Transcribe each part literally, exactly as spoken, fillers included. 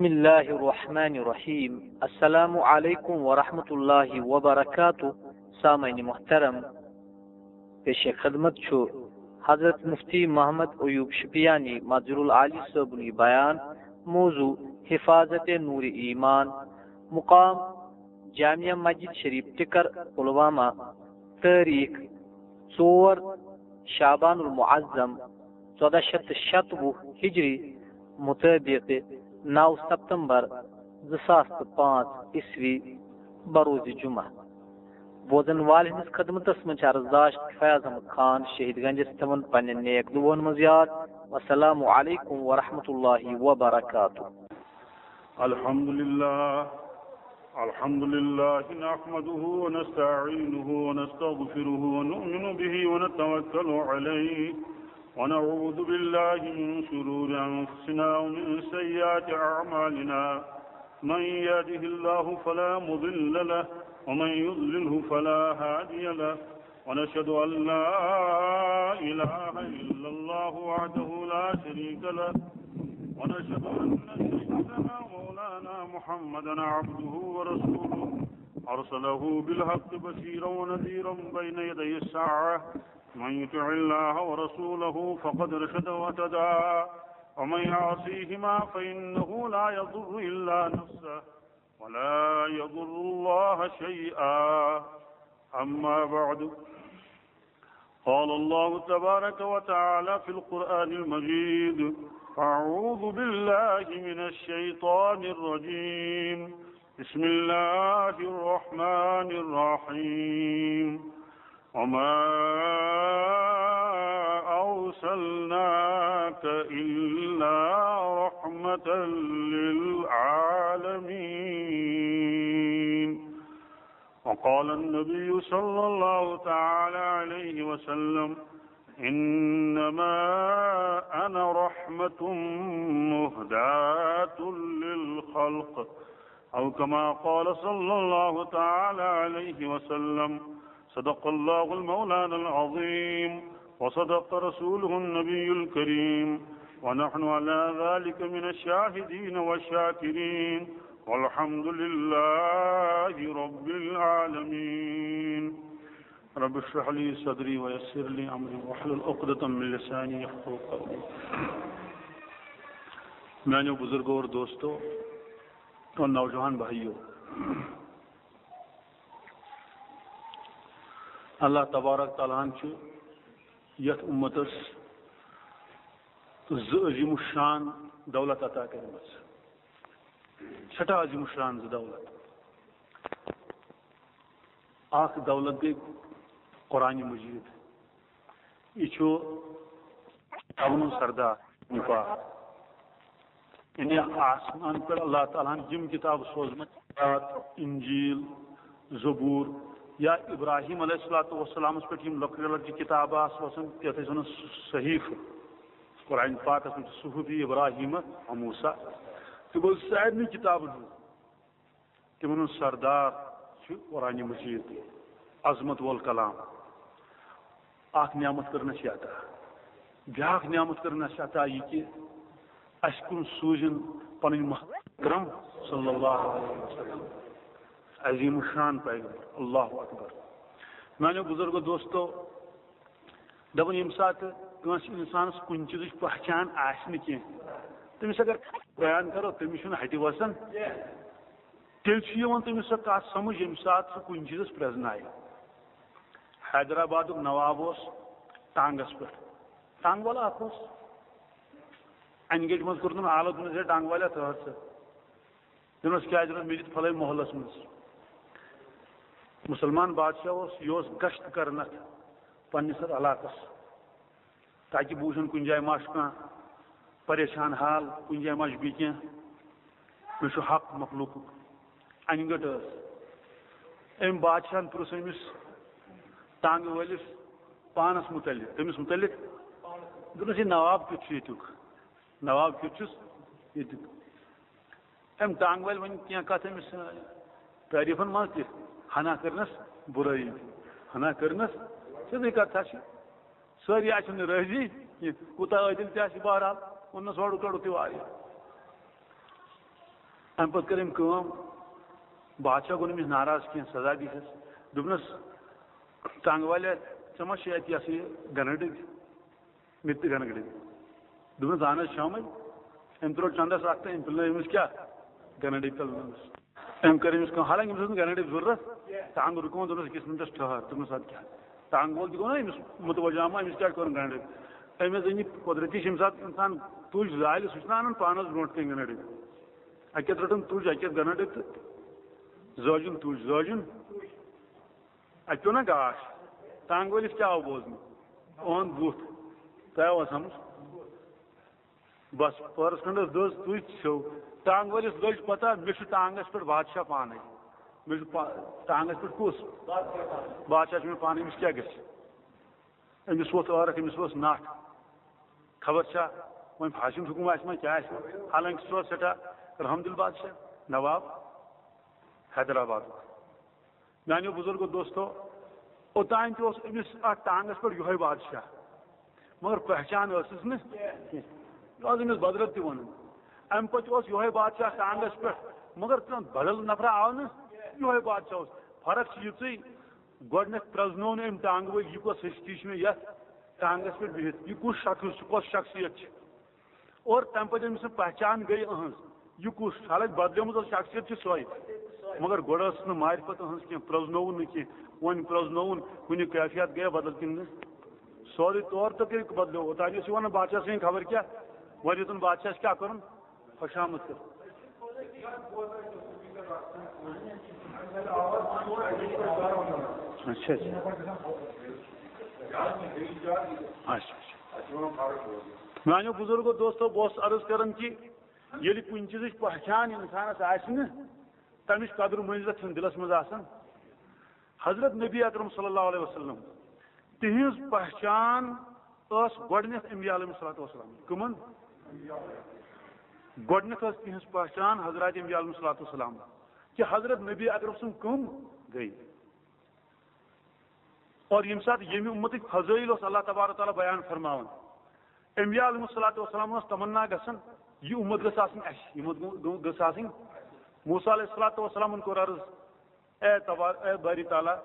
بسم اللہ الرحمن الرحیم۔ السلام علیکم ورحمۃ اللہ وبرکاتہ۔ سامعین محترم، پیش خدمت چھُ حضرت مفتی محمد ایوب شپیانی مظہر العالی صٲبُن یہِ بیان۔ موضوع: حفاظت نور ایمان۔ مقام: جامع مسجد شریف ٹکر، پلوامہ۔ تٲریخ: ژور شعبان المعظم، ژۄدہ شیٚتھ تہٕ شَتوُہ ہجری مطابق نَو ستمبر زٕ ساس تہٕ پانٛژھ عیسوی، بروز جمعہ۔ بوزن والہِ ہٕنٛدِس خدمتس منٛز چھِ عرضداشت فیاض احمد خان شہید گنجس تِمن پننٮ۪ن نیک دعون منٛز یاد۔ والسلام علیکم ورحمۃ اللہ وبرکاتہ۔ الحمد لله، الحمد لله نحمده ونستعينه ونستغفره ونؤمن به ونتوكل عليه، ونعوذ بالله من شرور أنفسنا ومن سيئات أعمالنا. من يهده الله فلا مضل له، ومن يضلله فلا هادي له، ونشهد أن لا إله إلا الله وحده لا شريك له، ونشهد أن سيدنا مولانا محمدا عبده ورسوله، أرسله بالحق بشيرا ونذيرا بين يدي الساعة. من يطع الله ورسوله فقد رشد واهتدى، ومن يعصيهما فإنه لا يضر إلا نفسه ولا يضر الله شيئا. أما بعد، قال الله تبارك وتعالى في القرآن المجيد: أعوذ بالله من الشيطان الرجيم. بسم الله الرحمن الرحيم. وما أرسلناك إلا رحمة للعالمين. وقال النبي صلى الله تعالى عليه وسلم: إنما أنا رحمة مهداة للخلق، أو كما قال صلى الله تعالى عليه وسلم. صدق الله المولانا العظيم، وصدق رسوله النبي الكريم، ونحن على ذلك من الشاهدين والشاكرين، والحمد لله رب العالمين. رب اشرح لي صدري ويسر لي أمري واحلل عقدة من لساني يفقهوا قولي. میانیو بزرگو اور دوستو اور نوجوان بھائیو، اللہ تبارک تعالیٰ ہن چھُ یتھ امتس زٕ عظیم الشان دولت عطا کٔرمٕژ، سٮ۪ٹھاہ عظیم الشان زٕ دولت۔ اکھ دولت گٔے قرآن مجید۔ یہِ چھُ کتابن ہُنٛد سردار، پاک۔ یعنی آسمان پٮ۪ٹھ اللہ تعالیٰ ہن یِم کتاب سوزمٕتۍ، تورات، انجیل، زبور، یا ابراہیم علیہ الصلوۃ والسلامس پٮ۪ٹھ یِم لۄکٹہِ لۄکٹہِ کتابہٕ آسہٕ وسان، یتھ أسۍ ونان صحیفہٕ۔ قرآن پاکس منٛز چھُ صحف ابراہیم و موسیٰ۔ تہٕ گوٚو سارنٕے کتابن ہُنٛد تِمن ہُنٛد سردار چھُ قرآن مجید، عظمت وول کلام۔ اکھ نعمت کٔرٕن اَسہِ عطا، بیٛاکھ نعمت کٔرٕن اَسہِ عطا یہِ کہِ اَسہِ کُن سوٗزِن پنٕنۍ محبوب اکرم صلی اللہ علیہ وسلم، عظیم الشان پیغمبر۔ اللہ اکبر۔ میانیو بزرگو دوستو، دپان ییٚمہِ ساتہٕ کٲنٛسہِ انسانس کُنہِ چیٖزٕچ پہچان آسہِ نہٕ کینٛہہ، تٔمِس اگر بیان کرو، تٔمِس چھُنہٕ ہتہِ وسان۔ تیٚلہِ چھُ یِوان تٔمِس سۄ کتھ سمجھ، ییٚمہِ ساتہٕ سُہ کُنہِ چیٖزس پرٛزنایہِ۔ حیدرآبادُک نواب اوس ٹانگس پٮ۪ٹھ، ٹانگ والا اکھ اوس۔ انہِ گٔٹۍ منٛز کوٚر تٔمۍ آلو، دوٚپنس، "ہے ٹانگ والیا، ژٕ حظ ژٕ۔" دوٚپنس، "کیٛازِ؟" دوٚپنس، "مےٚ دِتھ پھلٲنۍ محلس منٛز۔" مسلمان بادشاہ اوس، یہِ اوس گشت کران اتھ پننِس اتھ علاقس، تاکہِ بہٕ وٕچھن کُنہِ جایہِ ما چھُ کانٛہہ پریشان حال، کُنہِ جایہِ ما چھُ بیٚیہِ کینٛہہ، مےٚ چھُ حق مخلوقُک۔ انہِ گٔٹ ٲس۔ أمۍ بادشاہن پرُژھ أمِس ٹانگہٕ وٲلِس پانس متعلق، تٔمِس متعلق۔ دوٚپنس، "یہِ نواب کیُتھ چھُ ییٚتیُک؟ نواب کیُتھ چھُس ییٚتیُک؟" أمۍ ٹانگہٕ وٲلۍ ؤنۍ کینٛہہ کتھ أمِس، تعریٖفن منٛز تہِ، ہنا کٔرنس برٲیی، ہنا کٔرنس سیٚدٕے کتھا چھِ۔ سٲری آسن نہٕ رٲضی کینٛہہ، کوٗتاہ عٲدِل تہِ آسہِ، بہرحال، اوٚننس اورُک یورُک تہِ واریاہ۔ اَمہِ پَتہٕ کٔر أمۍ کٲم، بادشاہ گوٚو نہٕ أمِس ناراض کینٛہہ، سزا دِژٕس۔ دوٚپنَس، "ٹانٛگہٕ والیا، ژےٚ ما چھِ اَتہِ یہِ ہسا یہِ گَنہٕ ڈٔبۍ؟ مےٚ تہِ گَنہٕ ڈٔبۍ۔" دوٚپنَس، "اَہَن حظ، چھَمٕے۔" أمۍ ترٛوو چَندَس اَکھ تہٕ أمۍ پِلنٲو أمِس کیٛاہ؟ گَنہٕ ڈٔبۍ پِلنٲومٕس۔ أمۍ کٔر أمِس کٲم، حالانکہِ أمِس اوس نہٕ گَنہٕ ڈٔبۍ ضروٗرت۔ ٹانٛگہٕ رُکووُن، دوٚپنَس، "أکِس مِنٹَس ٹھٔہر۔" دوٚپنَس، "اَدٕ کیٛاہ؟" ٹانٛگہٕ وول تہِ گوٚو نا أمِس مُتوجہ، اَما أمِس کیٛازِ کوٚرُن گَنہٕ ڈٔبۍ؟ أمِس أنۍ یہِ قۄدرٔتی چھِ، ییٚمہِ ساتہٕ اِنسان تُج زالہِ، سُہ چھُنہ اَنان پانَس برونٛٹھ کَنہِ گَنہٕ ڈٔبۍ۔ اَکہِ اَتھٕ رٔٹٕن تُج، اَکہِ اَتھٕ گَنہٕ ڈٔبۍ تہٕ زٲجُن تُج، زٲجُن۔ اَتہِ پیوٚو نا گاش؟ ٹانٛگہٕ وٲلِس کیٛاہ آو بوزنہٕ؟ اُہُنٛد بُتھ۔ تۄہہِ آوا سَمٕجھ؟ بَس، پٔہرَس کھنٛڈَس دٔز تُج ژھیوٚو۔ ٹانٛگہٕ وٲلِس لٔج پَتہ، مےٚ چھُ ٹانٛگَس پٮ۪ٹھ بادشاہ پانَے۔ مےٚ چھُ پا-، ٹانٛگَس پٮ۪ٹھ کُس؟ بادشاہ چھُ مےٚ پانَے، أمِس کیٛاہ گژھِ؟ أمِس ووٚتھ عٲرَق، أمِس ؤژھ نَٹھ۔ خبر چھا وۄنۍ فاسہِ ہُنٛد حُکُم آسہِ ما، کیٛاہ آسہِ ما؟ حالانکہِ سُہ اوس سٮ۪ٹھاہ رحم دِل بادشاہ، نواب حیدرآبادُک۔ میٛانیو بُزرگو دوستو، اوٚتام تہِ اوس أمِس اَتھ ٹانٛگَس پٮ۪ٹھ یِہوٚے بادشاہ، مگر پہچان ٲسٕس نہٕ کینٛہہ۔ یہِ اوس أمِس بدرت تہِ وَنان۔ اَمہِ پَتہٕ اوس یِہوٚے بادشاہ ٹانٛگَس پٮ۪ٹھ، مگر کانٛہہ بدل نفرا آو نہٕ، یِہوٚے بادشاہ اوس۔ فرق چھِ یِژٕے، گۄڈٕنٮ۪تھ پرٛزنوو نہٕ أمۍ ٹانٛگہٕ وٲلۍ، یہِ کۄس ہستی چھِ مےٚ یَتھ ٹانٛگَس پٮ۪ٹھ بِہِتھ، یہِ کُس شخص چھُ، کۄس شخصیت چھِ۔ اور تَمہِ پَتہٕ أمۍ سٕنٛز پہچان گٔے أہٕنٛز، یہِ کُس؟ حالانکہِ بدلیمٕژ ٲس شخصیت چھِ سۄے، مگر گۄڈٕ ٲسٕس نہٕ معرفت أہٕنٛز کینٛہہ، پرٛزنووُن نہٕ کینٛہہ۔ وۄنۍ پرٛزنووُن، کُنہِ کیفیت گٔیہ بدل کِنہٕ نہٕ؟ سورُے طور تہٕ کٔرِتھ بدلیو۔ اوٚتام ٲسۍ وَنان بادشاہ سٕنٛدِ خبر کیٛاہ، وۄنۍ یوٚتَن بادشاہَس کیٛاہ کَرُن؟ خوش آمد کر۔ اچھا، اچھا۔ اچھا، اچھا۔ میانیو بزرگو دوستو، بہٕ اوسُس عرض کران کہِ ییٚلہِ کُنہِ چیٖزٕچ پہچان اِنسانَس آسہِ نہٕ، تَمِچ قدر منزلت چھَنہٕ دِلَس منٛز آسان۔ حضرت نبی اکرم صلی اللہ علیہ وسلم، تِہنٛز پہچان ٲس گۄڈٕنیتھ انبیاء علیہ الصلوۃ والسلام۔ کٕمن؟ گۄڈٕنیتھ ٲس تِہنٛز پہچان حضرات انبیاء علیہ الصلوۃ والسلام، کہِ حضرت نبی اکرم سٕنٛز کٕم گٔے۔ اور ییٚمہِ ساتہٕ ییٚمہِ اُمتٕکۍ فضٲیل اوس اللہ تبارک تعالیٰ بیان فرماوان، انبیاء علیہ الصلوۃ والسلام اوس تمنا گژھان، یہِ اُمت گٔژھ آسٕنۍ اَسہِ، یہِ اُمت گٔ-، گٔژھ آسٕنۍ۔ موسیٰ علیہ الصلوۃ والسلامن کوٚر عرض، اے تبار-، اے باری تعالیٰ،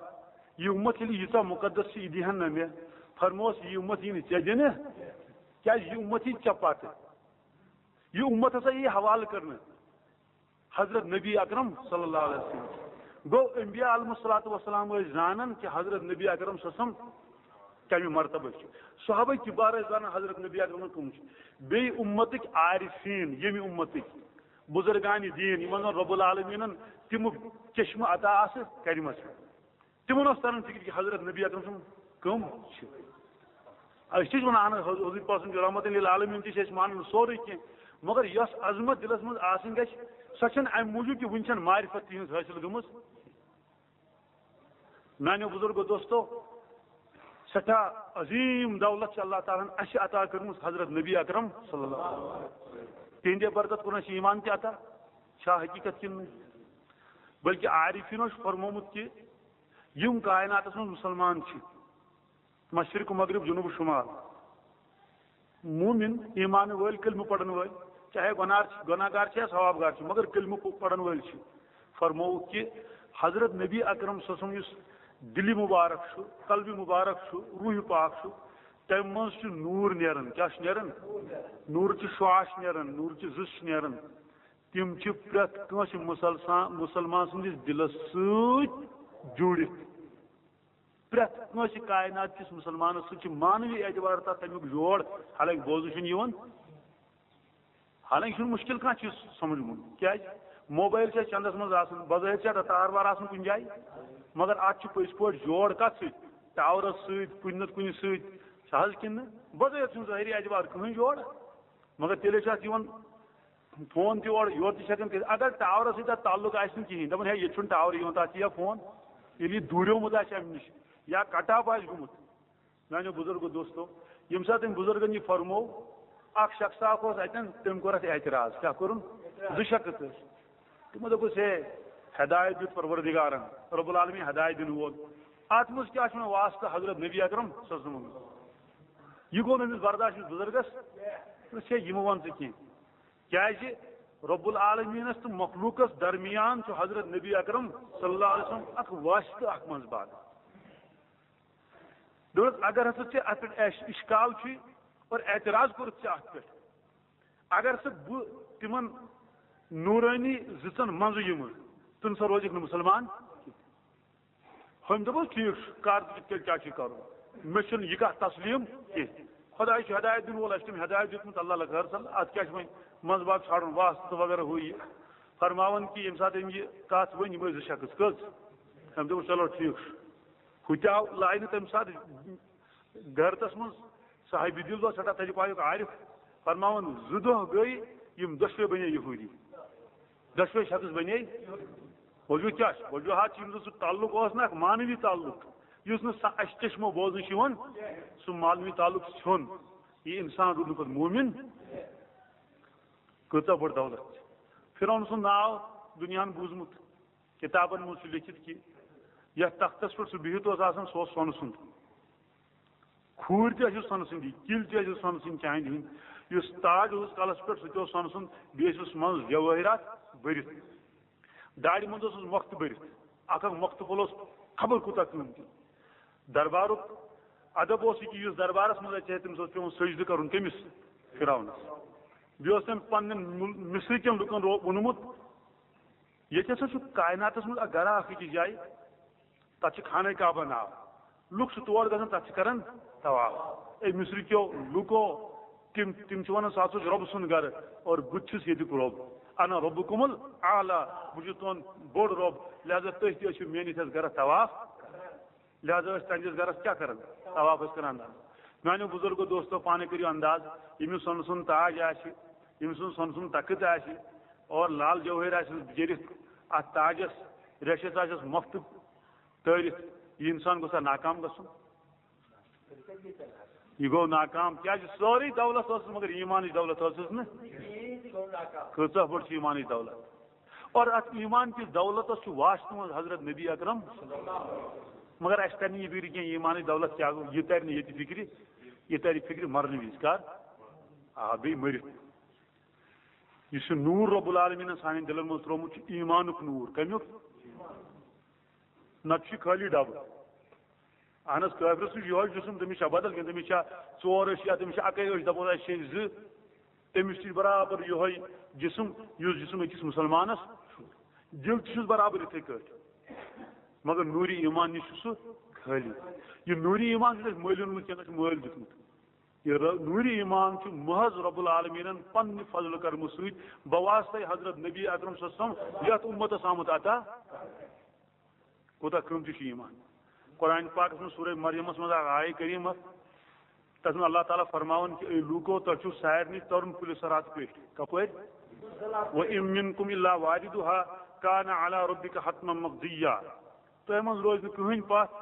یہِ اُمت ییٚلہِ ییٖژاہ مُقدس چھِ، یہِ دِہَن نہ مےٚ۔ فرموس، یہِ اُمت یی نہٕ ژےٚ دِنہٕ، کیٛازِ یہِ اُمت یی ژےٚ پتہٕ۔ یہِ اُمت ہسا یی حوالہٕ کرنہٕ حضرت نبی اکرم صلی اللہ علیہ وسلم۔ گوٚو، انبیاء علیہ الصلوۃ والسلام ٲسۍ زانان کہِ حضرت نبی اکرم صلی اللہ علیہ وسلم کمہِ مرتبہٕ چھِ۔ صحابہ کبار ٲسۍ زانان حضرت نبی اکرم کٕم چھِ۔ بیٚیہِ اُمتٕکۍ عارفین، ییٚمہِ اُمتٕکۍ بزرگان دین، یِمن زن رب العالمینن تِم چشمہٕ عطا آسہٕ کرِمژٕ، تِمن اوس تران فکر کہِ حضرت نبی اکرم سُنٛد کٕم چھِ۔ أسۍ چھِ وَنان، اہن حض-، حضور پاک سُنٛد چھُ رحمت للعالمین تہِ چھِ أسۍ مانان سورُے کینٛہہ، مگر یۄس عظمت دِلس منٛز آسٕنۍ گژھِ، سۄ چھَنہٕ اَمہِ موٗجوٗب کہِ وٕنہِ چھَنہٕ معرفت تِہنٛز حٲصِل گٔمٕژ۔ میانیو بزرگو دوستو، سٮ۪ٹھاہ عظیٖم دولت چھِ اللہ تعالیٰ ہن اَسہِ عطا کٔرمٕژ حضرت نبی اکرم صلی اللہ علیہ وسلم۔ تِہنٛدے برکت کوٚر اَسہِ ایمان تہِ عطا، چھا حقیٖقت کِنہٕ نہٕ؟ بلکہِ عارفینو چھُ فرمومُت کہِ یِم کائناتس منٛز مُسلمان چھِ، مشرق و مغرب، جنوب و شمال، مومن، ایمان وٲلۍ، کلمہٕ پرن وٲلۍ، چاہے گۄناہ، گۄناہ گار چھِ یا ثواب گار چھِ، مگر کلمہٕ پ-، پرن وٲلۍ چھِ۔ فرمووُکھ کہِ حضرت نبی اکرم صلی اللہ علیہ وسلم یُس دِلہِ مبارک چھُ، قلبِ مبارک چھُ، روحِ پاک چھُ، تَمہِ منٛز چھُ نوٗر نیران۔ کیٛاہ چھُ نیران؟ نوٗرٕچہِ شعاع چھِ نیران، نوٗرٕچہِ زٕژ چھِ نیران۔ تِم چھِ پرٛٮ۪تھ کٲنٛسہِ مُسلسان-، مُسلمان سٕنٛدِس دِلس سۭتۍ جُڑِتھ۔ پرٛٮ۪تھ کٲنٛسہِ کائنات کِس مُسلمانس سۭتۍ چھِ معنوی اعتبار تتھ تمیُک جوڑ، حالانکہِ بوزنہٕ چھُنہٕ یِوان، حالانکہِ چھُنہٕ مُشکِل کانٛہہ چیٖز سمجھُن۔ کیٛازِ؟ موبایل چھِ اَسہِ چندس منٛز آسان، بظٲہِر چھِ اَتھ تار وار آسان کُنہِ جایہِ، مگر اَتھ چھُ پٔزۍ پٲٹھۍ جوڑ کتھ سۭتۍ؟ ٹاورس سۭتۍ، کُنہِ نتہٕ کُنہِ سۭتۍ، چھُ حظ کِنہٕ نہٕ؟ بظٲہِر چھُنہٕ ظٲہری اعتبار کٕہٕنۍ جوڑ، مگر تیٚلے چھُ اَتھ یِوان فون تہِ اورٕ یورٕ تہِ چھِ ہٮ۪کان کٔرِتھ۔ اگر ٹاورس سۭتۍ تَتھ تعلق آسہِ نہٕ کِہیٖنۍ، دَپان، "ہے، ییٚتہِ چھُنہٕ ٹاورٕے یِوان، تَتھ چھِ یا فون"، ییٚلہِ یہِ دوٗریومُت آسہِ اَمہِ نِش یا کَٹاپ آسہِ گوٚمُت۔ میٛانیو بُزرگو دوستو، ییٚمہِ ساتہٕ أمۍ بُزرگن یہِ فرموو، اکھ شخص اکھ اوس اَتٮ۪ن، تٔمۍ کوٚر اَتھ اعتراض۔ کیٛاہ کوٚرُن؟ زٕ شخص ٲسۍ۔ تِمو دوٚپُس، "ہے، ہدایت دیُت پروردگارن، رب العالمین ہدایت دِنہٕ وول۔ اَتھ منٛز کیٛاہ چھُ وۄنۍ واسطہٕ حضرت نبی اکرم صلی اللہ علیہ وسلم؟" یہِ گوٚو نہٕ أمِس برداشت، أمِس بُزرگس۔ دوٚپُس، "ہے، یہِ مہٕ وَن ژٕ کینٛہہ۔" کیٛازِ؟ رب العالمینس تہٕ مخلوقس درمیان چھُ حضرت نبی اکرم صلی اللہ علیہ وسلم اکھ واسطہٕ، اکھ منٛزباگ۔ دوٚپُس، اگر ہسا ژےٚ اتھ پٮ۪ٹھ اش-، اشکال چھُے اور اعتراض کوٚرُتھ ژےٚ اتھ پٮ۪ٹھ، اگر سا بہٕ تِمن نورانی زٕژن منٛزٕ یِمہٕ، تہٕ نہ سا روزکھ نہٕ مسلمان۔ ہُمۍ دوٚپُس، ٹھیٖک چھُ، کر تہٕ تیٚلہِ کیٛاہ چھُے کرُن؟ مےٚ چھُنہٕ یہِ کتھ تسلیم کینٛہہ۔ خداے چھُ ہدایت دِنہٕ وول، اَسہِ چھُ تٔمۍ ہدایت دیُتمُت، اللہ لکھ ہر صل، اتھ کیٛاہ چھُ وۄنۍ منٛزباگ ژھانڈُن، واسطہٕ تہٕ وغیرہ ہُہ یہِ۔ فرماوان کہِ ییٚمہِ ساتہٕ أمۍ یہِ کتھ ؤنۍ، یِم ٲسۍ زٕ شخص، کٔژ؟ أمۍ دوٚپُس، چلو ٹھیٖک چھُ۔ ہُہ تہِ آو لاینہٕ تَمہِ ساتہٕ گرتس منٛز، صاحبِ دِل اوس سٮ۪ٹھاہ تجربہٕ آیُک عارف، فرماوان، زٕ دۄہ گٔے، یِم دۄشوے بنے یہوٗدی۔ دۄشوے شخص بنے۔ وجوہ کیٛاہ چھُ؟ وجوہات چھِ، یِم زن سُہ تعلق اوس نہ، اکھ معنوی تعلق، یُس نہٕ سا-، اَسہِ چشمو بوزنہٕ چھُ یِوان، سُہ معنوی تعلق ژھیوٚن۔ یہِ انسان روٗد نہٕ پتہٕ مومن۔ کۭژاہ بٔڑ دولت چھِ۔ فرعون سُنٛد ناو دُنیاہن بوٗزمُت، کِتابن منٛز چھُ لیٚکھِتھ کہِ یتھ تختس پٮ۪ٹھ سُہ بِہِتھ اوس آسان، سُہ اوس سۄنہٕ سُنٛد۔ کھوٗرۍ تہِ ٲسِس سۄنہٕ سٕنٛدی، کِلۍ تہِ ٲسِس سۄنہٕ سٕنٛدۍ چاندِ ہٕنٛدۍ۔ یُس تاج اوسُس کلس پٮ۪ٹھ، سُہ تہِ اوس سۄنہٕ سُنٛد، بیٚیہِ ٲسِس منٛز جوٲہرات بٔرِتھ۔ داڑِ منٛز اوسُس مۄختہٕ بٔرِتھ، اکھ اکھ مۄختہٕ پھوٚل اوس خبر کوٗتاہ قۭمتی۔ دربارُک ادب اوس یہِ کہِ یُس دربارس منٛز اژِ ہے، تٔمِس اوس پٮ۪وان سجدٕ کرُن۔ کٔمِس؟ فرعونس۔ بیٚیہِ اوس تٔمۍ پننٮ۪ن مُل-، مصرِ کٮ۪ن لُکن رو-، ووٚنمُت، ییٚتہِ ہسا چھُ کائناتس منٛز اکھ گرا اکھ أکِس جایہِ، تتھ چھُ خانہ کعبہ ناو۔ لُکھ چھِ تور گژھان، تتھ چھِ کران طواف۔ اے مصرِ کیو لُکو، تِم، تِم چھِ ونان، سُہ ہسا چھُ رۄب سُنٛد گرٕ، اور بہٕ تہِ چھُس ییٚتیُک رۄب۔ انا ربکم الاعلی، بہٕ چھُس تُہُنٛد بوٚڑ رۄب، لہذا تُہۍ تہِ ٲسِو میٲنِس یتھ گرس طواف۔ لہذا ٲسۍ تہنٛدِس گرس کیٛاہ کران؟ طواف ٲسۍ کران۔ میانیو بزرگو دوستو، پانے کٔرِو انداز، ییٚمِس سۄنہٕ سُنٛد تاج آسہِ، ییٚمِس سُنٛد سۄنہٕ سُنٛد تخت آسہِ اور لال جوہر آسٮ۪س جٔرِتھ، اتھ تاجس ریشس آسٮ۪س مۄختہٕ تٲرِتھ، یہِ انسان گوٚژھا ناکام گژھُن؟ یہِ گوٚو ناکام، کیازِ سٲرٕے دولت ٲسٕس، مگر ایمانٕچ دولت ٲسٕس نہٕ۔ کۭژاہ بٔڑ چھِ ایمانٕچ دولت؟ اور اتھ ایمان کِس دولتس چھُ واسطہٕ منٛز حضرت نبی اکرم۔ مگر اسہِ ترِ نہٕ یہِ فکرِ کینٛہہ، ایمانٕچ دولت کیٛاہ گوٚو، یہِ ترِ نہٕ ییٚتہِ فکرِ، یہِ ترِ فکرِ مرنہٕ وِزِ۔ کر؟ آ، بیٚیہِ مٔرِتھ۔ یُس یہِ نوٗر رب العالمینن سانٮ۪ن دِلن منٛز ترٛوومُت چھُ، ایمانُک نوٗر۔ کمیُک؟ نتہٕ چھُ یہِ خٲلی ڈبہٕ۔ اہن حظ، کٲفرس چھُ یِہوے جسم، تٔمِس چھا بدل کینٛہہ؟ تٔمِس چھا ژور أچھ یا تٔمِس چھِ اَکٕے أچھ، دَپو اَسہِ چھے زٕ؟ تٔمِس تہِ چھُ برابر یِہوے جسم، یُس جسم أکِس مُسلمانس چھُ۔ دِل تہِ چھُس برابر یِتھٕے کٲٹھۍ۔ مگر نوٗرِ ایمان نِش چھُ سُہ خٲلی۔ یہِ نوٗرِ ایمان چھُنہٕ اَسہِ مٔلۍ اوٚنمُت کینٛہہ، نہ چھُ مٲلۍ دیُتمُت۔ یہِ ر-، نوٗرِ ایمان چھُ محض رب العالمینن پننہِ فضلہٕ کرمہٕ سۭتۍ بواسطے حضرت نبی اکرم صلی اللہ علیہ وسلم یتھ امتس آمُت عطا۔ کوٗتاہ قۭمتی چھُ ایمان۔ قرآن پاکس منٛز سورہ مریمس منٛز اکھ آیہِ کریمہ، تتھ منٛز اللہ تعالیٰ فرماوان کہِ، اے لوٗکو، تۄہہِ چھُو سارنٕے ترُن پُلہِ صراط پٮ۪ٹھ۔ کپٲرۍ؟ وَإِن مِّنكُمْ إِلَّا وَارِدُهَا كَانَ عَلَىٰ رَبِّكَ حَتْمًا مَقْضِيًّا۔ تۄہہِ منٛز روزِ نہٕ کٕہٕنۍ پتھ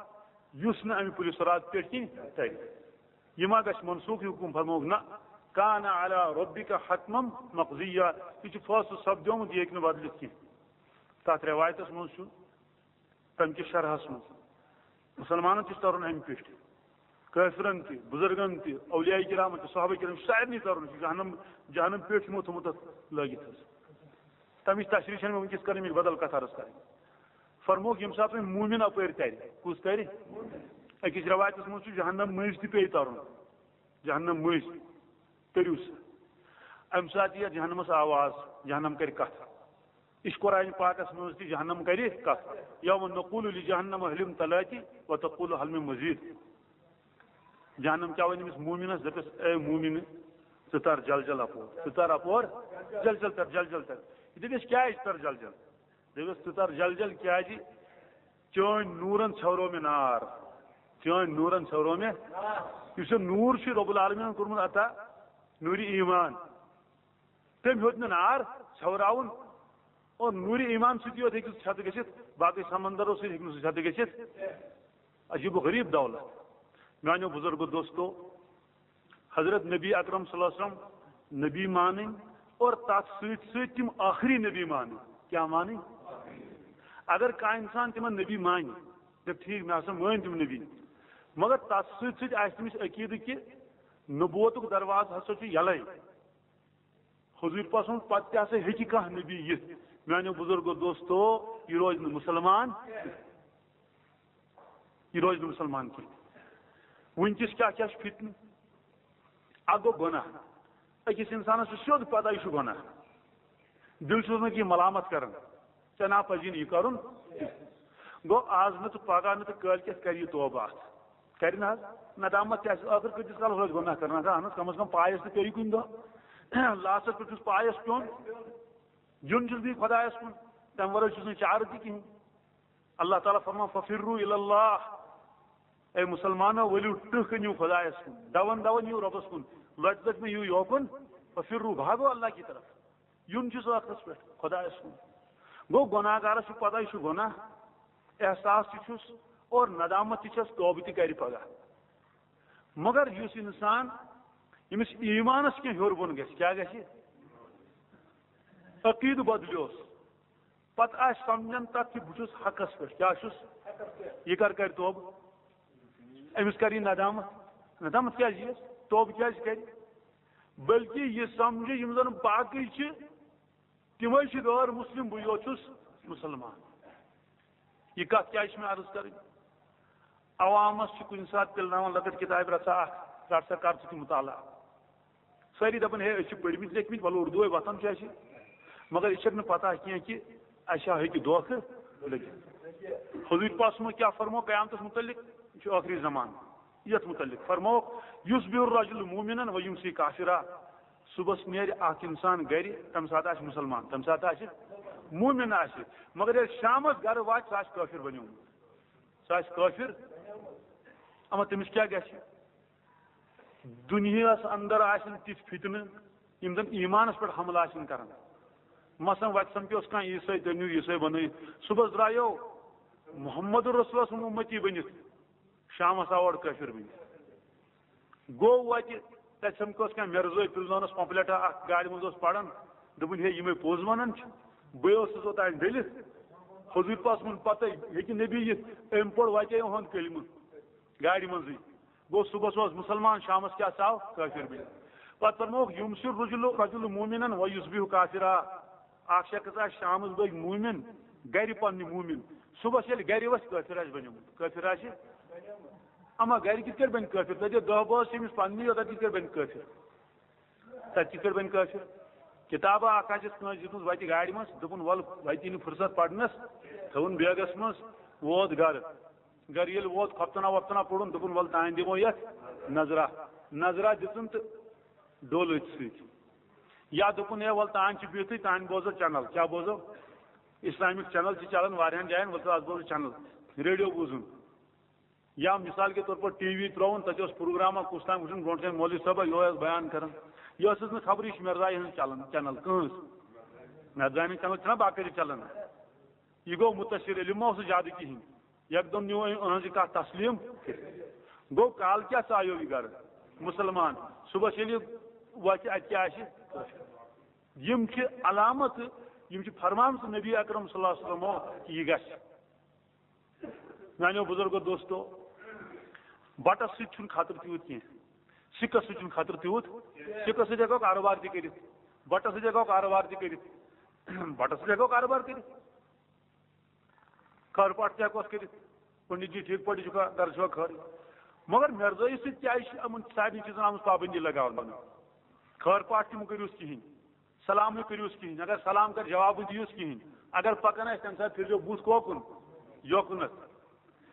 یُس نہٕ امہِ پُلہِ صراط پٮ۪ٹھ کِنۍ ترِ۔ یہِ ما گژھِ منسوخ، یہِ حُکُم فرمووُکھ؟ نہ، كَانَ عَلَىٰ رَبِّكَ حَتْمًا مَقْضِيًّا۔ یہِ چھُ فٲصلہٕ سپدیومُت، یہِ ہیٚکہِ نہٕ بدلِتھ کینٛہہ۔ تتھ رٮ۪وایتس منٛز چھُ تمہِ کِس شرحس منٛز، مُسلمانن تہِ چھُ ترُن امہِ پٮ۪ٹھ، کٲفرن تہِ، بُزرگن تہِ، اولیاء کرامن تہِ، صحابہ کرام، سارنٕے ترُن چھُ۔ جہنم، جہنم پٮ۪ٹھ چھُ یِمو تھوٚمُت تتھ لٲگِتھ حظ۔ تمِچ تشریح چھنہٕ مےٚ وٕنکیٚس کرٕنۍ، مےٚ چھِ بدل کتھ عرض کرٕنۍ۔ فرمووُکھ، ییٚمہِ ساتہٕ وۄنۍ مومن اپٲرۍ ترِ، کُس ترِ؟ أکِس رٮ۪وایتس منٛز چھُ جہنم مٔنٛزۍ تہِ پیٚیہِ ترُن، جہنم مٔنٛزۍ تٔرِو سا۔ امہِ ساتہٕ یِیہِ جہنمس آواز، جہنم کرِ کتھ۔ یہِ چھُ قرآن پاکس منٛز تہِ، جہنم کرِ کتھ۔ یوم نقول لجہنم هل امتلأت وتقول هل من مزید۔ جہنم کیٛاہ ونہِ أمِس مومنس؟ دپٮ۪س، اے مومن، ژٕ تر جل جل اپور، ژٕ تر اپور، جل جل تر، جل جل تر۔ یہِ دپٮ۪س، کیٛازِ تر جل جل؟ دپٮ۪س، ژٕ تر جل جل، کیٛازِ چٲنۍ نوٗرن ژھٮ۪ورو مےٚ نار، چٲنۍ نوٗرن ژھٮ۪ورو مےٚ۔ یُس یہِ نوٗر چھُ رب العالمینن کوٚرمُت عطا، نوٗرِ ایمان، تٔمۍ ہیوٚت نہٕ نار ژھٮ۪وراوُن۔ اور نوٗرِ ایمان سۭتی یوت ہیٚکہِ سُہ چھتہٕ گٔژھِتھ، باقٕے سمندرو سۭتۍ ہیٚکہِ نہٕ سُہ چھتہٕ گٔژھِتھ۔ عجیب و غریب دولت۔ میانیو بزرگو دوستو، حضرت نبی اکرم صلی اللہ علیہ وسلم نبی مانٕنۍ اور تتھ سۭتۍ سۭتۍ تِم ٲخری نبی مانٕنۍ۔ کیٛاہ مانٕنۍ؟ اگر کانٛہہ انسان تِمن نبی مانہِ، دپہِ، ٹھیٖک، مےٚ ہسا مٲنۍ تِم نبی، مگر تتھ سۭتۍ سۭتۍ آسہِ تٔمِس عقیدٕ کہِ نبوتُک دروازٕ ہسا چھُ یلے۔ حضور پاک سُنٛد پتہٕ تہِ ہسا ہیٚکہِ کانٛہہ نبی یِتھ۔ میانیو بزرگو دوستو، یہِ روزِ نہٕ مُسلمان، یہِ روزِ نہٕ مُسلمان کینٛہہ۔ وٕنکیٚس کیٛاہ کیٛاہ چھُ فتنہٕ؟ اکھ گوٚو گۄناہ، أکِس اِنسانَس چھُ سیوٚد پتہ یہِ چھُ گۄناہ، دِل چھُس نہٕ کینٛہہ ملامت کران، ژےٚ نا پزی نہٕ یہِ کرُن۔ گوٚو آز نہٕ تہٕ پگاہ نہٕ تہٕ کٲلۍ کٮ۪تھ کرِ یہِ توبہٕ اتھ، کرِ نہ حظ؟ ندامت تہِ آسہِ، ٲخٕر کۭتِس کالس روزِ گۄناہ کران؟ اہن حظ، کم از کم پایس تہِ پیٚیہِ کُنہِ دۄہ، لاسٹس پٮ۪ٹھ چھُس پایس پیوٚن، یُن چھُس بہٕ خۄدایس کُن، تمہِ ورٲے چھُس نہٕ چارٕ تہِ کِہینۍ۔ اللہ تعالیٰ فرمان، "ففروا الی اللہ"، اے مسلمانو، ؤلِو ٹٕہہ کٔنِو خۄدایس کُن، دون دون یِیِو رۄبس کُن، لۄتہِ لۄتہِ مہ یِیِو یوکُن، ففروا، بھاگو اللہ کی طرف۔ یُن چھُس ٲخرس پٮ۪ٹھ خۄدایس کُن۔ گوٚو گۄناہ گارس چھُ پتہ یہِ چھُ گۄناہ، احساس تہِ چھُس اور ندامت تہِ چھس، توبہٕ تہِ کرِ پگاہ۔ مگر یُس انسان، ییٚمِس ایمانس کینٛہہ ہیوٚر بۄن گژھِ، کیٛاہ گژھِ؟ عقیدٕ بدلیوس، پتہٕ آسہِ سمجھان تتھ کہِ بہٕ چھُس حقس پٮ۪ٹھ، کیٛاہ چھُس؟ یہِ کر کرِ توبہٕ؟ أمِس کر یہِ ندامت؟ ندامت کیٛازِ یِیَس؟ توبہٕ کیٛازِ کرِ؟ بلکہِ یہِ سمجھِ یِم زن باقٕے چھِ، تِمے چھِ غٲر مسلم، بہٕ یوت چھُس مسلمان۔ یہِ کتھ کیٛازِ چھِ مےٚ عرض کرٕنۍ؟ عوامس چھِ کُنہِ ساتہٕ پِلناوان لۄکٕٹ کِتابہِ، "رٹھ سا اکھ، رٹھ سا، کر ژٕ تہِ مطالعہ۔" سٲری دپان، "ہے، أسۍ چھِ پٔرمٕتۍ لیکھمٕتۍ، وَلہٕ اردوے وۄتھان چھُ اَسہِ۔" مگر أسۍ چھَکھ نہٕ پتہ کینٛہہ کہِ اَسہِ ہا ہیٚکہِ دھوکہٕ لٔگِتھ۔ حضور پاک صٲبن کیٛاہ فرموو قیامتس متعلق؟ یہِ چھُ ٲخری زمانہٕ۔ یَتھ متعلق فرمووُکھ، "یصبح الرجل مؤمنا و یمسی کافرا"، صبحس نیرِ اکھ انسان گرِ، تمہِ ساتہٕ آسہِ مسلمان، تمہِ ساتہٕ آسہِ مومن آسہِ، مگر ییٚلہِ شامس گرٕ واتہِ، سُہ آسہِ کٲفر بنیومُت، سُہ آسہِ کٲفر۔ اما تٔمِس کیٛاہ گژھِ؟ دُنیاہس اندر آسن تِتھۍ فتنہٕ، یِم زن ایمانس پٮ۪ٹھ حملہٕ آسن کران۔ مثلاً وتہِ سمکھیوس کانٛہہ عیسٲے، تٔمۍ نیوٗ عیسٲے بنٲوِتھ، صبحس درٛایو محمد رسول سُنٛد اُمتی بٔنِتھ، شامس آو اورٕ کٲفر بٔنِتھ۔ گوٚو وتہِ، تتہِ سمکھیوس کانٛہہ مرزٲے، پِلزونس پمپلیٹا اکھ گاڑِ منٛز اوس پران، دوٚپُن، "ہے، یِمے پوٚز ونان چھِ، بٕے اوسُس اوٚتام ڈٔلِتھ۔" حضور پاک صٲبن پتہٕ ہیٚکہِ نبی یِتھ، أمۍ پوٚر وتے یِہُنٛد کلمہٕ گاڑِ منٛزٕے۔ گوٚو صبحس اوس مسلمان، شامس کیٛاہ ژاو؟ کٲفر بٔنِتھ۔ پتہٕ فرمووُکھ، "یمسی الرجل، رجل مؤمنا و یصبح کافرا"، اکھ شخص آسہِ شامس بٲگۍ مومن، گرِ پننہِ مومن، صبحس ییٚلہِ گرِ وسہِ، کٲفر آسہِ بنیومُت۔ کٲفر آسہِ؟ اما گرِ کِتھ کٲٹھۍ بنہِ کٲفر؟ تتہِ دہ بٲژ چھِ أمِس پننی، یوتتھ کِتھ کٲٹھۍ بنہِ کٲفر؟ تتہِ کِتھ کٲٹھۍ بنہِ کٲفر؟ کتابہ اکھ آسٮ۪س کٲنٛسہِ دِژمٕژ وتہِ گاڑِ منٛز، دوٚپُن، "ول، وتہِ یی نہٕ فرصت پرنس"، تھٲوٕن بیگس منٛز، ووت گرٕ۔ گرٕ ییٚلہِ ووت، خۄفتنا وۄفتنا پوٚرُن، دوٚپُن، "ول، تانۍ دِمو یتھ نظرا۔" نظرا دِژٕن تہٕ ڈوٚل أتھۍ سۭتۍ۔ یا دوٚپُن، "ہے، ول، تانۍ چھِ بِہتھٕے، تانۍ بوزو چینل۔" کیٛاہ بوزو؟ اسلامک چینل چھِ چلان واریاہن جاین، ول، ژٕ از بوزو چینل، ریڈیو بوٗزُن۔ یا مثال کے طور پر ٹی وی ترٛووُن، تتہِ اوس پروگرامہ کُس تام وٕچھُن، برونٛٹھ کَنہِ مولوی صٲبہ یِہوٚے اوس بیان کران۔ یہِ ٲسٕس نہٕ خبرٕے، یہِ چھِ مرزا یِہٕنٛز چلان، چینل کٕہٕنٛز؟ مرزا یِہٕنٛز چینل چھِنہ باقٲعدٕ چلان۔ یہِ گوٚو مُتَشِر، ییٚلہِ ما اوس زیادٕ کِہیٖنۍ۔ یکدم نیوٗ أمۍ أہٕنٛز یہِ کَتھ تسلیٖم۔ گوٚو کالہٕ کیٛاہ ژایو یہِ گرٕ؟ مُسلمان۔ صُبحس ییٚلہِ یہِ وَتھِ، اَتہِ کیٛاہ آسہِ؟ یِم چھِ علامت، یِم چھِ فرمامژٕ نبی اکرم صلی اللہ علیہ وسلمو کہِ یہِ گژھِ۔ میانیو بزرگو دوستو، بٹس سۭتۍ چھُنہٕ خطرٕ تیوٗت کینٛہہ، سِکس سۭتۍ چھُنہٕ خطرٕ تیوٗت۔ سِکس سۭتۍ ہٮ۪کو کارٕبار تہِ کٔرِتھ، بٹس سۭتۍ ہٮ۪کو کارٕبار تہِ کٔرِتھ، بٹس سۭتۍ ہٮ۪کو کارٕبار کٔرِتھ۔ خٲر پاٹھ تہِ ہٮ۪کوس کٔرِتھ، پنڈت جی ٹھیٖک پٲٹھۍ چھُکھا، گرٕ چھُوا خٲرٕے؟ مگر مرزٲیی سۭتۍ کیٛازِ چھِ یِمن سارنٕے چیٖزن آمٕژ پابندی لگاونہٕ؟ خٲر پاٹھ تہِ مہٕ کٔرِوس کِہینۍ، سلام مہٕ کٔرِوس کِہینۍ، اگر سلام کرِ جواب مہٕ دِیوس کِہینۍ، اگر پکان آسہِ تمہِ ساتہٕ پھِرزیو بُتھ کوکُن؟ یوکُنتھ۔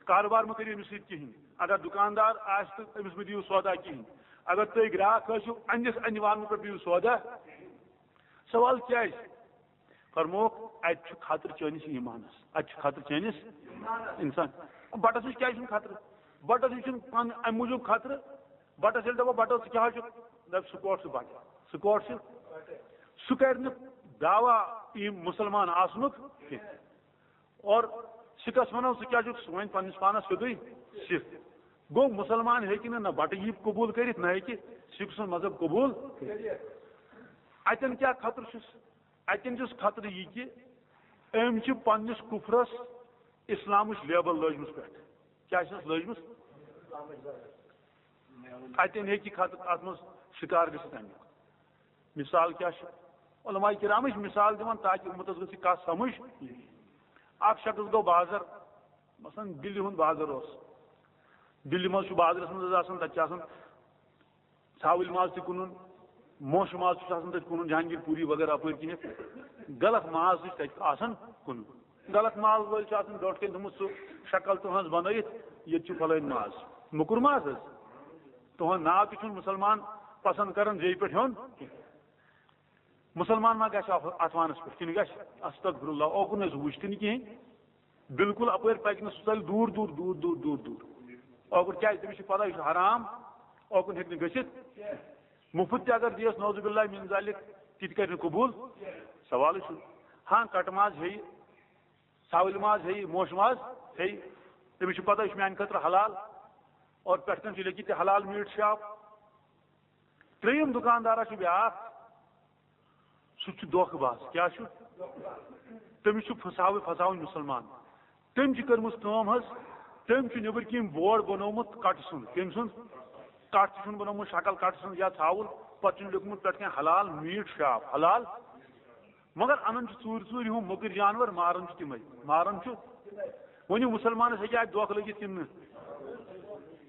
کارٕبار مہٕ کٔرِو أمِس سۭتۍ کِہینۍ، اگر دُکاندار آسہِ تہٕ أمِس مہٕ دِیِو سودا کِہینۍ، اگر تُہۍ گراکھ ٲسِو، اَنِس اَنہِ وانہٕ پٮ۪ٹھ دِیِو سودا۔ سوال کیٛازِ؟ فرمووُکھ، اَتہِ چھُ خطرٕ چٲنِس ایٖمانَس، اَتہِ چھُ خطرٕ چٲنِس اِنسان۔ بَٹَس نِش کیٛازِ چھُنہٕ خطرٕ؟ بَٹَس نِش چھُنہٕ پانہٕ اَمہِ موٗجوٗب خطرٕ، بَٹَس ییٚلہِ دَپو، "بَٹَس، ژٕ کیٛاہ حظ چھُکھ؟" دَپہِ، "سُہ کوٹ چھُ بَٹہٕ، سُہ کوٹ چھُ۔" سُہ کَرِ نہٕ دعویٰ یہِ مُسلمان آسنُک کینٛہہ۔ اور سِکَس وَنو، "ژٕ کیٛاہ چھُکھ؟" سُہ وَنہِ پنٛنِس پانَس سیوٚدُے سِکھ۔ گوٚو، مُسلمان ہیٚکہِ نہٕ نہ بَٹہٕ یی قبوٗل کٔرِتھ، نہ ہیٚکہِ سِکھ سُنٛد مذہب قبوٗل کٔرِتھ۔ اَتٮ۪ن کیٛاہ خطرٕ چھُس؟ اَتٮ۪ن چھُس خطرٕ یہِ کہِ أمۍ چھِ پنٛنِس کُفرَس اِسلامٕچ لیبل لٲجمٕژ پٮ۪ٹھ۔ کیٛاہ چھَس لٲجمٕژ؟ اَتٮ۪ن ہیٚکہِ خطرٕ اَتھ منٛز شِکار گٔژھِتھ اَمیُک۔ مثال کیٛاہ چھُ؟ علماء کرام چھِ مثال دِوان تاکہِ اُمتس گژھِ کتھ سمجھ۔ اکھ شخص گوٚو بازر، مثلاً دِلہِ ہُنٛد بازر اوس، دِلہِ منٛز چھُ بازرس منٛز حظ آسان، تتہِ چھِ آسان ژھاوٕلۍ ماز تہِ کٕنُن، موشہِ ماز تہِ چھُ آسان تتہِ کٕنُن، جہانگیر پوٗری وغیرہ اپٲرۍ کِنِتھ۔ غلط ماز تہِ چھُ تتہِ آسان کٕنُن۔ غلط ماز وٲلۍ چھِ آسان برونٛٹھ کَنہِ تھوٚمُت سُہ شکل تُہنٛز بنٲیِتھ، ییٚتہِ چھُ فلٲنۍ ماز، موٚکُر ماز حظ۔ تُہُنٛد ناو تہِ چھُنہٕ مُسلمان پسند کران زیٚیہِ پٮ۪ٹھ ہیوٚن کینٛہہ۔ مُسلمان ما گژھِ اَتھ، اَتھ وانَس پٮ۪ٹھ؟ کِنہٕ گژھِ؟ استغفر اللہ، اوکُن نہٕ حظ وٕچھ تہِ نہٕ کِہیٖنۍ۔ بالکل اپٲرۍ پَکہِ نہٕ سُہ، ژَلہِ دوٗر، دوٗر، دوٗر، دوٗر، دوٗر، دوٗر۔ اوکُن کیٛازِ؟ تٔمِس چھِ پَتہ یہِ چھُ حرام، اوکُن ہیٚکہِ نہٕ گٔژھِتھ۔ مُفت تہِ اگر دِیَس، نعوذ باللہ من ذالک، تہِ تہِ کَرِ نہٕ قبوٗل۔ سوالٕے چھُنہٕ۔ ہاں، کَٹہٕ ماز ہیٚیہِ، ژھاوٕلۍ ماز ہیٚیہِ، موشہٕ ماز ہیٚیہِ، تٔمِس چھِ پَتہ یہِ چھُ میٛانہِ خٲطرٕ حلال، اور پٮ۪ٹھ کَنۍ چھُ لیکھِتھ تہِ حلال میٖٹ شاپ۔ ترٛیٚیِم دُکاندارا چھُ بیٛاکھ، سُہ تہِ چھُ دھوکہٕ باز۔ کیٛاہ چھُ؟ تٔمِس چھُ پھساوٕنۍ، پھساوٕنۍ مُسلمان۔ تٔمۍ چھِ کٔرمٕژ کٲم حظ، تٔمۍ چھُ نیٚبٕرۍ کِنۍ بورڈ بنوومُت کٹہٕ سُنٛد۔ کٔمۍ سُنٛد؟ کٹھ تہِ چھُن بنوومُت شکل کٹہٕ سٕنٛز یا ژھاوُل، پتہٕ چھُن لیوٗکھمُت پٮ۪ٹھ کَنۍ حلال میٖٹ شاپ، حلال۔ مگر انان چھُ ژوٗرِ ژوٗرِ ہُم مۄکٕرۍ جانور، ماران چھُ تِمے، ماران چھُ۔ وۄنۍ یہِ مُسلمانس ہیٚکہِ اَتہِ دھوکہٕ لٔگِتھ کِنہٕ نہٕ؟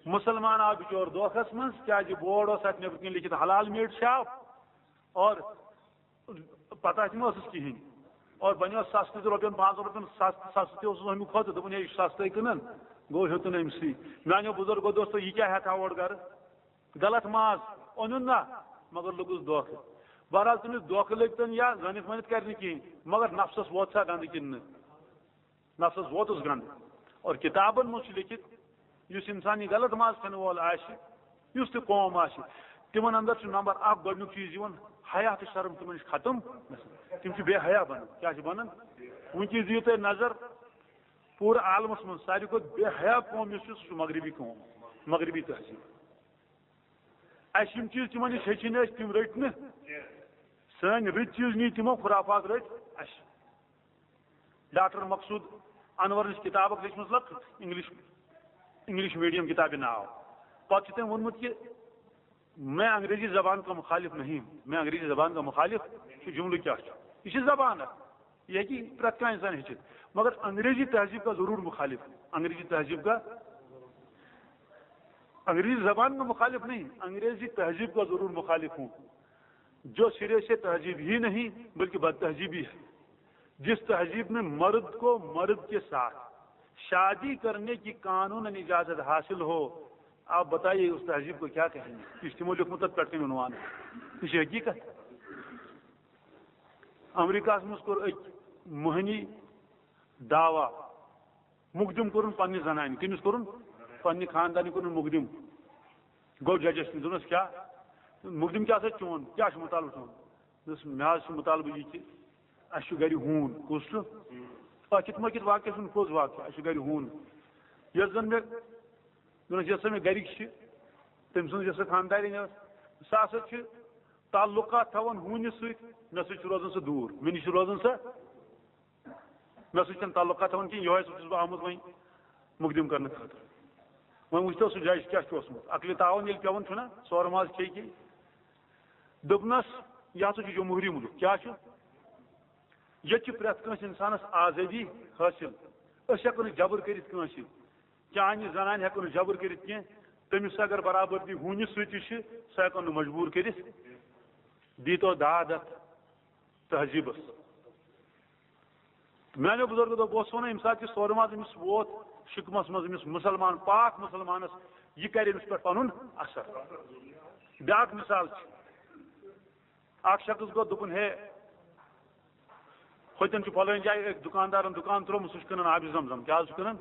مُسلمان آو بِچور دھوکھس منٛز، کیٛازِ بورڈ اوس اَتھ نیٚبرۍ کِنۍ لیکھِتھ حلال میٖٹ شاپ، اور پتہ تہِ ما ٲسٕس کِہیٖنۍ۔ اور بنیو سستہٕ تہِ، رۄپین پانٛژن رۄپین سستہٕ، سستہٕ تہِ اوسُس اَمہِ کھۄتہٕ، دوٚپُن ہے یہِ چھُ سستَے کٕنان، گوٚو ہیوٚتُن أمۍ سٕے۔ میٛانیو بُزرگو دوستو، یہِ کیٛاہ ہٮ۪تھ ہا اورٕ گرٕ؟ غلط ماز اوٚنُن نا، مگر لوٚگُس دھوکہٕ۔ بہرحال تٔمِس دھوکہٕ لٔگۍ تن یا زٲنِتھ مٲنِتھ کرِ نہٕ کِہیٖنۍ، مگر نفسس ووت سا گنٛدٕ کِنہٕ نہٕ؟ نفسس ووتُس گنٛدٕ۔ اور کتابن منٛز چھُ لیکھِتھ، یُس انسان یہِ غلط ماز کھٮ۪نہٕ وول آسہِ، یُس تہِ قوم آسہِ، تِمن اندر چھُ نمبر اکھ گۄڈنیُک چیٖز یِوان، حیا تہٕ شرم تِمن نِش ختم گژھان۔ تِم چھِ بے حیا بنان۔ کیٛاہ چھِ بنان؟ وٕنکیٚس دِیِو تُہۍ نظر، پوٗرٕ عالمس منٛز ساروی کھۄتہٕ بے حیا قوم یُس چھُ، سُہ چھُ مغربی قوم، مغربی تہذیٖب۔ اَسہِ یِم چیٖز تِمن نِش ہیٚچھِنۍ ٲسۍ، تِم رٔٹۍ نہٕ۔ سٲنۍ رٕتۍ چیٖز نی تِمو، خرافات رٔٹۍ اَسہِ۔ ڈاکٹر مقصود انورن چھِ کِتاب اکھ لیٖچھمٕژ، لۄکٕٹ انگلش، انگلش میڈیم کِتابہِ ناو۔ پتہٕ چھُ تٔمۍ ووٚنمُت کہِ میں انگریزی زبان کا مخالف نہیں، میں انگریزی زبان کا مخالف، چھُ جملہٕ کیٛاہ چھُ؟ یہِ چھِ زبان اکھ، یہِ ہیٚکہِ پرٛٮ۪تھ کانٛہہ انسان ہیٚچھِتھ، مگر انگریزی تہذیب کا ضرور مخالف، انگریزی تہذیب کا، انگریزی زبان کا مخالف نہیں، انگریزی تہذیب کا ضرور مخالف ہوں۔ جو سرے سے تہذیب ہی نہیں بلکہ بد تہذیبی ہے، جس تہذیب میں مرد کو مرد کے ساتھ شادی کرنے کی قانون اجازت حاصل ہو، آپ بتائیے اس تہذیب کو کیا کہیں گے؟ یہ چھُ تِمو لیوٗکھمُت تَتھ پٮ۪ٹھ کَنہِ عنوان۔ یہ چھِ حقیقت۔ امریکہس منٛز کوٚر أکۍ مۄہنی دعویٰ، مقدم کوٚرُن پننہِ زنانہِ۔ کٔمِس کوٚرُن؟ پننہِ خاندانہِ کوٚرُن مقدم۔ گوٚو ججس نِش، دوٚپنس، کیٛاہ مقدم، کیٛاہ سا چون، کیٛاہ چھُ مطالبہٕ چون؟ دوٚپُس، مےٚ حظ چھُ مطالبہٕ یہِ کہِ اَسہِ چھُ گرِ ہوٗن۔ کُس چھُ؟ أتھۍ مۄکھِ واقعہ چھُنہٕ پوٚز واقعہ، اَسہِ چھُ گرِ ہوٗن۔ یۄس زن مےٚ، دوٚپنس، یۄس سا مےٚ گرِکۍ چھِ، تٔمۍ سٕنٛز یۄس سا خاندارِنۍ ٲس، سۄ ہسا چھِ تعلقات تھاوان ہوٗنِس سۭتۍ، مےٚ سۭتۍ چھُ روزان سُہ دوٗر، مےٚ نِش چھُ روزان سۄ، مےٚ سۭتۍ چھَنہٕ تعلقات تھاوان کِہیٖنۍ، یِہوٚے سُہ چھُس بہٕ آمُت وۄنۍ مقدم کرنہٕ خٲطرٕ۔ وۄنۍ وٕچھتو سُہ جج کیٛاہ چھُ اوسمُت، عقلِ تعاون ییٚلہِ پٮ۪وان چھُنہ، سورٕ ماز کھیٚیہِ کِنہٕ؟ دوٚپنَس، یہِ ہسا چھُ جمہوٗری مُلک۔ کیٛاہ چھُ؟ ییٚتہِ چھِ پرٛٮ۪تھ کٲنٛسہِ اِنسانَس آزٲدی حٲصِل۔ أسۍ ہٮ۪کو نہٕ جبر کٔرِتھ کٲنٛسہِ۔ چانہِ زنانہِ ہٮ۪کو نہٕ جبر کٔرِتھ کینٛہہ۔ تٔمِس اگر برابردی ہوٗنِس سۭتۍ تہِ چھِ، سۄ ہٮ۪کو نہٕ مجبوٗر کٔرِتھ۔ دیٖتو داد اَتھ تہذیٖبَس۔ میٛانیو بُزرگو دوٚپ، بہٕ اوسُس وَنان، ییٚمہِ ساتہٕ یہِ سورٕ ماز أمِس ووت، شِکمَس منٛز أمِس مُسلمان، پاک مُسلمانَس، یہِ کَرِ أمِس پٮ۪ٹھ پَنُن اَثر۔ بیٛاکھ مِثال چھِ، اکھ شخص گوٚو، دوٚپُن، ہے، ہوٚتٮ۪ن چھُ فلٲنۍ جایہِ أکۍ دُکاندارن دُکان ترٛوومُت، سُہ چھُ کٕنان آبِ زم زم۔ کیٛاہ حظ چھُ کٕنان؟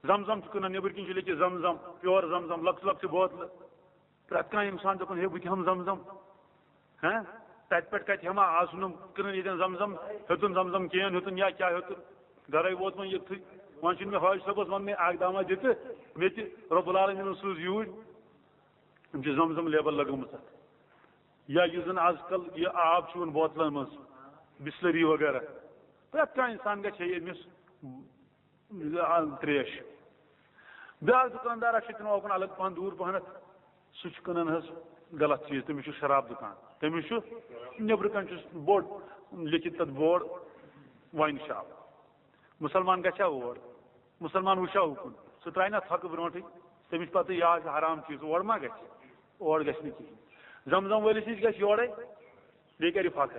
زم زم چھُ کٕنان، نیٚبٕرۍ کِنۍ چھُ لیکھِتھ زم زم، پیور زم زم، لۄکچہِ لۄکچہِ بوتلہٕ۔ پرٛٮ۪تھ کانٛہہ اِنسان دَپان، ہے، بہٕ تہِ ہٮ۪مہٕ زم زم۔ ہہ؟ تَتہِ پٮ۪ٹھ کَتہِ ہٮ۪مہٕ ہا؟ آز چھُنہٕ کٕنان ییٚتٮ۪ن زم زم، ہیوٚتُن زم زم، کین ہیوٚتُن یا کیٛاہ ہیوٚتُن، گَرَے ووت وۄنۍ یوٚتتھٕے۔ وۄنۍ چھُنہٕ مےٚ حٲج صٲبَس وَننٕے، اَکھ دامہ دِتہٕ مےٚ تہِ رۄب العالمیٖنَن سوٗز یوٗرۍ۔ أمۍ چھِ زم زم لیبل لگٲومٕژ اَتھ۔ یا یُس زن آز کل یہِ آب چھُ یِوان بوتلن منٛز، بسلری وغیرہ، پرٛٮ۪تھ کانٛہہ انسان گژھِ ہے أمِس تریش۔ بیٛاکھ دُکاندار اکھ چھُ تِمن اوکُن الگ پہن، دوٗر پہنتھ، سُہ چھُ کٕنان حظ غلط چیٖز، تٔمِس چھُ شراب دُکان۔ تٔمِس چھُ نیٚبرٕ کنہِ چھُس بوٚڑ لیکھِتھ تتھ بورڈ، واین شاپ۔ مُسلمان گژھِ ہا اور، مُسلمان وٕچھِ ہا اُکُن، سُہ ترٛایہِ نا تھۄکہٕ برونٛٹھٕے؟ تٔمِس پتہٕ یہِ آسہِ حرام چیٖز، اور ما گژھِ؟ اور گژھِ نہٕ کِہیٖنۍ۔ زم زم وٲلِس نِش گژھِ یورے، بیٚیہِ کرِ فخر،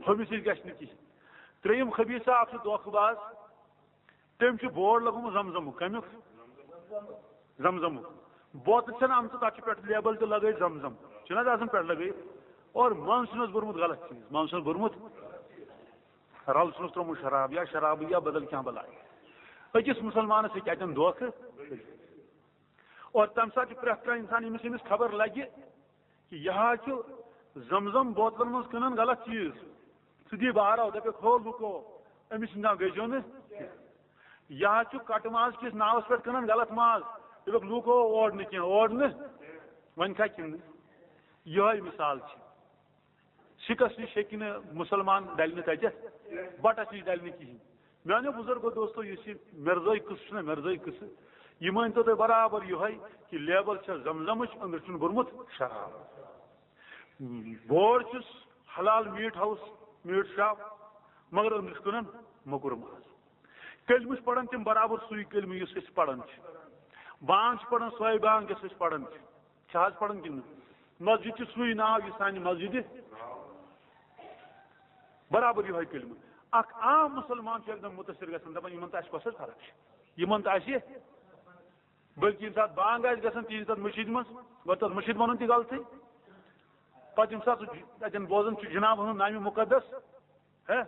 ہُمِس نِش گژھِ نہٕ کِہیٖنۍ۔ ترٛیٚیِم خبیٖثہ اکھ چھُ دھوکہٕ باز، تٔمۍ چھُ بورڈ لگومُت زم زمُک۔ کمیُک؟ زم زمُک۔ بوتلہٕ چھَنہٕ آمژٕ، تَتھ چھُ پٮ۪ٹھ لیبل تہِ لگٲیِتھ زم زم۔ چھُنہٕ حظ آسان پٮ۪ٹھ لگٲیِتھ؟ اور منٛز چھُنَس بوٚرمُت غلط چیٖز، منٛز چھُنَس بوٚرمُت، رَل چھُنَس ترٛوومُت شراب یا شرابٕے یا بدل کینٛہہ بلاے۔ أکِس مُسلمانَس ہیٚکہِ اَتٮ۪ن دھوکہٕ۔ اور تَمہِ ساتہٕ چھُ پرٛٮ۪تھ کانٛہہ اِنسان، ییٚمِس ییٚمِس خبر لگہِ، کہ یہِ حظ چھُ زم زم بوتلن منٛز کٕنان غلط چیٖز۔ سُہ دی بہراو، دَپٮ۪کھ، ہو لُکو، أمِس سٕنٛدِ ناو گٔژھۍزیو نہٕ۔ یہِ حظ چھُ کٹہٕ ماز کِس ناوس پٮ۪ٹھ کٕنان غلط ماز۔ دَپٮ۪کھ، لُکو، اور نہٕ کینٛہہ، اور نہٕ۔ وۄنۍ کھا کِنہٕ؟ یِہوٚے مثال چھِ۔ سِکس نِش ہیٚکہِ نہٕ مُسلمان ڈلہِ نہٕ تَتٮ۪تھ، بٹس نِش ڈلہِ نہٕ کِہیٖنۍ۔ میانیو بزرگو دوستو، یُس یہِ مرزٲے قصہٕ چھُنہ، مرزٲے قصہٕ، یہِ مٲنۍ تو تُہۍ برابر یِہوٚے کہِ لیبل چھےٚ زمزمٕچ، أنٛدرٕ چھُن بوٚرمُت شراب۔ بورڈ چھُس حلال میٖٹ ہاوُس، میٖٹ شاپ، مگر أنٛدرٕ چھُ کٕنان موٚکُر ماز۔ کلمہٕ چھِ پران تِم برابر سُے کلمہٕ یُس أسۍ پران چھِ۔ بانگ چھِ پران سۄے بانگ یۄس أسۍ پران چھِ۔ چھِ حظ پران کِنہٕ نہٕ؟ مسجد چھِ سُے ناو یُس سانہِ مسجدِ، برابر یِہوٚے کلمہٕ۔ اکھ عام مُسلمان چھُ یکدم مُتٲثر گژھان، دپان، یِمن تہٕ اَسہِ کۄس حظ فرق چھِ؟ یِمن تہٕ اَسہِ، بلکہِ ییٚمہِ ساتہٕ بانگ آسہِ گژھان تِہنٛزِ تتھ مٔشیٖد منٛز، گوٚو تتھ مٔشیٖد ونُن تہِ غلطٕے۔ پتہٕ ییٚمہِ ساتہٕ سُہ ج-، تتٮ۪ن بوزان چھُ جناب ہُنٛد نامِ مُقدس، ہے،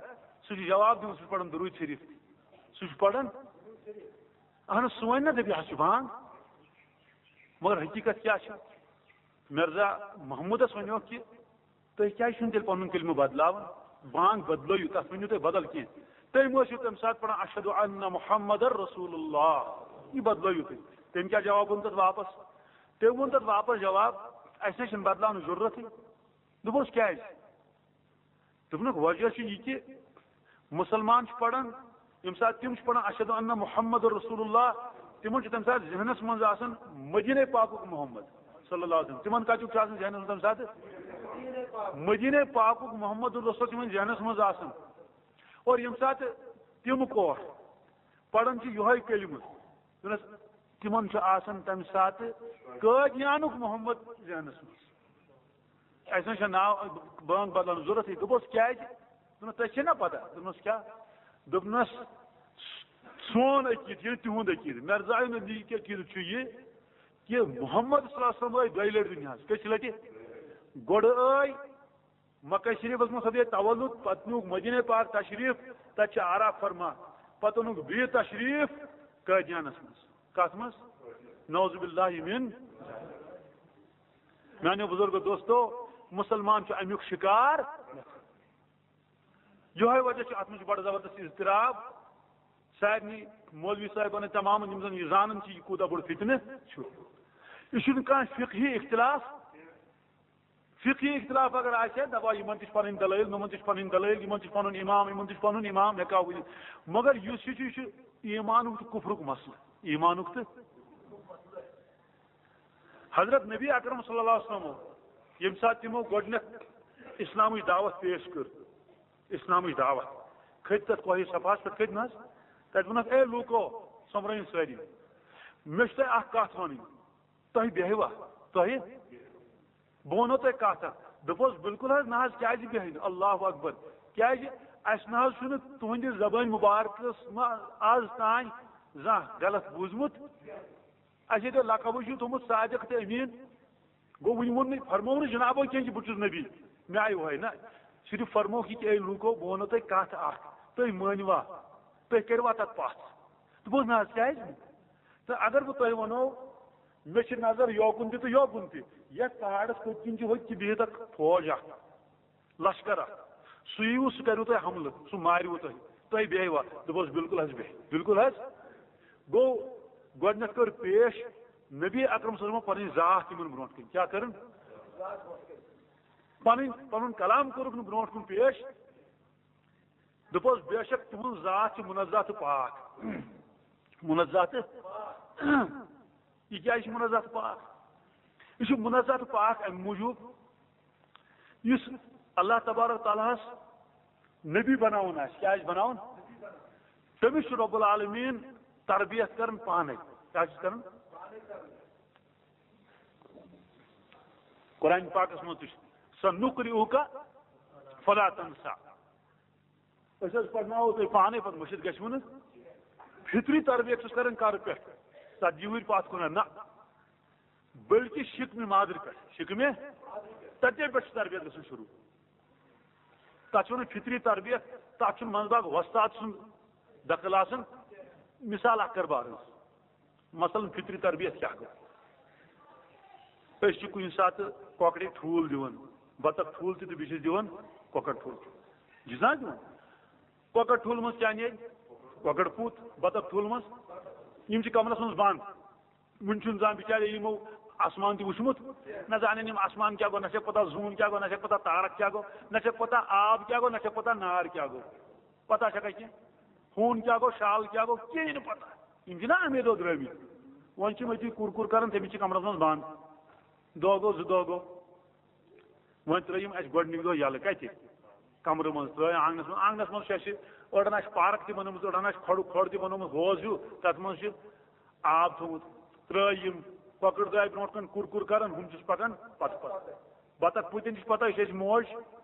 سُہ چھُ جواب دِوان، سُہ چھُ پران درود شریف تہِ۔ سُہ چھُ پران، اہن حظ، سُہ وَنہِ نہ، دَپہِ، یہِ حظ چھُ بانگ۔ مگر حقیٖقت کیٛاہ چھِ؟ مرزا محمودس ؤنِو کہِ تُہۍ کیٛازِ چھِو تیٚلہِ پنُن کلمہٕ بدلاوان؟ بانگ بدلٲیِو، تتھ ؤنِو تُہۍ بدل کینٛہہ۔ تٔمۍ ٲسِو تَمہِ ساتہٕ پران، اشہد ان محمد رسول اللہ۔ یہِ بدلٲیِو تُہۍ۔ تٔمۍ کیٛاہ جواب ووٚن تتھ واپس؟ تٔمۍ ووٚن تتھ واپس جواب، اَسہِ نہ چھِنہٕ بدلاونٕچ ضروٗرتٕے۔ دوٚپُس، کیٛازِ؟ دوٚپنُکھ، وجہ چھُ یہِ کہِ مُسلمان چھِ پران، ییٚمہِ ساتہٕ تِم چھِ پران، اشہد ان محمد رسول اللہ، تِمن چھُ تَمہِ ساتہٕ ذہنس منٛز آسان مدینے پاکُک محمد صلی اللہ علیہ وسلم۔ تِمن کتیُک چھُ آسان ذہنس منٛز تَمہِ ساتہٕ؟ مدینے پاکُک محمد رسول تِمن ذہنس منٛز آسان۔ اور ییٚمہِ ساتہٕ تِم کور پران چھِ یِہوٚے کلمہٕ، دوٚپنس، تِمن چھُ آسان تَمہِ ساتہٕ قٲدیانُک محمد ذہنس منٛز۔ اَسہِ نہ چھُ ناو بانگ بدلاونٕچ ضروٗرتٕے۔ دوٚپُس، کیٛازِ؟ دوٚپنَس، تۄہہِ چھےٚ نا پتہ؟ دوٚپنَس، کیٛاہ؟ دوٚپنَس، سون عقیٖدٕ، یہِ تِہُنٛد عقیٖدٕ، مرزایہِ ہُنٛد عقیٖدٕ چھُ یہِ کہِ محمد صلی اللہ علیہ وسلم ٲے دۄیہِ لٹہِ دُنیاہَس۔ کٔژِ لٹہِ؟ گۄڈٕ ٲے مکہ شریفس منٛز سپدے تولد، پتہٕ نیوٗکھ مدینے پاک تشریف، تتہِ چھِ آراف فرما، پتہٕ اوٚنُکھ بیٚیہِ تشریف قٲدیانس منٛز۔ کتھ منٛز؟ نعوذ باللہ من۔ میانیو بزرگو دوستو، مسلمان چھُ امیُک شکار۔ یِہوٚے وجہ چھُ، اتھ منٛز چھُ بڑٕ زبردست اضطراب۔ سارنٕے مولوی صاحبن تمامن، یِم زن یہِ زانان چھِ، یہِ کوٗتاہ بوٚڑ فتنہٕ چھُ۔ یہِ چھُنہٕ کانٛہہ فقہی اختلاف۔ فقہی اختلاف اگر آسہِ ہا، دپہو، یِمن تہِ چھِ پنٕنۍ دلٲیل، یِمن تہِ چھِ پنٕنۍ دلٲیل، یِمن تہِ چھِ پنُن امام، یِمن تہِ چھِ پنُن امام، ہٮ۪کہٕ ہاو ؤنِتھ۔ مگر یُس یہِ چھُ، یہِ چھُ ایمانُک تہٕ کُفرُک مسلہٕ۔ ایمانُک تہٕ حضرت نبی اکرم صلی اللہ علیہ وسلم، ییٚمہِ ساتہٕ تِمو گۄڈٕنیتھ اسلامٕچ دعوت پیش کٔر، اسلامٕچ دعوت، کھٔتۍ تتھ کوہہِ صفاہس پٮ۪ٹھ، کھٔتۍ نہ حظ؟ تتہِ ووٚنکھ، اے لوٗکو، سۄمبرٲیِو سٲری، مےٚ چھِ تۄہہِ اکھ کتھ ونٕنۍ۔ تۄہہِ بیہوا؟ تۄہہِ؟ بہٕ ونو تۄہہِ کتھ اکھ۔ دوٚپُس، بالکل حظ نہ حظ، کیازِ بیہہِ نہٕ؟ اللہ اکبر۔ کیازِ؟ اسہِ نہ حظ چھُنہٕ تُہنٛدِ زبٲنۍ مبارکس منٛز از تام زانٛہہ غلط بوٗزمُت۔ اسہِ ییٚتہِ لقبٕے چھُ تھوٚمُت صادق تہٕ امین۔ گوٚو، وُنہِ ووٚن نہٕ، فرموو نہٕ جنابو کینٛہہ کہِ بہٕ چھُس نبی، مےٚ آیہِ وۄہے نہ۔ صرف فرمووُکھ یہِ کہِ، اے لوٗکو، بہٕ ونو تۄہہِ کتھ اکھ، تُہۍ مٲنِوا؟ تُہۍ کٔرِوا تتھ پژھ؟ دوٚپُس، نہ حظ، کیازِ نہٕ؟ تہٕ اگر بہٕ تۄہہِ ونو، مےٚ چھِ نظر یوکُن تہِ تہٕ یوکُن تہِ۔ یتھ پہاڑس پٔتۍ کِنۍ چھِ ہوٚتہِ تہِ بِہِتھ اکھ فوج اکھ، لشکر اکھ۔ سُہ یِیوٕ، سُہ کریوٕ تۄہہِ حملہٕ، سُہ ماریوٕ تۄہہِ۔ تۄہہِ بیہوا؟ دوٚپُس، بالکل حظ بیہہِ، بالکل حظ۔ گوٚو، گۄڈٕنیتھ کٔر پیش نبی اکرم صلی اللہ علیہ وسلم پنٕنۍ ذات یِمن برونٛٹھ کِنۍ۔ کیٛاہ کٔرٕن؟ پنٕنۍ، پنُن کلام کوٚرُکھ نہٕ برونٛٹھ کُن پیش۔ دوٚپُس، بے شک تُہُنٛد ذات چھُ منزہ تہٕ پاک۔ منزہ تہٕ، یہِ کیٛازِ چھُ منزہ تہٕ پاک؟ یہِ چھُ منزہ تہٕ پاک اَمہِ موٗجوٗب یُس اللہ تبارک تعالیٰ ہس نبی بناوُن آسہِ، کیٛاہ آسہِ بناوُن؟ تٔمِس چھُ رب العالمین تربیت کران پانے۔ کیٛاہ چھُس کران؟ قرآن پاکس منٛز تہِ چھُ، "سنقرئک فلا تنسیٰ"۔ أسۍ حظ پرناوو تُہۍ پانے، پتہٕ مٔشِتھ گژھِوٕ نہٕ۔ فطری تربیت چھُس کران کر پٮ۪ٹھ؟ ژتجی وُہٕرۍ پتھ کُن ہا؟ نہ، بلکہ شکمہِ مادر پٮ۪ٹھ، شکمہِ تتے پٮ۪ٹھ چھُ تربیت گژھان شروع۔ تتھ چھِ ونان فطری تربیت، تتھ چھُنہٕ منٛزباگ وۄستاد سُنٛد دخل آسان۔ مثال اکھ کرٕ بہٕ عرض، مثلاً فطری تربیت کیٛاہ گوٚو؟ أسۍ چھِ کُنہِ ساتہٕ کۄکرِ ٹھوٗل دِوان، بطخ ٹھوٗل تہِ تہٕ بیٚیہِ چھِ أسۍ دِوان کۄکر ٹھوٗل تہِ۔ یہِ چھِ نہ دِوان؟ کۄکر ٹھوٗل منٛز کیٛاہ نیرِ؟ کۄکر پوٗت۔ بطخ ٹھوٗل منٛز، یِم چھِ کمرس منٛز بنٛد۔ وُنہِ چھُنہٕ زانٛہہ بِچارِ یِمو آسمان تہِ وُچھمُت، نہ زانن یِم آسمان کیٛاہ گوٚو، نہ چھکھ پتہ زوٗن کیٛاہ گوٚو، نہ چھکھ پتہ تارک کیٛاہ گوٚو، نہ چھکھ پتہ آب کیٛاہ گوٚو، نہ چھکھ پتہ نار کیٛاہ گوٚو۔ پتہ چھکھا کینٛہہ؟ ہوٗن کیٛاہ گوٚو، شال کیٛاہ گوٚو، کِہیٖنۍ نہٕ پتہ۔ یِم چھِنہ اَمے دۄہ درٛٲمٕتۍ۔ وۄنۍ چھِ یِم أتی کُر کُر کران، تٔمِس چھِ کمرس منٛز بنٛد۔ دۄہ گوٚو، زٕ دۄہ گوٚو۔ وۄنۍ ترٛٲے یِم اَسہِ گۄڈٕنِکۍ دۄہ یَلہٕ۔ کَتہِ؟ کَمرٕ منٛز ترٛٲے آنٛگنَس منٛز۔ آنٛگنَس منٛز چھُ اَسہِ، أڑَن آسہِ پارک تہِ بَنٲومٕژ، أڑَن آسہِ کھۄڈُ، کھۄڈ تہِ بَنوومُت، ہوز ہیوٗ، تَتھ منٛز چھِ آب تھوٚومُت۔ ترٛٲے یِم کۄکٕر درٛاے برٛونٛٹھ کَنہِ کُر کُر کَران، ہُم چھِس پَکان پَتہٕ پَتہٕ۔ بَطَخ پوٗتٮ۪ن چھِ پَتہ، یہِ چھِ اَسہِ موج۔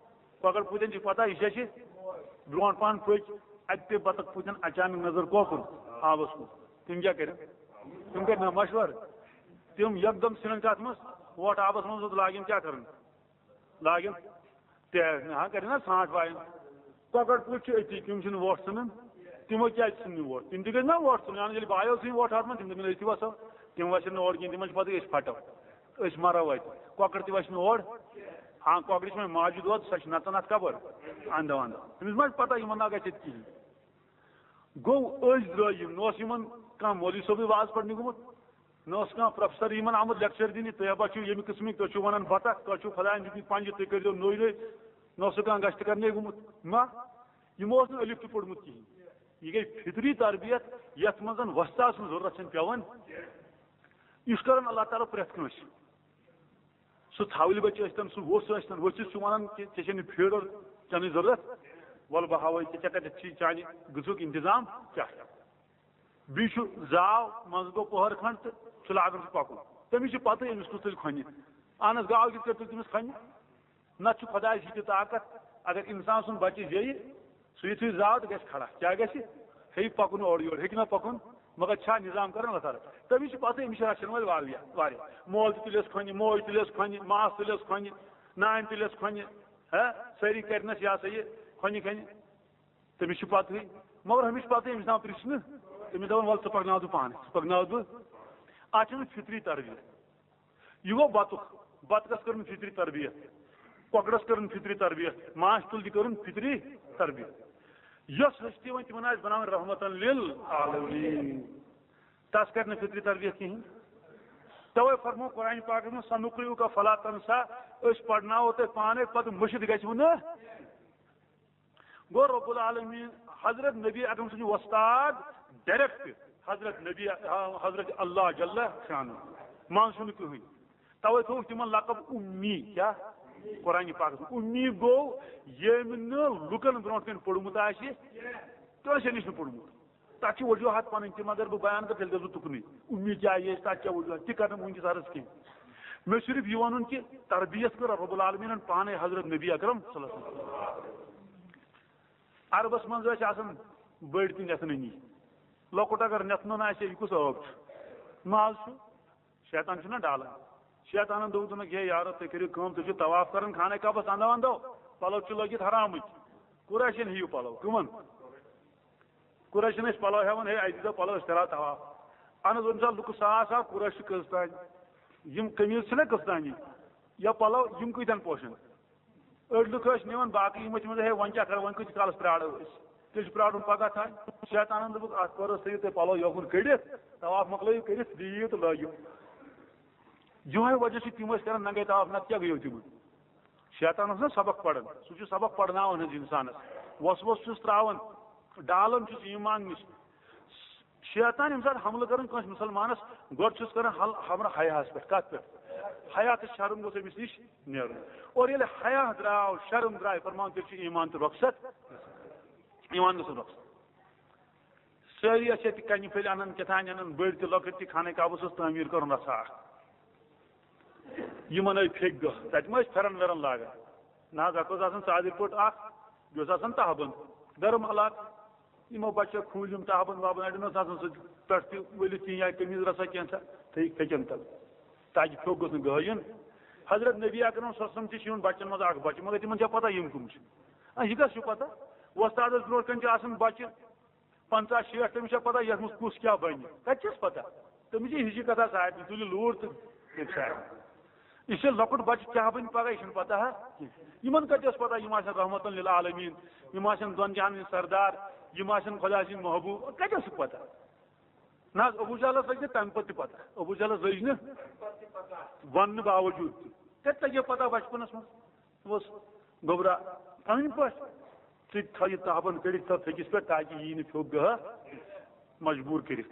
کۄکَر پوٗتٮ۪ن چھِ پَتہ، یہِ چھِ اَسہِ برٛونٛٹھ پَہَن پٔکۍ، اَتہِ پیٚیہِ بَطَخ پوٗتٮ۪ن اچانک نظر کۄکُر آبَس کُن۔ تِم کیٛاہ کَرن؟ تِم کَرِ نہ مَشوَر۔ تِم یَکدَم ژھٕنَن کَتھ منٛز، وۄٹھ آبَس منٛز، لاگن کیٛاہ کَرُن؟ لاگن تہِ، ہاں، کَرن نا سرٛانٛٹھ وایَن۔ کۄکَر پوٗتۍ چھِ أتی، تِم چھِنہٕ وۄٹھ ژھٕنان، تِمو کیٛازِ ژھٕن نہٕ وۄٹھ؟ تِم تہِ گٔژھۍ نا وۄٹھ ژھٕنٕنۍ، اَہَن، ییٚلہِ بایو ژھٕنۍ وۄٹھ ہَتھ منٛز، تِم دَپن أسۍ تہِ وَسو، تِم وَسن نہٕ اورٕ کِہیٖنۍ، تِمَن چھِ پَتہٕ أسۍ پھَٹو، أسۍ مَرو اَتہِ۔ کۄکَر تہِ وَسہِ نہٕ اور، ہاں، کۄکرِ چھِ وۄنۍ ماجہِ دۄد، سۄ چھِ نَژان اَتھ کَپٲرۍ؟ اَندو اَندو۔ تٔمِس ما چھِ پَتہ یِمَن نا گژھِ ییٚتہِ کِہیٖنۍ۔ گوٚو أسۍ درٛٲے یِم، نہ اوس یِمَن کانٛہہ مولوی صٲبٕے واز پَرنہِ گوٚمُت، نہ اوس کانٛہہ پروفیسر یِمن آمُت لیکچر دِنہِ، تُہۍ ہا چھِو ییٚمہِ قٕسمٕکۍ، تُہۍ چھِو وَنان بطخ، تۄہہِ چھُو خۄدایَن دیُتمٕتۍ پنجہِ، تُہۍ کٔرۍزیو نوٚے نوٚے، نہ اوس کانٛہہ گژھِ تہِ کرنٕے گوٚمُت۔ نہ، یِمو اوس نہٕ الف تہِ پوٚرمُت کِہیٖنۍ۔ یہِ گٔے فطری تربیت، یَتھ منٛز وۄستاد سٕنٛز ضروٗرت چھَنہٕ پٮ۪وان۔ یہِ چھُ کران اللہ تعالیٰ پرٛٮ۪تھ کٲنٛسہِ۔ سُہ ژھاوٕلۍ بچہٕ ٲسۍتن، سُہ ووٚژھ ٲسۍتن، ؤژھِس چھُ وَنان کہِ ژےٚ چھےٚ نہٕ فیٖڈر چٮ۪نٕچ ضروٗرت، وَلہٕ بہٕ ہاوَے ژےٚ، ژےٚ کَتٮ۪تھ چھی چانہِ غذہُک اِنتظام کیٛاہ چھُ۔ بیٚیہِ چھُ زاو، منٛزٕ گوٚو پۄہَر کھنٛڈ تہٕ چھُ لاگان سُہ پَکُن۔ تٔمِس چھِ پَتہٕ أمِس کُس تُلہِ کھۄنہِ۔ اَہن حظ، گاو کِتھ کٲٹھۍ تُلہِ تٔمِس کھۄنہِ؟ نَتہٕ چھُ خۄدایَس یہِ تہِ طاقت، اگر اِنسان سُنٛد بَچہٕ زیٚیہِ، سُہ یُتھُے زاو تہٕ گژھِ کھڑا۔ کیٛاہ گژھِ؟ ہیٚکہِ پَکُن اورٕ یورٕ، ہیٚکہِ نہ پَکُن، مگر چھا نظام کران وۄتھان؟ تٔمِس چھِ پَتہٕ، أمِس چھِ رَچھَن وٲلۍ واریاہ، واریاہ۔ مول تہِ تُلٮ۪س کھۄنہِ، موج تُلٮ۪س کھۄنہِ، ماس تُلٮ۪س کھۄنہِ، نانۍ تُلٮ۪س کھۄنہِ، ہہ؟ سٲری کَرِنَس یہِ ہسا یہِ کھۄنہِ کھۄنہِ۔ تٔمِس چھِ پَتہٕے، مگر ہُمِس چھِ پَتہٕ أمِس ناو پرٛژھنہٕ، تٔمِس دَپان، "وَلہٕ ژٕ پَکناو تہٕ پانَے، ژٕ پَکناو بہٕ۔" اَتھ چھِنہٕ فطری تربیت۔ یہِ گوٚو بطخ، بطخس کٔرٕن فطری تربیت، کۄکرس کٔرٕن فطری تربیت، ماچھ تُل تہِ کٔرٕن فطری تربیت۔ یۄس ہستی وۄنۍ تِمن آسہِ بناوٕنۍ رحمتن للعالمین، تس کرِ نہٕ فطری تربیت کِہیٖنۍ۔ توے فرمو قرآن پاکس منٛز، "سنقرئک فلا تنسیٰ"، أسۍ پرناوو تۄہہِ پانے، پتہٕ مٔشِتھ گژھِوٕ نہٕ۔ گوٚو رب العالمین، حضرت نبی اکرم سٕنٛدِ وۄستاد ڈائریکٹ حضرت نبی، حضرت اللہ جل شانہ، منٛز چھُنہٕ کٕہٕنۍ۔ توے تھوٚوُکھ تِمن لقب امی۔ کیٛاہ؟ قرآن پاکس منٛز۔ امی گوٚو ییٚمۍ نہٕ لُکن برونٛٹھ کنہِ پوٚرمُت آسہِ، کٲنٛسے نِش نہٕ پوٚرمُت۔ تَتھ چھِ وجوہات پَنٕنۍ تہِ، مگر بہٕ بیان کَرٕ، تیٚلہِ گژھٕ بہٕ تُکنُے۔ اُمید کیٛاہ یہِ ٲسۍ، تَتھ کیٛاہ وجوہات، تہِ کَرٕ نہٕ وٕنکیٚس عرض کینٛہہ۔ مےٚ چھُ صرف یہِ وَنُن کہِ تربیت کٔر رب العالمیٖنَن پانَے حضرت نبی اکرم صلی اللہ علیہ وسلم۔ عربَس منٛز ٲسۍ آسان بٔڑۍ تہِ نٮ۪تھنٲنی۔ لۄکُٹ اگر نٮ۪تھنُن آسہِ، یہِ کُس عٲب چھُ؟ ماز چھُ۔ شیطان چھُنہ ڈالان۔ شیطانَن دوٚپ، دوٚپنَکھ، "ہے یارو، تُہۍ کٔرِو کٲم، تُہۍ چھِو طواف کَران خانہ کعبَس اَندو اَندو، پَلو چھِ لٲگِتھ حرامٕکۍ۔ قریشَن ہیٚیِو پَلو۔" کٕمَن؟ قریشن ٲسۍ پلو ہٮ۪وان، "ہے، اَسہِ دیٖزیو پلو، أسۍ کرو طواف۔" اہن حظ، وۄنۍ چھِ آسان لُکہٕ ساس اکھ قریش چھِ کٔژ تانۍ؟ یِم قمیٖض چھِنہ کٔژ تانۍ؟ یا پلو، یِم کۭتٮ۪ن پوشن؟ أڑۍ لُکھ ٲسۍ نِوان، باقٕے یِم ٲسۍ وَنان، "ہے، وۄنۍ کیٛاہ کرو، وۄنۍ کۭتِس کالس پرٛارو أسۍ؟ تیٚلہِ چھُ پرٛارُن پگاہ تانۍ۔" شیطانن دوٚپُکھ، "اَتھ پرو، تھٲیِو تُہۍ پلو یوکُن کٔڑِتھ، طواف مۄکلٲیِو کٔرِتھ، دِیِو تہٕ لٲگِو۔" یِہوٚے وجہ چھُ تِم ٲسۍ کران ننگے طواف، نتہٕ کیٛاہ گٔیو تِمن؟ شیطان اوس نا سبق پران، سُہ چھُ سبق پرناوان حظ انسانس، وسوسہٕ چھُس تراوان، ڈالان چھُس ایمان نِش۔ شیطان ییٚمہِ ساتہٕ حملہٕ کران کٲنٛسہِ مُسلمانس، گۄڈٕ چھُس کران حل-، حملہٕ حیاہس پٮ۪ٹھ۔ کتھ پٮ۪ٹھ؟ حیا تہٕ شرم گوٚژھ أمِس نِش نیرُن۔ اور ییٚلہِ حیا درٛاو، شرم درٛاے، فرمان، تیٚلہِ چھُ ایمان تہِ رۄخصت۔ ایمان گوٚژھ رۄخصت۔ سٲری ٲسۍ ییٚتہِ کنہِ پھٔلۍ انان، کیٛاہ تام انان، بٔڑۍ تہِ لۄکٕٹۍ تہِ، خانہ کعبس اوس تعمیٖر کرُن رژھا اکھ۔ یِمن ٲے پھیٚکۍ دۄہ، تتہِ ما ٲسۍ پھٮ۪رن ویرن لاگان؟ نہ حظ، اکھ اوس آسان ژادرِ پوٚٹ اکھ، بیٚیہِ اوس آسان تہبند، گرم علاقہٕ۔ یِمو بچو کھوٗلۍ یِم تہبند وابند، اڑٮ۪ن اوس آسان سُہ پٮ۪ٹھ تہِ ؤلِتھ کِہیٖنۍ، یا قمیٖض رژھا کینٛژھا، تھٲیِکھ پھیٚکٮ۪ن تل، تاکہِ پھیوٚک گوٚژھ نہٕ گٲیُن۔ حضرت نبی اکرم صلی اللہ علیہ وسلم تہِ چھِ یِوان بچن منٛز اکھ بچہٕ، مگر تِمن چھا پتہ یِم کٕم چھِ؟ آ، یہِ کس چھُ پتہ؟ وۄستادس برونٛٹھ کنہِ چھِ آسان بچہٕ پنٛژاہ شیٹھ، تٔمِس چھا پتہ یتھ منٛز کُس کیٛاہ بنہِ؟ کتہِ چھس پتہ؟ تٔمِس چھِ ہِشی کتھا سارنٕے، تُلِو لوٗر تہٕ دِیِو سارنٕے۔ یہِ چھِ لۄکُٹ بچہٕ کیٛاہ بنہِ پگاہ، یہِ چھُنہٕ پتہ ہا کینٛہہ۔ یِمن کتہِ ٲس پتہ، یِم آسن رحمتن للعالمین، یِم آسن دۄن جہانن ہٕنٛدۍ سردار، یِم آسن خۄداے سٕنٛدۍ محبوب، کتہِ ٲسٕکھ پتہ؟ نہ حظ، ابو جہلس لٔج نہٕ تمہِ پتہٕ تہِ پتہ، ابو جہلس لٔج نہٕ وننہٕ باوجود تہِ۔ کتہِ لگہِ پتہ بچپنس منٛز؟ دوٚپُس، گوٚبرا، اَمہِ پٲٹھۍ ژٕ تہِ تھاو یہِ تہبند کٔڑِتھ تھاو پھیٚکِس پٮ۪ٹھ، تاکہِ یی نہٕ پھیوٚک گٔہہ، مجبوٗر کٔرِتھ۔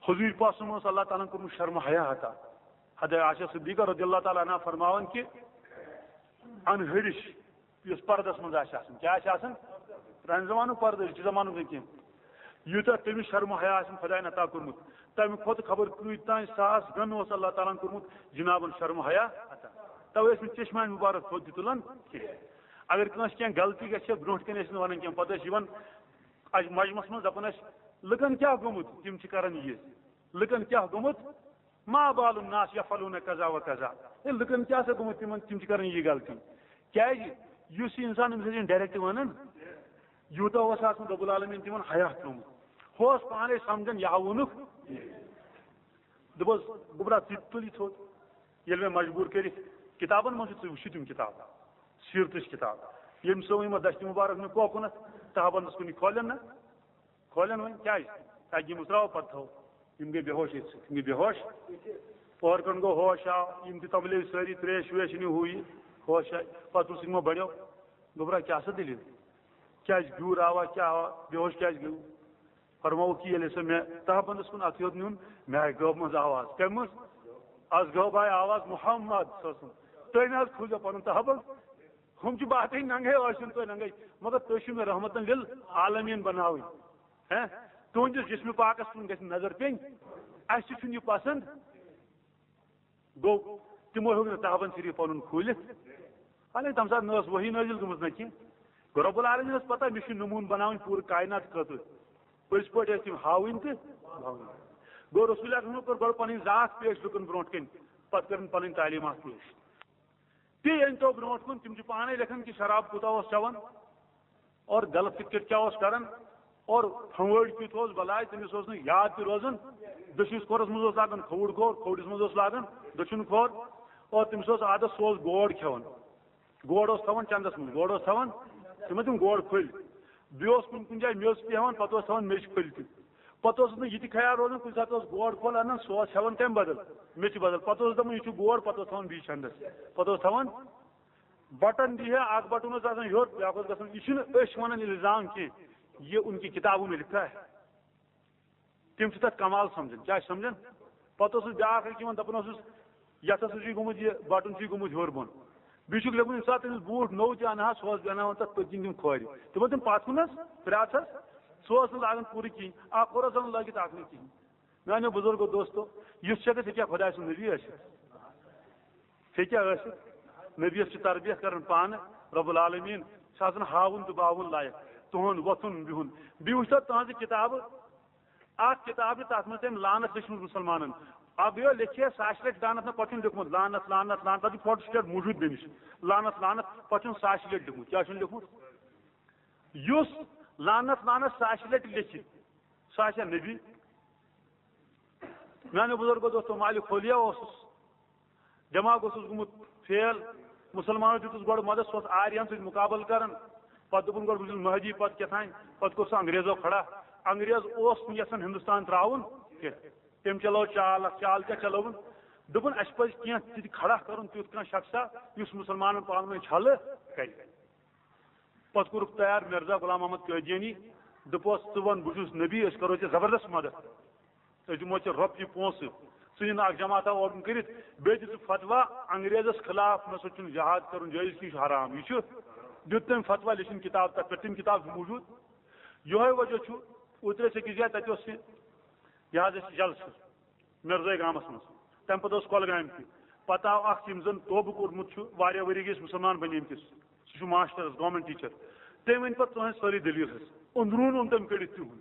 حضوٗر پاک صلی اللہ علیہ وسلم اوس اللہ تعالیٰ ہن کوٚرمُت شرم حیا عطا۔ حضرت عائشہ صدیقہ رضی اللہ تعالیٰ عنہا فرماوان کہِ انہرِش یُس پردس منٛز آسہِ آسان، کیٛاہ آسہِ آسان؟ پرٛانہِ زمانُک پردٕ، أزکہِ زمانُک نہٕ کینٛہہ۔ یوٗتاہ تٔمِس شرم و حیا آسہِ خۄدایَن عطا کوٚرمُت، تَمہِ کھۄتہٕ خبر کۭتۍ تام ساس گن اوس اللہ تعالیٰ ہن کوٚرمُت جنابن شرم و حیا عطا۔ توے ٲسۍ نہٕ چشمہ مبارک تھوٚد تہِ تُلان کینٛہہ۔ اگر کٲنٛسہِ کینٛہہ غلطی گژھِ ہا، برونٛٹھ کنہِ ٲسۍ نہٕ ونان کینٛہہ، پتہٕ ٲسۍ یِوان اَتھ مجمس منٛز دپان ٲسۍ، لُکن کیٛاہ گوٚمُت، تِم چھِ کران یہِ، لُکن کیٛاہ گوٚمُت، ما بال الناس یفعلون کذا و کذا۔ ہے، لُکن کیٛاہ سا گوٚمُت تِمن، تِم چھِ کران یہِ غلطی؟ کیٛازِ؟ یُس یہِ انسان أمِس ٲسۍ ڈائریکٹ ونان، یوٗتاہ اوس آسان رب العالمین تِمن حیا تھوٚومُت۔ ہُہ اوس پانے سمجھان، یہِ ہا ووٚنُکھ۔ دوٚپُس، گوٚبرا، ژٕ تہِ تُل یہِ تھوٚد۔ ییٚلہِ مےٚ مجبوٗر کٔرِتھ، کِتابن منٛز چھُ، ژٕ وٕچھِتھ یِم کِتاب، سیٖرتٕچ کِتاب، ییٚمۍ سُہ یِم دستہِ مُبارک مےٚ کوکُنتھ تہبندس کُن یہِ کھولن نہ، کھولن وۄنۍ کیٛازِ؟ تاکہِ یِم ترٛاوو پتہٕ تھاوو۔ یِم گٔے بے ہوش ییٚتہِ سۭتۍ، یِم گٔے بے ہوش۔ اورٕ کَن گوٚو ہوش آو، یِم تہِ تَملے سٲری ترٛیش ویش نِو ہُہ یہِ، ہوش آے۔ پَتہٕ پرٛژھ یِمو بَڑیو، گوٚبرا کیٛاہ سا دٔلیٖل؟ کیٛازِ گیوٗر آوا، کیٛاہ آوا، بے ہوش کیٛازِ گٔیوٕ؟ فرمووُکھ کہِ ییٚلہِ ہسا مےٚ تہبندَس کُن اَتھٕ ہیوٚت نیوٗن، مےٚ آیہِ گٲو منٛز آواز۔ کَمہِ منٛز؟ از گٲو آیہِ آواز محمد صلی اللہ علیہ وسلم۔ تُہۍ نہ حظ کھوٗلزیو پَنُن تہبند۔ ہُم چھِ باتھٕے ننگے، ٲسِن تُہۍ ننگے، مگر تُہۍ چھِو مےٚ رحمتن للعالمین بناوٕنۍ۔ ہہ؟ تُہنٛدِس جسمِ پاکس کُن گژھِ نظر پیٚنۍ، اَسہِ تہِ چھُنہٕ یہِ پسند۔ گوٚو، تِمو ہیوٚک نہٕ تہبند شریف پنُن کھوٗلِتھ۔ حالانکہ تَمہِ ساتہٕ نہ ٲس وحی نٲزِل گٔمٕژ نہ کینٛہہ۔ گوٚو، رب العالمینس پتہ مےٚ چھُ نموٗنہٕ بناوٕنۍ پوٗرٕ کائنات خٲطرٕ۔ پٔزۍ پٲٹھۍ ٲسۍ تِم ہاوٕنۍ تہٕ باوٕنۍ۔ گوٚو، رسول اکرمن کوٚر گۄڈٕ پنٕنۍ ذات پیش لُکن برونٛٹھ کَنۍ، پتہٕ کٔرٕن پنٕنۍ تعلیٖمات پیش۔ بیٚیہِ أنۍ تو برونٛٹھ کُن، تِم چھِ پانے لیکھان کہِ شراب کوٗتاہ اوس چٮ۪وان اور غلط کِتھ کٲٹھۍ کیٛاہ اوس کران اور پھنٛوٲڑۍ کیُتھ اوس بلاے، تٔمِس اوس نہٕ یاد تہِ روزان۔ دٔچھنِس کھورس منٛز اوس لاگان کھووُر کھور، کھوورِس منٛز اوس لاگان دٔچھُن کھور، اور تٔمِس اوس عادت، سُہ اوس گوڑ کھٮ۪وان۔ گوڑ اوس تھاوان چندس منٛز، گوڑ اوس تھاوان، تِمن تِم گوڑ پھٔلۍ۔ بیٚیہِ اوس کُنہِ کُنہِ جایہِ میٚژ تہِ ہٮ۪وان، پتہٕ اوس تھاوان میٚژِ پھٔلۍ تہِ۔ پتہٕ اوس نہٕ یہِ تہِ خیال روزان، کُنہِ ساتہٕ اوس گوڑ پھوٚل انان، سُہ اوس ہٮ۪وان کمہِ بدل؟ میٚژِ بدل۔ پتہٕ اوس دپان، یہِ چھُ گوڑ، پتہٕ اوس تھاوان بیٚیہِ چندس۔ پتہٕ اوس تھاوان بٹن دی ہے، اکھ بٹن اوس آسان ہیوٚر، بیٛاکھ اوس گژھان۔ یہِ چھُنہٕ أسۍ ونان الزام کینٛہہ، یہِ ان کی کتابوں میں لکھا ہے۔ تِم چھِ تَتھ کمال سَمجھان۔ کیٛاہ چھِ سَمجھان؟ پَتہٕ اوسُس بیٛاکھ اَکھ یِوان، دَپان اوسُس، یَتھ ہسا چھُے گوٚمُت یہِ بَٹُن چھُے گوٚمُت ہیوٚر بۄن۔ بیٚیہِ چھُکھ لیوٚکھمُت، ییٚمہِ ساتہٕ تٔمِس بوٗٹھ نوٚو تہِ اَنہٕ ہا، سُہ اوس بیٚہناوان تَتھ پٔتۍ کِنۍ تِم کھورِ۔ تِمَن تِم پَتھ کُن حظ، پرٛاٹھ حظ، سُہ اوس نہٕ لاگان پوٗرٕ کِہیٖنۍ۔ اَکھ کھور اوس آسان لٲگِتھ، اَکھ نہٕ کِہیٖنۍ۔ میٛانیو بُزرگو دوستو، یُس چھُ ہٮ۪کان، ژےٚ کیٛاہ خۄداے سُنٛد نبی ٲسِتھ؟ ژےٚ کیٛاہ ٲسِتھ؟ نبیَس چھِ تربیت کران پانہٕ رب العالمین، چھُ آسان ہاوُن تہٕ باوُن لایق، تُہُنٛد وۄتھُن بِہُن۔ بیٚیہِ وٕچھ تو تُہنٛزِ کِتابہٕ، اکھ کِتاب چھِ، تَتھ منٛز تٔمۍ لعنت لیٚچھمٕژ مُسلمانن۔ اکھ گٔیو لیٚکھِتھ ساسہِ لٹہِ لعنت، نہ پتہٕ چھُنہٕ لیوٚکھمُت لعنت، لعنت، لعنت، تَتھ چھُ فوٹو سٹیٹ موٗجوٗد بیٚمِس۔ لعنت، لعنت، پتہٕ چھُنہٕ ساسہِ لٹہِ لیوٚکھمُت۔ کیٛاہ چھُنہٕ لیوٚکھمُت؟ یُس لعنت، لعنت ساسہِ لٹہِ لیٚکھِ، سُہ آسہِ ہا نبی؟ میانیو بزرگو دوستو، مالک خولیا اوسُس، دٮ۪ماغ اوسُس گوٚمُت فیل۔ مُسلمانو دیُتُس گۄڈٕ مدد، سُہ اوس آرین سۭتۍ مُقابلہٕ کران۔ پتہٕ دوٚپُن، گۄڈٕ بہٕ چھُس مہدی، پتہٕ کیٛاہ تام، پتہٕ کوٚر سُہ انگریزو کھڑا۔ انگریز اوس نہٕ یژھان ہندوستان تراوُن کینٛہہ۔ تٔمۍ چلٲو چال اکھ، چال کیٛاہ چلٲوٕن؟ دوٚپُن، اسہِ پزِ کینٛہہ تہِ کھڑا کرُن، تیُتھ کانٛہہ شخصا یُس مُسلمانن پانہٕ ؤنۍ چھلہٕ کرِ۔ پتہٕ کوٚرُکھ تیار مرزا غلام محمد قٲدیانی، دوٚپُس، ژٕ وَن، بہٕ چھُس نبی، أسۍ کرو ژےٚ زبردست مدد، أسۍ دِمو ژےٚ رۄپیہِ پونٛسہٕ، ژٕ نِن اکھ جماعتہ اورکُن کٔرِتھ، بیٚیہِ دِ ژٕ فتوا انگریزس خلاف، نہ سا چھُنہٕ جہاد کرُن جٲیز، کینٛہہ چھُ حرام۔ یہِ چھُ، دیُت تٔمۍ فتوا، لیٚچھِن کِتاب، تَتھ پٮ۪ٹھ تِم کِتاب چھِ موٗجوٗد۔ یِہوٚے وجہ چھُ، اوترٕ ٲسۍ أکِس جایہِ، تَتہِ اوس یہِ، یہِ حظ اَسہِ جلسہٕ مرزٲے گامَس منٛز، تَمہِ پَتہٕ اوس کۄلگامہِ تہِ۔ پَتہٕ آو اَکھ، یِم زَن توبہٕ کوٚرمُت چھُ، واریاہ ؤری گٔے أسۍ مُسلمان بَنیمتِس، سُہ چھُ ماسٹرَس، گورمٮ۪نٛٹ ٹیٖچَر۔ تٔمۍ ؤنۍ پَتہٕ تُہٕنٛز سٲرٕے دٔلیٖل حظ، أنٛدروٗن اوٚن تٔمۍ کٔڑِتھ تِہُنٛد۔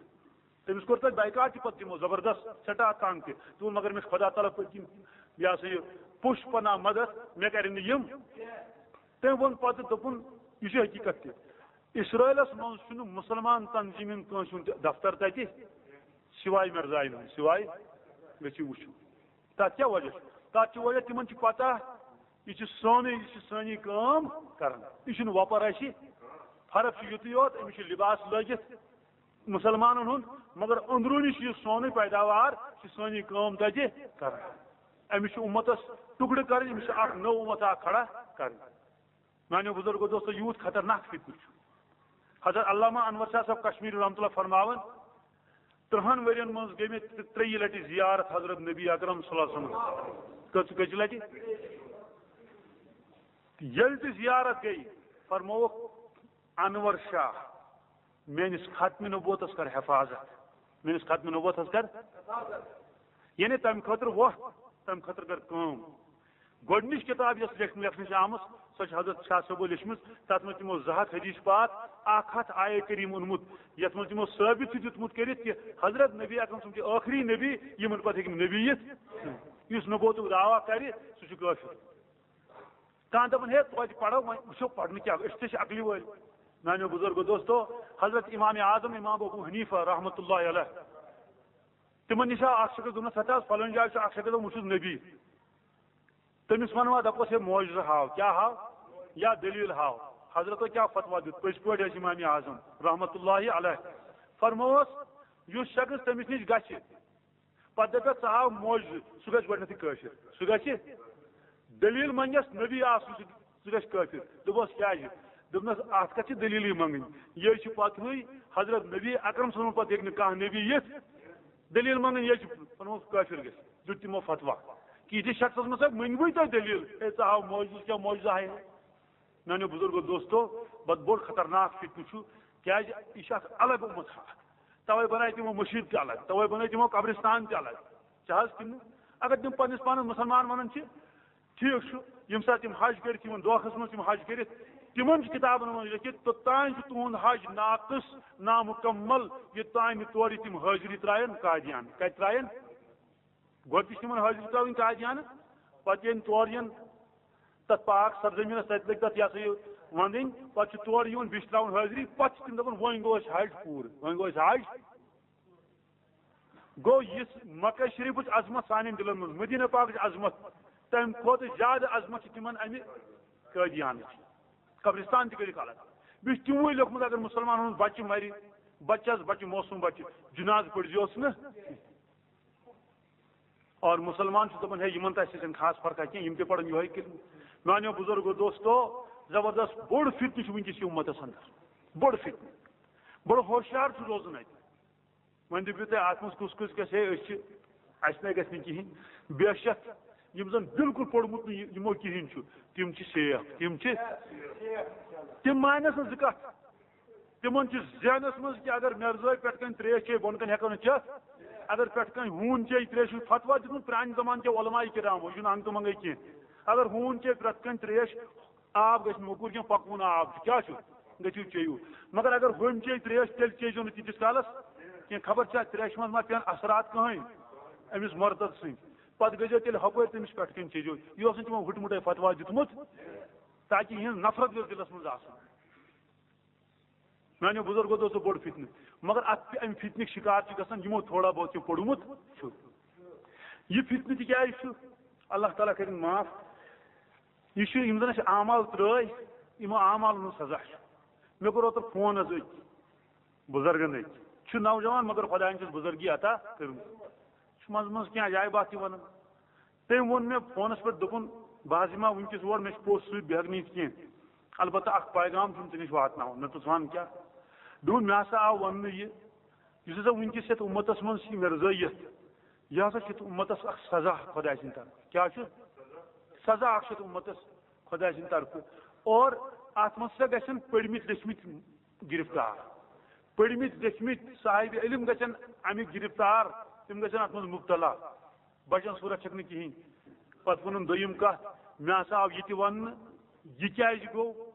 تٔمِس کوٚر تَتہِ بایکاٹ تہِ پَتہٕ تِمو زبردست، سٮ۪ٹھاہ تنٛگ تہِ۔ تِمو، مگر مےٚ چھُ خۄدا تعالیٰ پٔتۍ کِنۍ، یہِ ہسا یہِ، پُش پناہ مدد، مےٚ کَرن نہٕ یِم۔ تٔمۍ ووٚن پَتہٕ، دوٚپُن، یہِ چھِ حقیٖقت تہِ۔ اسرائیلس منٛز چھُنہٕ مُسلمان تنظیٖمن کٲنٛسہِ ہُنٛد تہِ دفتر تَتہِ، سوائے مرزاین ہُنٛد، سوائے۔ گٔژھِو وٕچھِو۔ تَتھ کیٛاہ وجہ چھُ؟ تَتھ چھُ وجہ، تِمن چھُ پتہ، یہِ چھُ سونُے، یہِ چھُ سٲنی کٲم کران۔ یہِ چھُنہٕ وۄپر اَسہِ۔ فرق چھُ یُتُے یوت، أمِس چھُ لباس لٲگِتھ مُسلمانن ہُنٛد، مگر أنٛدروٗنی چھُ یہِ سونُے پیداوار، چھِ سٲنی کٲم تَتہِ کران۔ أمِس چھُ اُمتس ٹُکڑٕ کرٕنۍ، أمِس چھُ اکھ نٔو اُمت اکھ کھڑا کرٕنۍ۔ میانیو بزرگو دوستو، یوٗت خطرناک فتنہٕ چھُ۔ حضرت علامہ انور شاہ صٲب کشمیری رحمتہ اللہ فرماوان، ترٛہن ؤرین منٛز گٔے مےٚ ترٛ-، ترٛیٚیہِ لٹہِ زیارت حضرت نبی اکرم صلی اللہ علیہ وسلم۔ کٔژ، کٔژِ لٹہِ؟ ییٚلہِ تہِ زیارت گٔے، فرمووُکھ، انور شاہ، میٲنِس ختم نبوتس کر حفاظت، میٲنِس ختم نبوتس کر۔ یعنی تمہِ خٲطرٕ وۄتھ، تمہِ خٲطرٕ کر کٲم۔ گۄڈٕنِچ کِتاب یۄس لیکھنہٕ، لیکھنہٕ چھِ آمٕژ، سۄ چھِ حضرت شاہ صٲبو لیچھمٕژ۔ تَتھ منٛز تِمو زٕ ہَتھ حدیث پاک، اکھ ہَتھ آیے کریم اوٚنمُت، یَتھ منٛز تِمو ثٲبت چھُ دیُتمُت کٔرِتھ کہِ حضرت نبی اکرم صٲب چھِ ٲخری نبی، یِمن پتہٕ ہیٚکہِ نہٕ نبی یِتھ۔ یُس نبوتُک دعویٰ کرِ، سُہ چھُ کٲفِر۔ کانٛہہ دَپان، ہے، توتہِ پَرو، وۄنۍ وٕچھو پَرنہٕ کیٛاہ، أسۍ تہِ چھِ عقلہِ وٲلۍ۔ میٛانیو بُزرگو دوستو، حضرت امام اعظم امام ابو حنیفہ رحمتہ اللہ علیہ، تِمن نِش آو اکھ شخص، دوٚپنَس، ہتا حظ، فلٲنۍ جایہِ چھُ اکھ شخص، وٕچھُس نبی۔ تٔمِس وَنوا، دَپوس، ہے، معجزٕ ہاو، کیٛاہ ہاو؟ یا دٔلیٖل ہاو۔ حضرتو کیٛاہ فتوا دیُت؟ پٔزۍ پٲٹھۍ ٲسۍ امام اعظم رحمتہ اللہ علیہ۔ فرمووس، یُس شخص تٔمِس نِش گژھِ، پتہٕ دپٮ۪س، ژٕ ہاو معجزٕ، سُہ گژھِ گۄڈٕنیتھٕے کٲفِر۔ سُہ گژھِ، دٔلیٖل منٛگٮ۪س نبی آسُن، سُہ، سُہ گژھِ کٲفِر۔ دوٚپمس، کیٛازِ؟ دوٚپنس، اتھ کتھ چھِ دٔلیٖلٕے منٛگٕنۍ؟ یہِ چھُ پتہٕے حضرت نبی اکرم صلی اللہ علیہ وسلم پتہٕ ہیٚکہِ نہٕ کانٛہہ نبی یِتھ۔ دٔلیٖل منٛگٕنۍ یہِ چھِ، ووٚنمس، کٲفِر گژھِ۔ دیُت تِمو فتوا کہِ یِتھِس شخصس منٛز ہا مٔنگوٕے تۄہہِ دٔلیٖل، ہے، ژٕ ہاو معجزٕ، کیٛاہ معجزٕ ہاے؟ میانیو بُزرگو دوستو، بد بوٚڑ خطرناک فتنہٕ چھُ، کیٛازِ یہِ چھُ اکھ الگ اُمت اکھ۔ توے بنایہِ تِمو مٔشیٖد تہِ الگ، توے بنٲے تِمو قبرستان تہِ الگ۔ چھِ حظ کِنہٕ؟ اگر تِم پننِس پانس مُسلمان ونان چھِ، ٹھیٖک چھُ، ییٚمہِ ساتہٕ تِم حج کٔرِتھ یِمن دۄہس منٛز تِم حج کٔرِتھ، تِمن چھُ کِتابن منٛز لیکھِتھ، توٚتام چھُ تُہُنٛد حج ناقص، نامُکمل، یوٚتام نہٕ تورٕ تِم حٲضری ترٛاون قادیان۔ کتہِ ترٛاون؟ گۄڈٕ تہِ چھِ تِمن حٲضری ترٛاوٕنۍ قادیانہٕ، پتہٕ ییٚلہِ تور یِن تتھ پاک سرزمینس، تتہِ لٔگۍ تتھ، یہِ ہسا یہِ، ونٛدٕنۍ، پتہٕ چھِ تورٕ یِوان، بیٚیہِ چھِ ترٛاوان حٲضری، پتہٕ چھِ تِم دپان، وۄنۍ گوٚو اَسہِ حج پوٗرٕ، وۄنۍ گوٚو اَسہِ حج۔ گوٚو یُس مکہ شریفٕچ عظمت سانٮ۪ن دِلن منٛز، مدینہ پاکٕچ عظمت، تمہِ کھۄتہٕ زیادٕ عظمت چھِ تِمن امہِ قٲدیانٕچ۔ قبرستان تہِ کٔرِکھ الگ۔ بیٚیہِ چھُ تِموٕے لیوٚکھمُت، اگر مُسلمانن ہُنٛد بچہِ مرِ، بچس بچہِ، معصوم بچہِ، جنازٕ پٔرۍزیوس نہٕ۔ اور مُسلمان چھُ دَپان، ہے، یِمن تہٕ اَسہِ سۭتۍ چھَنہٕ خاص فرقہ کینٛہہ، یِم تہِ پَرَن یِہوٚے کِتاب۔ میٛانیو بُزرگو دوستو، زبردست بوٚڑ فتنہٕ چھُ وٕنکیٚس یہِ اُمتَس اندر، بوٚڑ فتنہٕ، بوٚڑ ہوشیار چھُ روزُن اَتہِ۔ وۄنۍ دٔپِو تُہۍ، اَتھ منٛز کُس کُس گژھِ؟ ہے، أسۍ چھِ، اَسہِ نَے گژھِ نہٕ کِہیٖنۍ۔ بے شک، یِم زَن بالکل پوٚرمُت نہٕ یہِ-، یِمو کِہیٖنۍ چھُ، تِم چھِ شیخ، تِم چھِ، تِم مانَس نہٕ زٕ کَتھ۔ تِمن چھُ ذہنس منٛز کہِ اگر مرزٲے پٮ۪ٹھ کنہِ تریش چیٚیہِ، بۄن کنہِ ہٮ۪کو نہٕ چٮ۪تھ۔ اگر پٮ۪ٹھ کنہِ ہوٗن چیٚیہِ تریش، چھُ فتوا دیُتمُت پرانہِ زمانہٕ کٮ۪و علماء کرامو، یہِ چھُنہٕ انٛگہٕ تہٕ منٛگے کینٛہہ۔ اگر ہوٗن چیٚیہِ پرٛٮ۪تھ کنہِ تریش، آب گژھِ موٚکوٗر کینٛہہ، پکوُن آب چھُ، کیٛاہ چھُ؟ گٔژھِو چیٚیِو۔ مگر اگر ہوٚمۍ چیٚیہِ تریش، تیٚلہِ چیٚیِزیو نہٕ تیٖتِس کالس کینٛہہ، خبر چھا تریشہِ منٛز ما پٮ۪ن اثرات کٕہٕنۍ أمِس مرتد سٕنٛدۍ۔ پتہٕ گٔژھۍزیو تیٚلہِ ہۄپٲرۍ تٔمِس پٮ۪ٹھ کنہِ چیٚیِزیو۔ یہِ اوس نہٕ تِمو ہُٹہِ مُٹے فتوا دیُتمُت، تاکہِ یِہٕنٛز نفرت گٔژھ دِلس منٛز آسٕنۍ۔ میانیو بُزرگو دوٚپ، سُہ بوٚڑ فتنہٕ۔ مگر اتھ، امہِ فتنٕکۍ شکار چھِ گژھان یِمو تھوڑا بہت کینٛہہ پوٚرمُت چھُ۔ یہِ فتنہٕ تہِ کیازِ چھُ؟ اللہ تعالیٰ کٔرِن معاف۔ یہِ چھُ، یِم زن اَسہِ اعمال ترٲے، یِمو اعمالن ہُنٛد سزا چھُ۔ مےٚ کوٚر اوترٕ فون حظ أکۍ بُزرگن أکۍ۔ چھُ نوجوان، مگر خۄداین چھُس بُزرگی عطا کٔرمٕژ۔ چھُ منٛزٕ منٛزٕ کینٛہہ عجایبات تہِ ونان۔ تٔمۍ ووٚن مےٚ فونس پٮ۪ٹھ، دوٚپُن، بہٕ حظ یِمہٕ ہا وٕنکیٚس اور، مےٚ چھُ پوٚژھ سۭتۍ، بہٕ ہٮ۪کہٕ نہٕ یِتھ کینٛہہ۔ البتہ اکھ پیغام چھُم ژےٚ نِش واتناوُن۔ مےٚ دوٚپُس، وَن کیٛاہ؟ دوٚپُن، مےٚ ہسا آو وننہٕ یہِ، یُس ہسا وٕنکیٚس یتھ اُمتس منٛز چھِ مرزٲیت، یہِ ہسا چھُ امتس اکھ سزا خۄداے سٕنٛدِ طرفہٕ۔ کیٛاہ چھُ؟ سزا اکھ چھُ امتس خۄداے سٕنٛدِ طرفہٕ۔ اور اتھ منٛز ہسا گژھن پٔرمٕتۍ لیٚچھمٕتۍ گرفتار۔ پٔرمٕتۍ لیٚچھمٕتۍ صاحب علم گژھن امیُک گرفتار، تِم گژھن اتھ منٛز مبتلا۔ بچن صورت چھکھ نہٕ کِہینۍ۔ پتہٕ ووٚنُن دوٚیِم کتھ، مےٚ ہسا آو یہِ تہِ وننہٕ، یہِ کیازِ گوٚو؟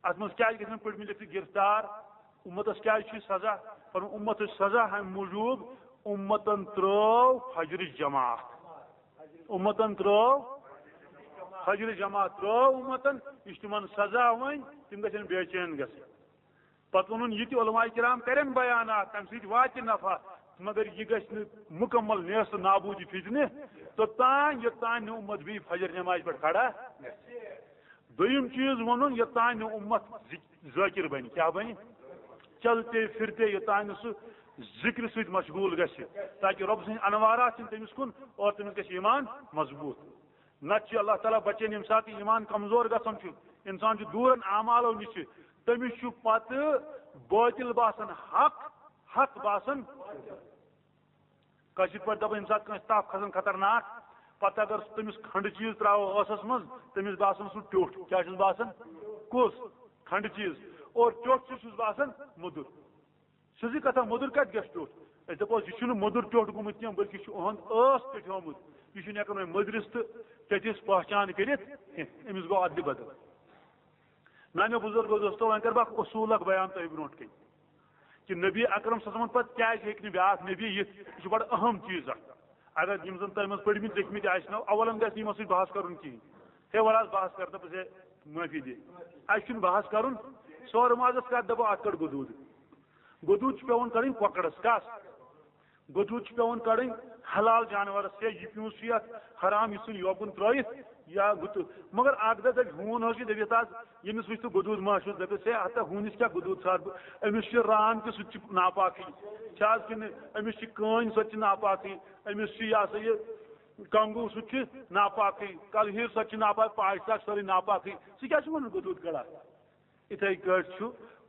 اتھ منٛز کیازِ گژھن پٔرمٕتۍ لیٚکھمٕتۍ گرفتار؟ امتس کیازِ چھُ یہِ سزا؟ پنُن امت چھُ سزا امہِ موٗجوٗب، امتن ترٲو فجرٕچ جماعت۔ امتن ترٲو فجرٕچ جماعت، ترٲو امتن، یہِ چھُ تِمن سزا۔ وۄنۍ تِم گژھن بے چین گژھٕنۍ۔ پتہٕ ووٚنُن، یہِ تہِ علماء کرام کرن بیانات، تمہِ سۭتۍ واتہِ نفع، مگر یہِ گژھِ نہٕ مکمل نیست نابود یہِ فتنہٕ توٚتام، یوٚتام نہٕ امت بیٚیہِ فجر نمازِ پٮ۪ٹھ کھڑا گژھِ۔ دوٚیِم چیٖز ووٚنُن، یوٚتام نہٕ امت ذک-، ذٲکر بنہِ۔ کیٛاہ بنہِ؟ چلتے پھرتے، یوٚتام نہٕ سُہ ذکرِ سۭتۍ مشغول گژھِ، تاکہِ رۄب سٕنٛدۍ انوارات یِن تٔمِس کُن اور تٔمِس گژھِ ایمان مضبوٗط۔ نتہٕ چھُ اللہ تعالیٰ بچٲیِن، ییٚمہِ ساتہٕ ایمان کمزور گژھان چھُ، انسان چھُ دوٗرن اعمالو نِش، تٔمِس چھُ پتہٕ باطل باسان حق، حق باسان۔ کٲشِر پٲٹھۍ دَپو، ییٚمہِ ساتہٕ کٲنٛسہِ تپھ کھسان خطرناک، پتہٕ اگر سُہ تٔمِس کھنڈٕ چیٖز ترٛاوو ٲسس منٛز، تٔمِس باسان سُہ ٹیوٚٹھ۔ کیٛاہ چھُس باسان؟ کُس؟ کھنڈٕ چیٖز۔ اور ٹیوٚٹھ چھُ، چھُس باسان موٚدُر۔ سیٚزٕے کتھا، موٚدُر کتہِ گژھِ ٹیوٚٹھ؟ أسۍ دپو، یہِ چھُنہٕ موٚدُر ٹیوٚٹھ گوٚمُت کینٛہہ، بلکہِ چھُ اُہُنٛد ٲس ٹیوٚٹھ آمُت۔ یہِ چھُنہٕ ہٮ۪کان وۄنۍ مٔدرِس تہٕ ٹیٚٹھِس پہچان کٔرِتھ کینٛہہ۔ أمِس گوٚو ادلہِ بدل۔ میانیو بزرگو دوستو، وۄنۍ کرٕ بہٕ اکھ اصوٗل اکھ بیان تۄہہِ برونٛٹھ کَنہِ، کہِ نبی اکرم صلی اللہ علیہ وسلم پتہٕ کیازِ ہیٚکہِ نہٕ بیٛاکھ نبی یِتھ۔ یہِ چھُ بڑٕ اہم چیٖز اکھ۔ اگر یِم زن تۄہہِ منٛز پٔرمٕتۍ لیٚکھمٕتۍ آسہِ نو، اولن گژھِ نہٕ یِمن سۭتۍ بحث کرُن کِہینۍ۔ ہے، وَلہٕ حظ، بحث کر، دَپُس، ہے، معٲفی دِ۔ اَسہِ چھُنہٕ بحث کرُن۔ سورٕ مازس کتھ دَپو، اتھ کڑ گُدوٗد۔ گُدوٗد چھُ پٮ۪وان کڑٕنۍ کۄکرس۔ کس؟ گُدوٗد چھُ پٮ۪وان کڑٕنۍ حلال جانورس۔ ہے، یہِ پیوٗنٛت چھُ یتھ حرام، یہِ ژھُن یوکُن ترٲیِتھ یا گُتہٕ۔ مگر اکھ دۄہ دَپہِ ہوٗن حظ چھُ، دٔپِتھ حظ، ییٚمِس وٕچھ تہٕ گُدوٗد ما چھُس، دَپٮ۪س، ہے، ہتا ہوٗنِس کیٛاہ گُدوٗد ژھار بہٕ؟ أمِس چھُ ران تہِ، سُہ تہِ چھُ ناپاکٕے۔ چھِ حظ کِنہٕ أمِس چھِ کٲنۍ، سۄ تہِ چھِ ناپاکٕے۔ أمِس چھُ یہِ ہسا یہِ کنگوٗ، سُہ تہِ چھُ ناپاکٕے۔ کلہیٖر، سۄ تہِ چھِ ناپاک۔ پاش تاش، سٲرٕے ناپاکٕے۔ ژٕ کیٛاہ چھُکھ وَنان گُدوٗد کڑان؟ اِتھَے کٲٹھۍ چھُ،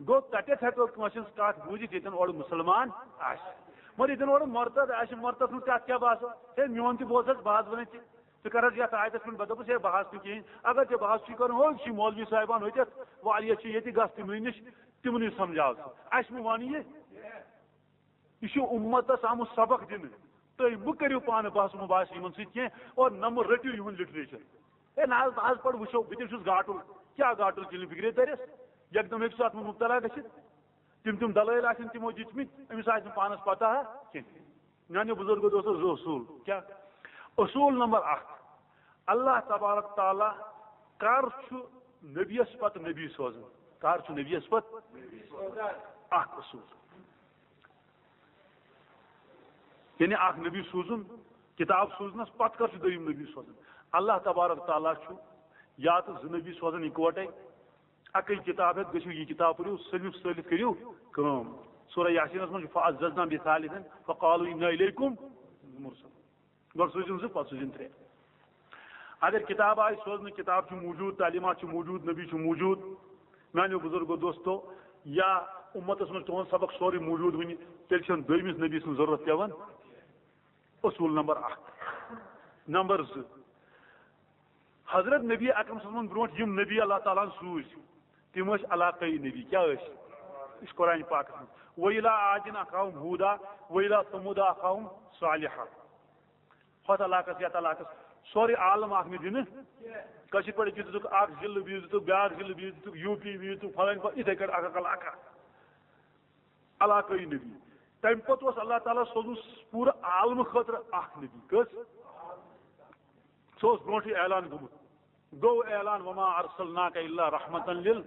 گوٚو، تَتٮ۪تھ ہٮ۪کو کٲنٛسہِ ہٕنٛز کَتھ بوٗزِتھ، ییٚتٮ۪ن اورٕ مُسلمان آسہِ۔ مگر ییٚتٮ۪ن اورٕ مُرتد آسہِ، مُرتد سُنٛد کَتھ کیٛاہ باسو؟ ہے، میون تہِ بوز حظ، بہٕ حظ وَنَے ژےٚ، ژٕ کَر حظ یَتھ آیتَس پٮ۪ٹھ، بہٕ دَپَس، ہے، بہٕ حظ نہٕ کِہیٖنۍ۔ اگر ژےٚ بہٕ حظ چھُے کَرُن، ہو، یہِ چھُے مولوی صاحبان ہوٚتٮ۪تھ، واریاہ چھِ ییٚتہِ، گژھ تِمنٕے نِش، تِمنٕے سَمجھاو ژٕ۔ اَسہِ مہٕ وَن یہِ۔ یہِ چھُ اُمتس آمُت سبق دِنہٕ۔ تُہۍ مہٕ کٔرِو پانہٕ بحث مباحث یِمن سۭتۍ کینٛہہ اور نہ مہٕ رٔٹِو یِہُنٛد literature۔ ہے نہ حظ، نہ حظ، پَر وٕچھو، بہٕ تہِ چھُس گاٹُل۔ کیٛاہ گاٹُل؟ چٲنۍ فِکرے تَرٮ۪س۔ یکدم ہیٚکہِ سُہ اَتھ منٛز مُبتلا گٔژھِتھ۔ تِم تِم دلٲیل آسن تِمو دِتمٕتۍ، أمِس آسہِ نہٕ پانَس پتہ کینٛہہ۔ میٛانیو بُزرگو دوستو، زٕ اصوٗل۔ کیٛاہ؟ اصوٗل نمبر اکھ، اللہ تبارک تعالیٰ کر چھُ نبیَس پتہٕ نبی سوزان؟ کر چھُ نبیَس پتہٕ؟ اکھ اصوٗل۔ یعنی اکھ نبی سوٗزُن، کتاب سوٗزنس پتہٕ کر چھُ دوٚیِم نبی سوزان؟ اللہ تبارک تعالیٰ چھُ یا تہٕ زٕ نبی سوزان اِکوٹے۔ اَکٕے کِتاب ہٮ۪تھ گٔژھِو، یہِ کِتاب پٔرِو، صٲلِف صٲلِف کٔرِو کٲم۔ سورہ یاسینَس منٛز چھُ، "فعززنا بثالث فقالوا انا الیکم مرسلون۔" گۄڈٕ سوٗزِن زٕ، پَتہٕ سوٗزِن ترٛےٚ۔ اگر کِتاب آیہِ سوزنہٕ، کِتاب چھُ موٗجوٗد، تعلیٖمات چھِ موٗجوٗد، نبی چھُ موٗجوٗد، میٛانیو بُزرگو دوستو، یا اُمتَس منٛز تُہُنٛد سبق سورُے موٗجوٗد وٕنہِ، تیٚلہِ چھَنہٕ دوٚیمِس نبی سٕنٛز ضروٗرت پٮ۪وان۔ اصوٗل نمبر اکھ۔ نمبر زٕ، حضرت نبی اکرم صلی اللہ علیہ وسلمن برونٛٹھ یِم نبی اللہ تعالیٰ ہن سوٗزۍ، تِم ٲسۍ علاقٲیی نبی۔ کیٛاہ ٲسۍ؟ یہِ چھُ قرآن پاکس منٛز، "وَإِلَىٰ عَادٍ أَخَاهُمْ هُودًا وَإِلَىٰ ثَمُودَ أَخَاهُمْ صَالِحًا۔" ہۄتھ علاقس، یتھ علاقس، سورُے عالم اکھ نہٕ دِنہٕ۔ کٲشِر پٲٹھۍ دِتُکھ اکھ ضلعہٕ، بیٚیِس دِتُکھ بیٛاکھ ضلعہٕ، بیٚیِس دِتُکھ یوٗ پی، بیٚیِس دِتُکھ فلٲنۍ فلٲنۍ، یِتھَے کٲٹھۍ اکھ اکھ علاقہ۔ علاقٲیی نبی۔ تَمہِ پتہٕ اوس اللہ تعالیٰ سوزمُت پوٗرٕ عالمہٕ خٲطرٕ اکھ نبی۔ کٔژ؟ سُہ اوس برونٛٹھٕے اعلان گوٚمُت۔ گوٚو اعلان، "وما ارسلناک الا رحمتا لل۔"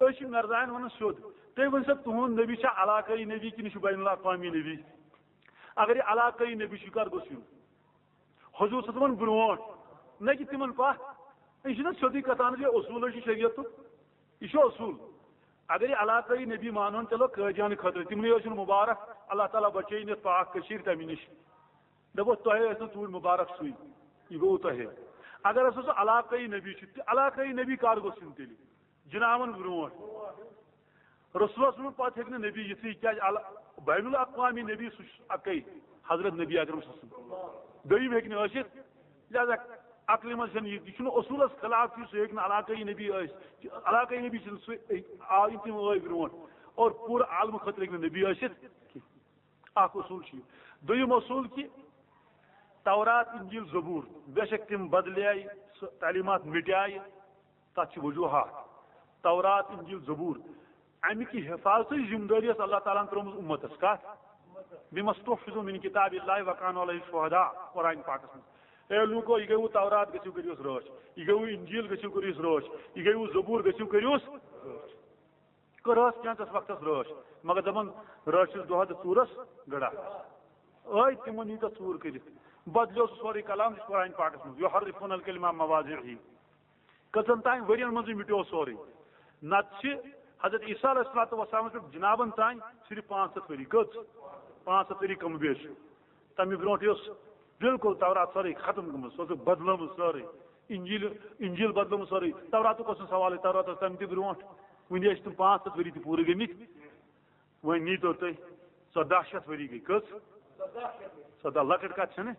أسۍ چھِ مرزاین ونان سیوٚد، تُہۍ ؤنۍ سا، تُہُنٛد نبی چھا علاقٲیی نبی کِنہٕ یہِ چھُ بین الاقوامی نبی؟ اگر یہِ علاقٲیی نبی چھُ، کر گوٚژھ یُن؟ حضور صلی اللہ علیہ وسلمن برونٛٹھ، نہ کہِ تِمن پتھ۔ یہِ چھُنہ سیوٚدُے کتھ، اہن حظ، یہِ اصوٗلے چھُ شریعتُک، یہِ چھُ اصوٗل۔ اگر یہِ علاقٲیی نبی مانہون، چلو، قٲدیانہٕ خٲطرٕ، تِمنٕے ٲسِن مُبارک، اللہ تعالیٰ بچٲیِن یتھ پاک کٔشیٖرِ تمہِ نِش۔ دپو، تۄہے ٲسۍ نہٕ توٗرۍ مُبارک سُے، یہِ گوٚو تۄہے۔ اگر ہسا سُہ علاقٲیی نبی چھُ، تہِ علاقٲیی نبی کر گوٚژھ یُن تیٚلہِ؟ جنابن برونٛٹھ۔ رسول صلی اللہ علیہ وسلم پتہٕ ہیٚکہِ نہٕ نبی یِتھٕے، کیٛازِ ال-، بین الاقوامی نبی سُہ چھُ اکے۔ حضرت نبی اکرم صلی اللہ علیہ وسلم۔ دوٚیِم ہیٚکہِ نہٕ ٲسِتھ۔ لہذا عقلہِ منٛز چھَنہٕ یہِ، یہِ چھُنہٕ اصوٗلَس خلاف کہِ سُہ ہیٚکہِ نہٕ علاقٲیی نبی ٲسِتھ۔ علاقٲیی نبی چھِنہٕ سُہ، آو یِم تِم ٲے برونٛٹھ۔ اور پوٗرٕ عالمہٕ خٲطرٕ ہیٚکہِ نہٕ نبی ٲسِتھ کینٛہہ۔ اکھ اصوٗل چھُ یہِ۔ دوٚیِم اصوٗل کہِ تورات، انجیل، زبور، بے شک تِم بدلے، سُہ تعلیمات مٹے، تَتھ چھِ وجوہات۔ تورات، انجیل، زبور، اَمہِ کہِ حفاظتٕچ ذمہٕ دٲری ٲس اللہ تعالیٰ ہن ترٲومٕژ اُمتس۔ کَتھ؟ بما استحفظوا من کتاب اللہ وکانوا علیہ شہداء، قرآن پاکس منٛز۔ اے لوٗکو، یہِ گٔیوٕ تورات، گٔژھِو کٔرِوس رٲچھ۔ یہِ گٔیوٕ انجیل، گٔژھِو کٔرِوس رٲچھ۔ یہِ گٔیوٕ زبور، گٔژھِو کٔرِوس رٲچھ۔ کٔر ٲس کینٛژس وقتس رٲچھ، مگر دپان رٲچھ چھِس دۄہس تہٕ ژوٗرس گڑا۔ ٲے تِمن ییٖژاہ ژوٗر کٔرِتھ، بدلیو سُہ سورُے کلام، یہِ چھُ قرآن پاکس منٛز، یحرفون الکلمہ عن مواضعہ۔ کٔژن تام ؤرین منٛزٕے مِٹیو سورُے۔ نتہٕ چھِ حضرت عیسیٰ علیہ الصلوۃ والسلامس پٮ۪ٹھ جنابن تام صرف پانٛژھ ہتھ ؤری۔ کٔژ؟ پانٛژھ ہتھ ؤری کم بیش۔ تمہِ برونٛٹھ یہِ اوس بالکل تورات سٲرٕے ختم گٔمٕژ، سۄ ٲسٕکھ بدلٲمٕژ سٲرٕے۔ انجیل، انجیل بدلٲمٕژ سٲرٕے۔ توراتُک اوس نہٕ سوالٕے، تورات ٲس تمہِ تہِ برونٛٹھ۔ وُنہِ ٲسۍ تِم پانٛژھ ہتھ ؤری تہِ پوٗرٕ گٔمٕتۍ۔ وۄنۍ نیٖتو تُہۍ، ژۄداہ شیٚتھ ؤری گٔے۔ کٔژ؟ ژۄداہ، لۄکٕٹ کتھ چھنہٕ۔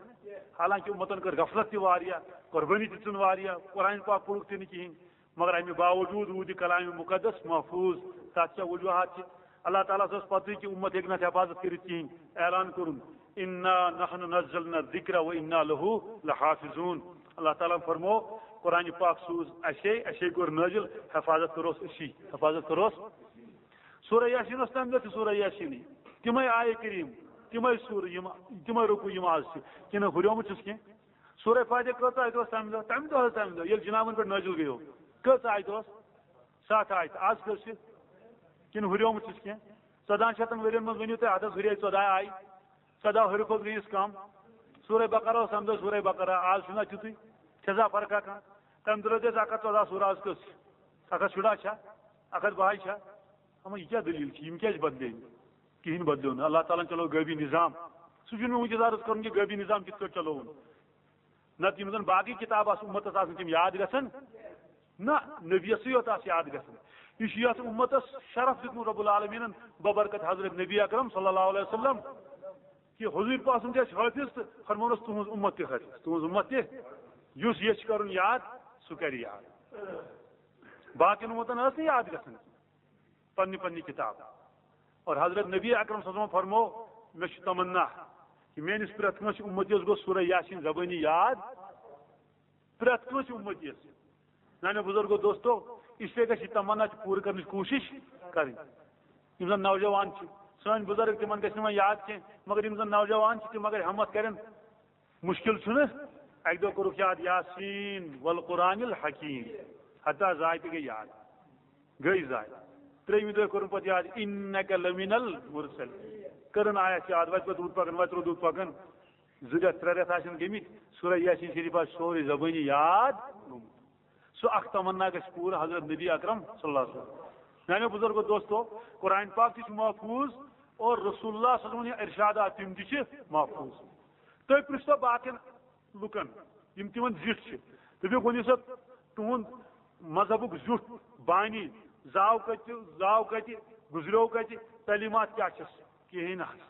حالانکہ اُمتن کٔر غفلت تہِ واریاہ، قربٲنی تہِ ژھٕن واریاہ، قرآن پاک پوٚرُکھ تہِ نہٕ کِہیٖنۍ، مگر امہِ باوجود روٗد یہِ کلام مقدس محفوظ۔ تتھ کیٛاہ وجوہات چھِ؟ اللہ تعالیٰ ہس ٲس پتہٕے کہِ اُمت ہیٚکہِ نہٕ اتھ حفاظت کٔرِتھ کِہیٖنۍ۔ اعلان کوٚرُن، "انا نحن نزلنا الذکر و انا لہ لحافظون۔" اللہ تعالیٰ ہن فرمو، قرآن پاک سوٗز اسے، اسے کوٚر نٲزِل، حفاظت کٔرٕس أسی، حفاظت کٔرٕس۔ سورہ یاسین اوس تمہِ دۄہ تہِ سورہ یاسینٕے۔ تِمے آیہِ کریم، تِمے سورہ یِم، تِمے رکوع یِم آز چھِ۔ کِنہٕ ہُریومُت چھُس کینٛہہ؟ سورہ فاتحہ کۭژاہ آیہِ ٲس تمہِ دۄہ؟ تمہِ دۄہ حظ، تمہِ دۄہ ییٚلہِ جنابن پٮ۪ٹھ نٲزِل گٔیو، کٔژ آیہِ اوس؟ ستھ آیہِ۔ آز کٔژ چھِ؟ کِنہٕ ہُریومُت چھُس کینٛہہ؟ ژۄدہن شیٚتن ؤرین منٛز ؤنِو تُہۍ، اتھ حظ ہُرے ژۄداہ آیہِ۔ ژۄداہ ہُرِ کھۄتہٕ گٔیِس کم۔ سورہ بقرہ اوس تمہِ دۄہ سورہ بقرہ، آز چھُنہ تیُتُے۔ چھےٚ سا فرقہ کانٛہہ؟ تمہِ دۄہ ٲسۍ اکھ ہتھ ژۄداہ سورہ، آز کٔژ چھِ؟ اکھ ہتھ شُراہ چھا؟ اکھ ہتھ باہٕے چھا؟ اما یہِ کیٛاہ دٔلیٖل چھِ؟ یِم کیٛازِ بدلے نہٕ؟ کِہیٖنۍ بدلیو نہٕ۔ اللہ تعالیٰ ہن چلو غٲبی نظام۔ سُہ چھُنہٕ مےٚ وٕنکیٚس عرض کرُن کہِ غٲبی نظام کِتھ کٲٹھۍ چلووُن۔ نتہٕ یِم زن باقٕے کِتاب آسہٕ اُمتس آسان، تِم یاد گژھن؟ نہ، نبیَسٕے یوت آسہٕ یاد گژھان۔ یہِ چھُ یتھ اُمتس شرف دیُتمُت رب العالمیٖنن ببرکت حضرت نبی اکرم صلی اللہ علیہ وسلم، کہِ حضوٗر پاسُن تہِ آسہِ حٲفظ تہٕ فرمونس، "تُہنٛز اُمت تہِ حٲفظ، تُہنٛز اُمت تہِ۔" یُس یژھِ کرُن یاد، سُہ کرِ یاد۔ باقین اُمتن ٲس نہٕ یاد گژھان پننہِ پننہِ کِتاب۔ اور حضرت نبی اکرم صلی اللہ علیہ وسلم فرمو، مےٚ چھُ تمنا کہِ میٲنِس پرٛٮ۪تھ کٲنٛسہِ اُمتیس گوٚژھ سورہ یاسین زبٲنی یاد، پرٛٮ۪تھ کٲنٛسہِ اُمتیس۔ میانیو بزرگو دوستو، اس لیے گژھِ یہِ تمنا تہِ پوٗرٕ کرنٕچ کوٗشِش کرٕنۍ۔ یِم زن نوجوان چھِ، سٲنۍ بزرگ، تِمن گژھِ نہٕ وۄنۍ یاد کینٛہہ، مگر یِم زن نوجوان چھِ، تِم اگر ہمت کرن، مُشکِل چھُنہٕ۔ اَکہِ دۄہ کوٚرُکھ یاد یاسین والقرآن الحکیم، حتیٰ زاے تہِ گٔے یاد، گٔے زاے۔ ترٛیٚیِمہِ دۄہ کوٚرُن پَتہٕ یاد انک لمن المرسل، کٔرٕن آیت یاد، وَتہِ پَتہٕ روٗد پَکان، وَتہِ روٗد پَکان۔ زٕ رٮ۪تھ، ترٛےٚ رٮ۪تھ آسن گٔمٕتۍ، سورہ یاسین شریف آسہِ سورُے زبٲنی یاد گوٚمُت۔ سُہ اکھ تمنا گژھِ پوٗرٕ حضرت نبی اکرم صلی اللہ علیہ وسلم۔ میانیو بزرگو دوستو، قرآن پاک تہِ چھُ محفوظ اور رسول اللہ صلی اللہ علیہ وسلم ارشادات تِم تہِ چھِ محفوظ۔ تُہۍ پرٛژھتو باقین لُکن، یِم تِمن زِٹھۍ چھِ، دٔپِو، ؤنِو سا، تُہُنٛد مذہبُک زیُٹھ بانی زاو کتہِ، زاو کتہِ، گُزریو کتہِ، تعلیٖمات کیٛاہ چھِس؟ کِہیٖنۍ نہٕ حظ۔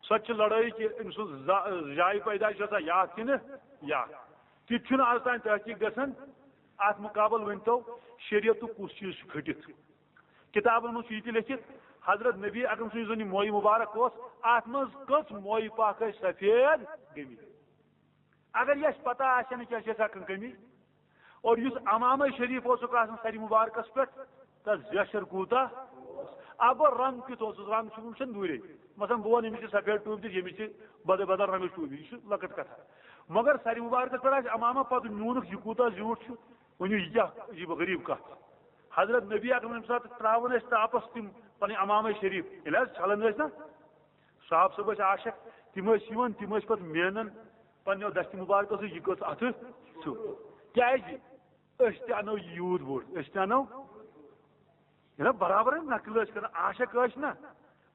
سۄ تہِ چھِ لڑٲے کہِ أمۍ سُنٛد زا-، جایہِ پیدٲیِش چھےٚ سا یاد کِنہٕ یاد۔ تہِ تہِ چھُنہٕ آز تام تحقیٖق گژھان۔ اَتھ مُقابل ؤنۍتو، شریعتُک کُس چیٖز چھُ کھٔٹِتھ؟ کِتابَن منٛز چھُ یہِ تہِ لیٚکھِتھ، حضرت نبی اکرم سُنٛد یُس زَن یہِ مویہِ مُبارک اوس، اَتھ منٛز کٔژ مویہِ پاک ٲسۍ سفید گٔمٕتۍ؟ اگر یہِ اَسہِ پتہ آسہِ ہا نہٕ کینٛہہ، چھِ اَسہِ ہٮ۪کان کٔمی۔ اور یُس عمامہ شریف اوسُکھ آسان سرِ مُبارکَس پٮ۪ٹھ، تَتھ زیچھر کوٗتاہ اوس؟ اَتھ گوٚو رنٛگ کیُتھ اوسُس، رنٛگ چھُ، وٕچھان دوٗرے۔ مثلاً بہٕ وَنہٕ، ییٚمِس چھِ سفید ٹوٗپۍ دِتھ، ییٚمِس چھِ بدل بدل رنٛگٕچ ٹوٗپۍ، یہِ چھُ لۄکٕٹ کَتھا۔ مگر سرِ مُبارکَس پٮ۪ٹھ آسہِ عمامہ، پَتہٕ نیوٗنُکھ، یہِ کوٗتاہ زیوٗٹھ چھُ، ؤنِو، یہِ کیٛاہ عجیٖب و غریٖب کَتھ چھِ؟ حضرت نبی اکرم ییٚمہِ ساتہٕ ترٛاوان ٲسۍ تاپَس تِم پَنٕنۍ عمامہ شریف، ییٚلہِ حظ چھَلان ٲسۍ نا، صحابہٕ صٲب ٲسۍ عاشق، تِم ٲسۍ یِوان، تِم ٲسۍ پَتہٕ مینان پننیو دستِ مُبارکو سۭتۍ، یہِ کٔژ اَتھٕ چھُ۔ کیٛازِ؟ أسۍ تہِ اَنو یہِ یوٗت بوٚڑ، أسۍ تہِ اَنو۔ یہِ نا برابر نقل ٲسۍ کران، عاشق ٲسۍ نا،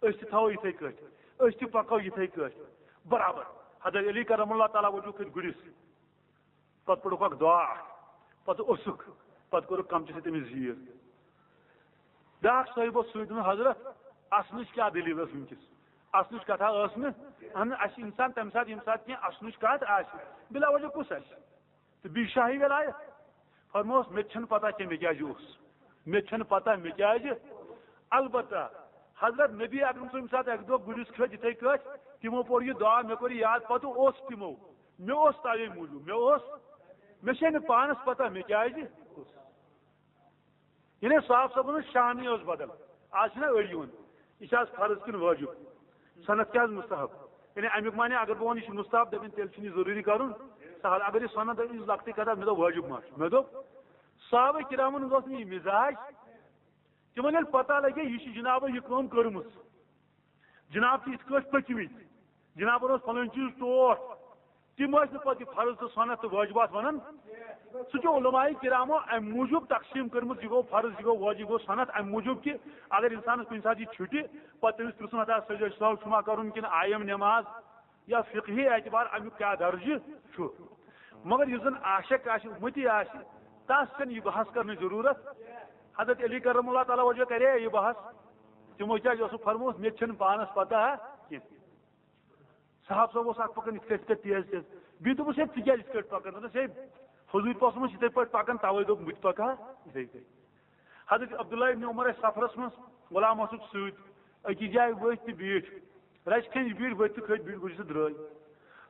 أسۍ تہِ تھاوو یِتھَے کٲٹھۍ، أسۍ تہِ پَکو یِتھَے کٲٹھۍ۔ برابر۔ حضرت علی کرم اللہ تعالیٰ وجوٗ کھٔتۍ گُرِس، پَتہٕ پوٚرُکھ اَکھ دُعا اَکھ، پَتہٕ اوٚسُکھ، پَتہٕ کوٚرُکھ کَمچہِ سۭتۍ تٔمِس زیٖر۔ بیٛاکھ صٲحِب اوس سۭتۍ، دوٚپُن، "حضرت، اَصلٕچ کیٛاہ دٔلیٖل ٲس وٕنکیٚس؟" اصلٕچ کتھا ٲس نہٕ۔ اہن، اسہِ چھِ انسان تمہِ ساتہٕ، ییٚمہِ ساتہٕ کینٛہہ اصلٕچ کتھ آسہِ، بلا وجہ کُس آسہِ؟ تہٕ بیٚیہِ شاہی ولایت۔ فرمووس، مےٚ تہِ چھَنہٕ پتہ کینٛہہ مےٚ کیٛازِ اوس، مےٚ تہِ چھَنہٕ پتہ مےٚ کیٛازِ۔ البتہ حضرت نبی اکرم صٲب ییٚمہِ ساتہٕ اکہِ دۄہ گُرِس کھٔتۍ یِتھَے کٲٹھۍ، تِمو پوٚر یہِ دعا، مےٚ کوٚر یہِ یاد، پتہٕ اوس تِمو، مےٚ اوس تَوے موٗجوٗب، مےٚ اوس، مےٚ چھے نہٕ پانس پتہ مےٚ کیٛازِ اوس۔ یعنی صاحب صٲبن ہٕنٛز شانٕے ٲس بدل۔ آز چھِنہ أڑۍ یِوان، یہِ چھِ آز فرض کِنہٕ وٲجِب؟ سنت کیٛاہ حظ مستحب؟ یعنی اَمیُک معنی اگر بہٕ وَنہٕ یہِ چھُ مستحب، دَپن تیٚلہِ چھُنہٕ یہِ ضروٗری کَرُن۔ سہل، اگر یہِ سنت ٲس لۄکٹٕے کَتھا، مےٚ دوٚپ وٲجِب ما چھُ؟ مےٚ دوٚپ صحابہ کرامن ہُنٛد اوس نہٕ یہِ مزاج۔ تِمن ییٚلہِ پتہ لگہِ یہِ چھِ جنابن یہِ کٲم کٔرمٕژ، جناب چھِ یِتھ کٲٹھۍ پٔکمٕتۍ، جنابن اوس فلٲنۍ چیٖز ٹوٹھ، تِم ٲسۍ نہٕ پتہٕ یہِ فرض تہٕ سنت تہٕ وٲجبات ونان۔ سُہ چھُ علماء کرامو امہِ موٗجوٗب تقسیٖم کٔرمٕژ، یہِ گوٚو فرض، یہِ گوٚو وٲجب، یہِ گوٚو سنت، امہِ موٗجوٗب کہِ اگر انسانس کُنہِ ساتہٕ یہِ چھُٹہِ، پتہٕ تٔمِس پرژھُن، ہتا سجدٕ سہو چھُ ما کرُن کِنہٕ آیم نماز، یا فقہی اعتبار امیُک کیٛاہ درجہٕ چھُ۔ مگر یُس زن عاشق آسہِ، امتی آسہِ، تس چھنہٕ یہِ بحث کرنٕچ ضروٗرت۔ حضرت علی کرم اللہ تعالیٰ وجہ کرے یہِ بحث، تِمو کیٛازِ اوسُکھ فرموومُت، مےٚ تہِ چھنہٕ پانس پتہ کینٛہہ۔ صاحب صٲب اوس اکھ پکان یِتھ کٔٹھۍ، یِتھ کٔٹھۍ تیز تیز۔ بیٚیہِ دوٚپُس، ہے، ژٕ کیٛازِ یِتھ کٔٹھۍ پکان؟ دوٚپنس، ہے، حضوٗرۍ پاسُن اوس یِتھَے پٲٹھۍ پکان، توے دوٚپ بہٕ تہِ پکہٕ ہا یِتھَے کٔٹھۍ۔ حضرت عبداللہ ابن عمر ٲسۍ سفرس منٛز، غلام اوسُکھ سۭتۍ، أکِس جایہِ ؤتھۍ تہٕ بیٖٹھۍ۔ رَژِ کھنٛڈ بیٖٹھۍ، ؤتھۍ تہٕ کھٔتۍ، بیٖٹھۍ، گُرِس تہٕ درٛٲے۔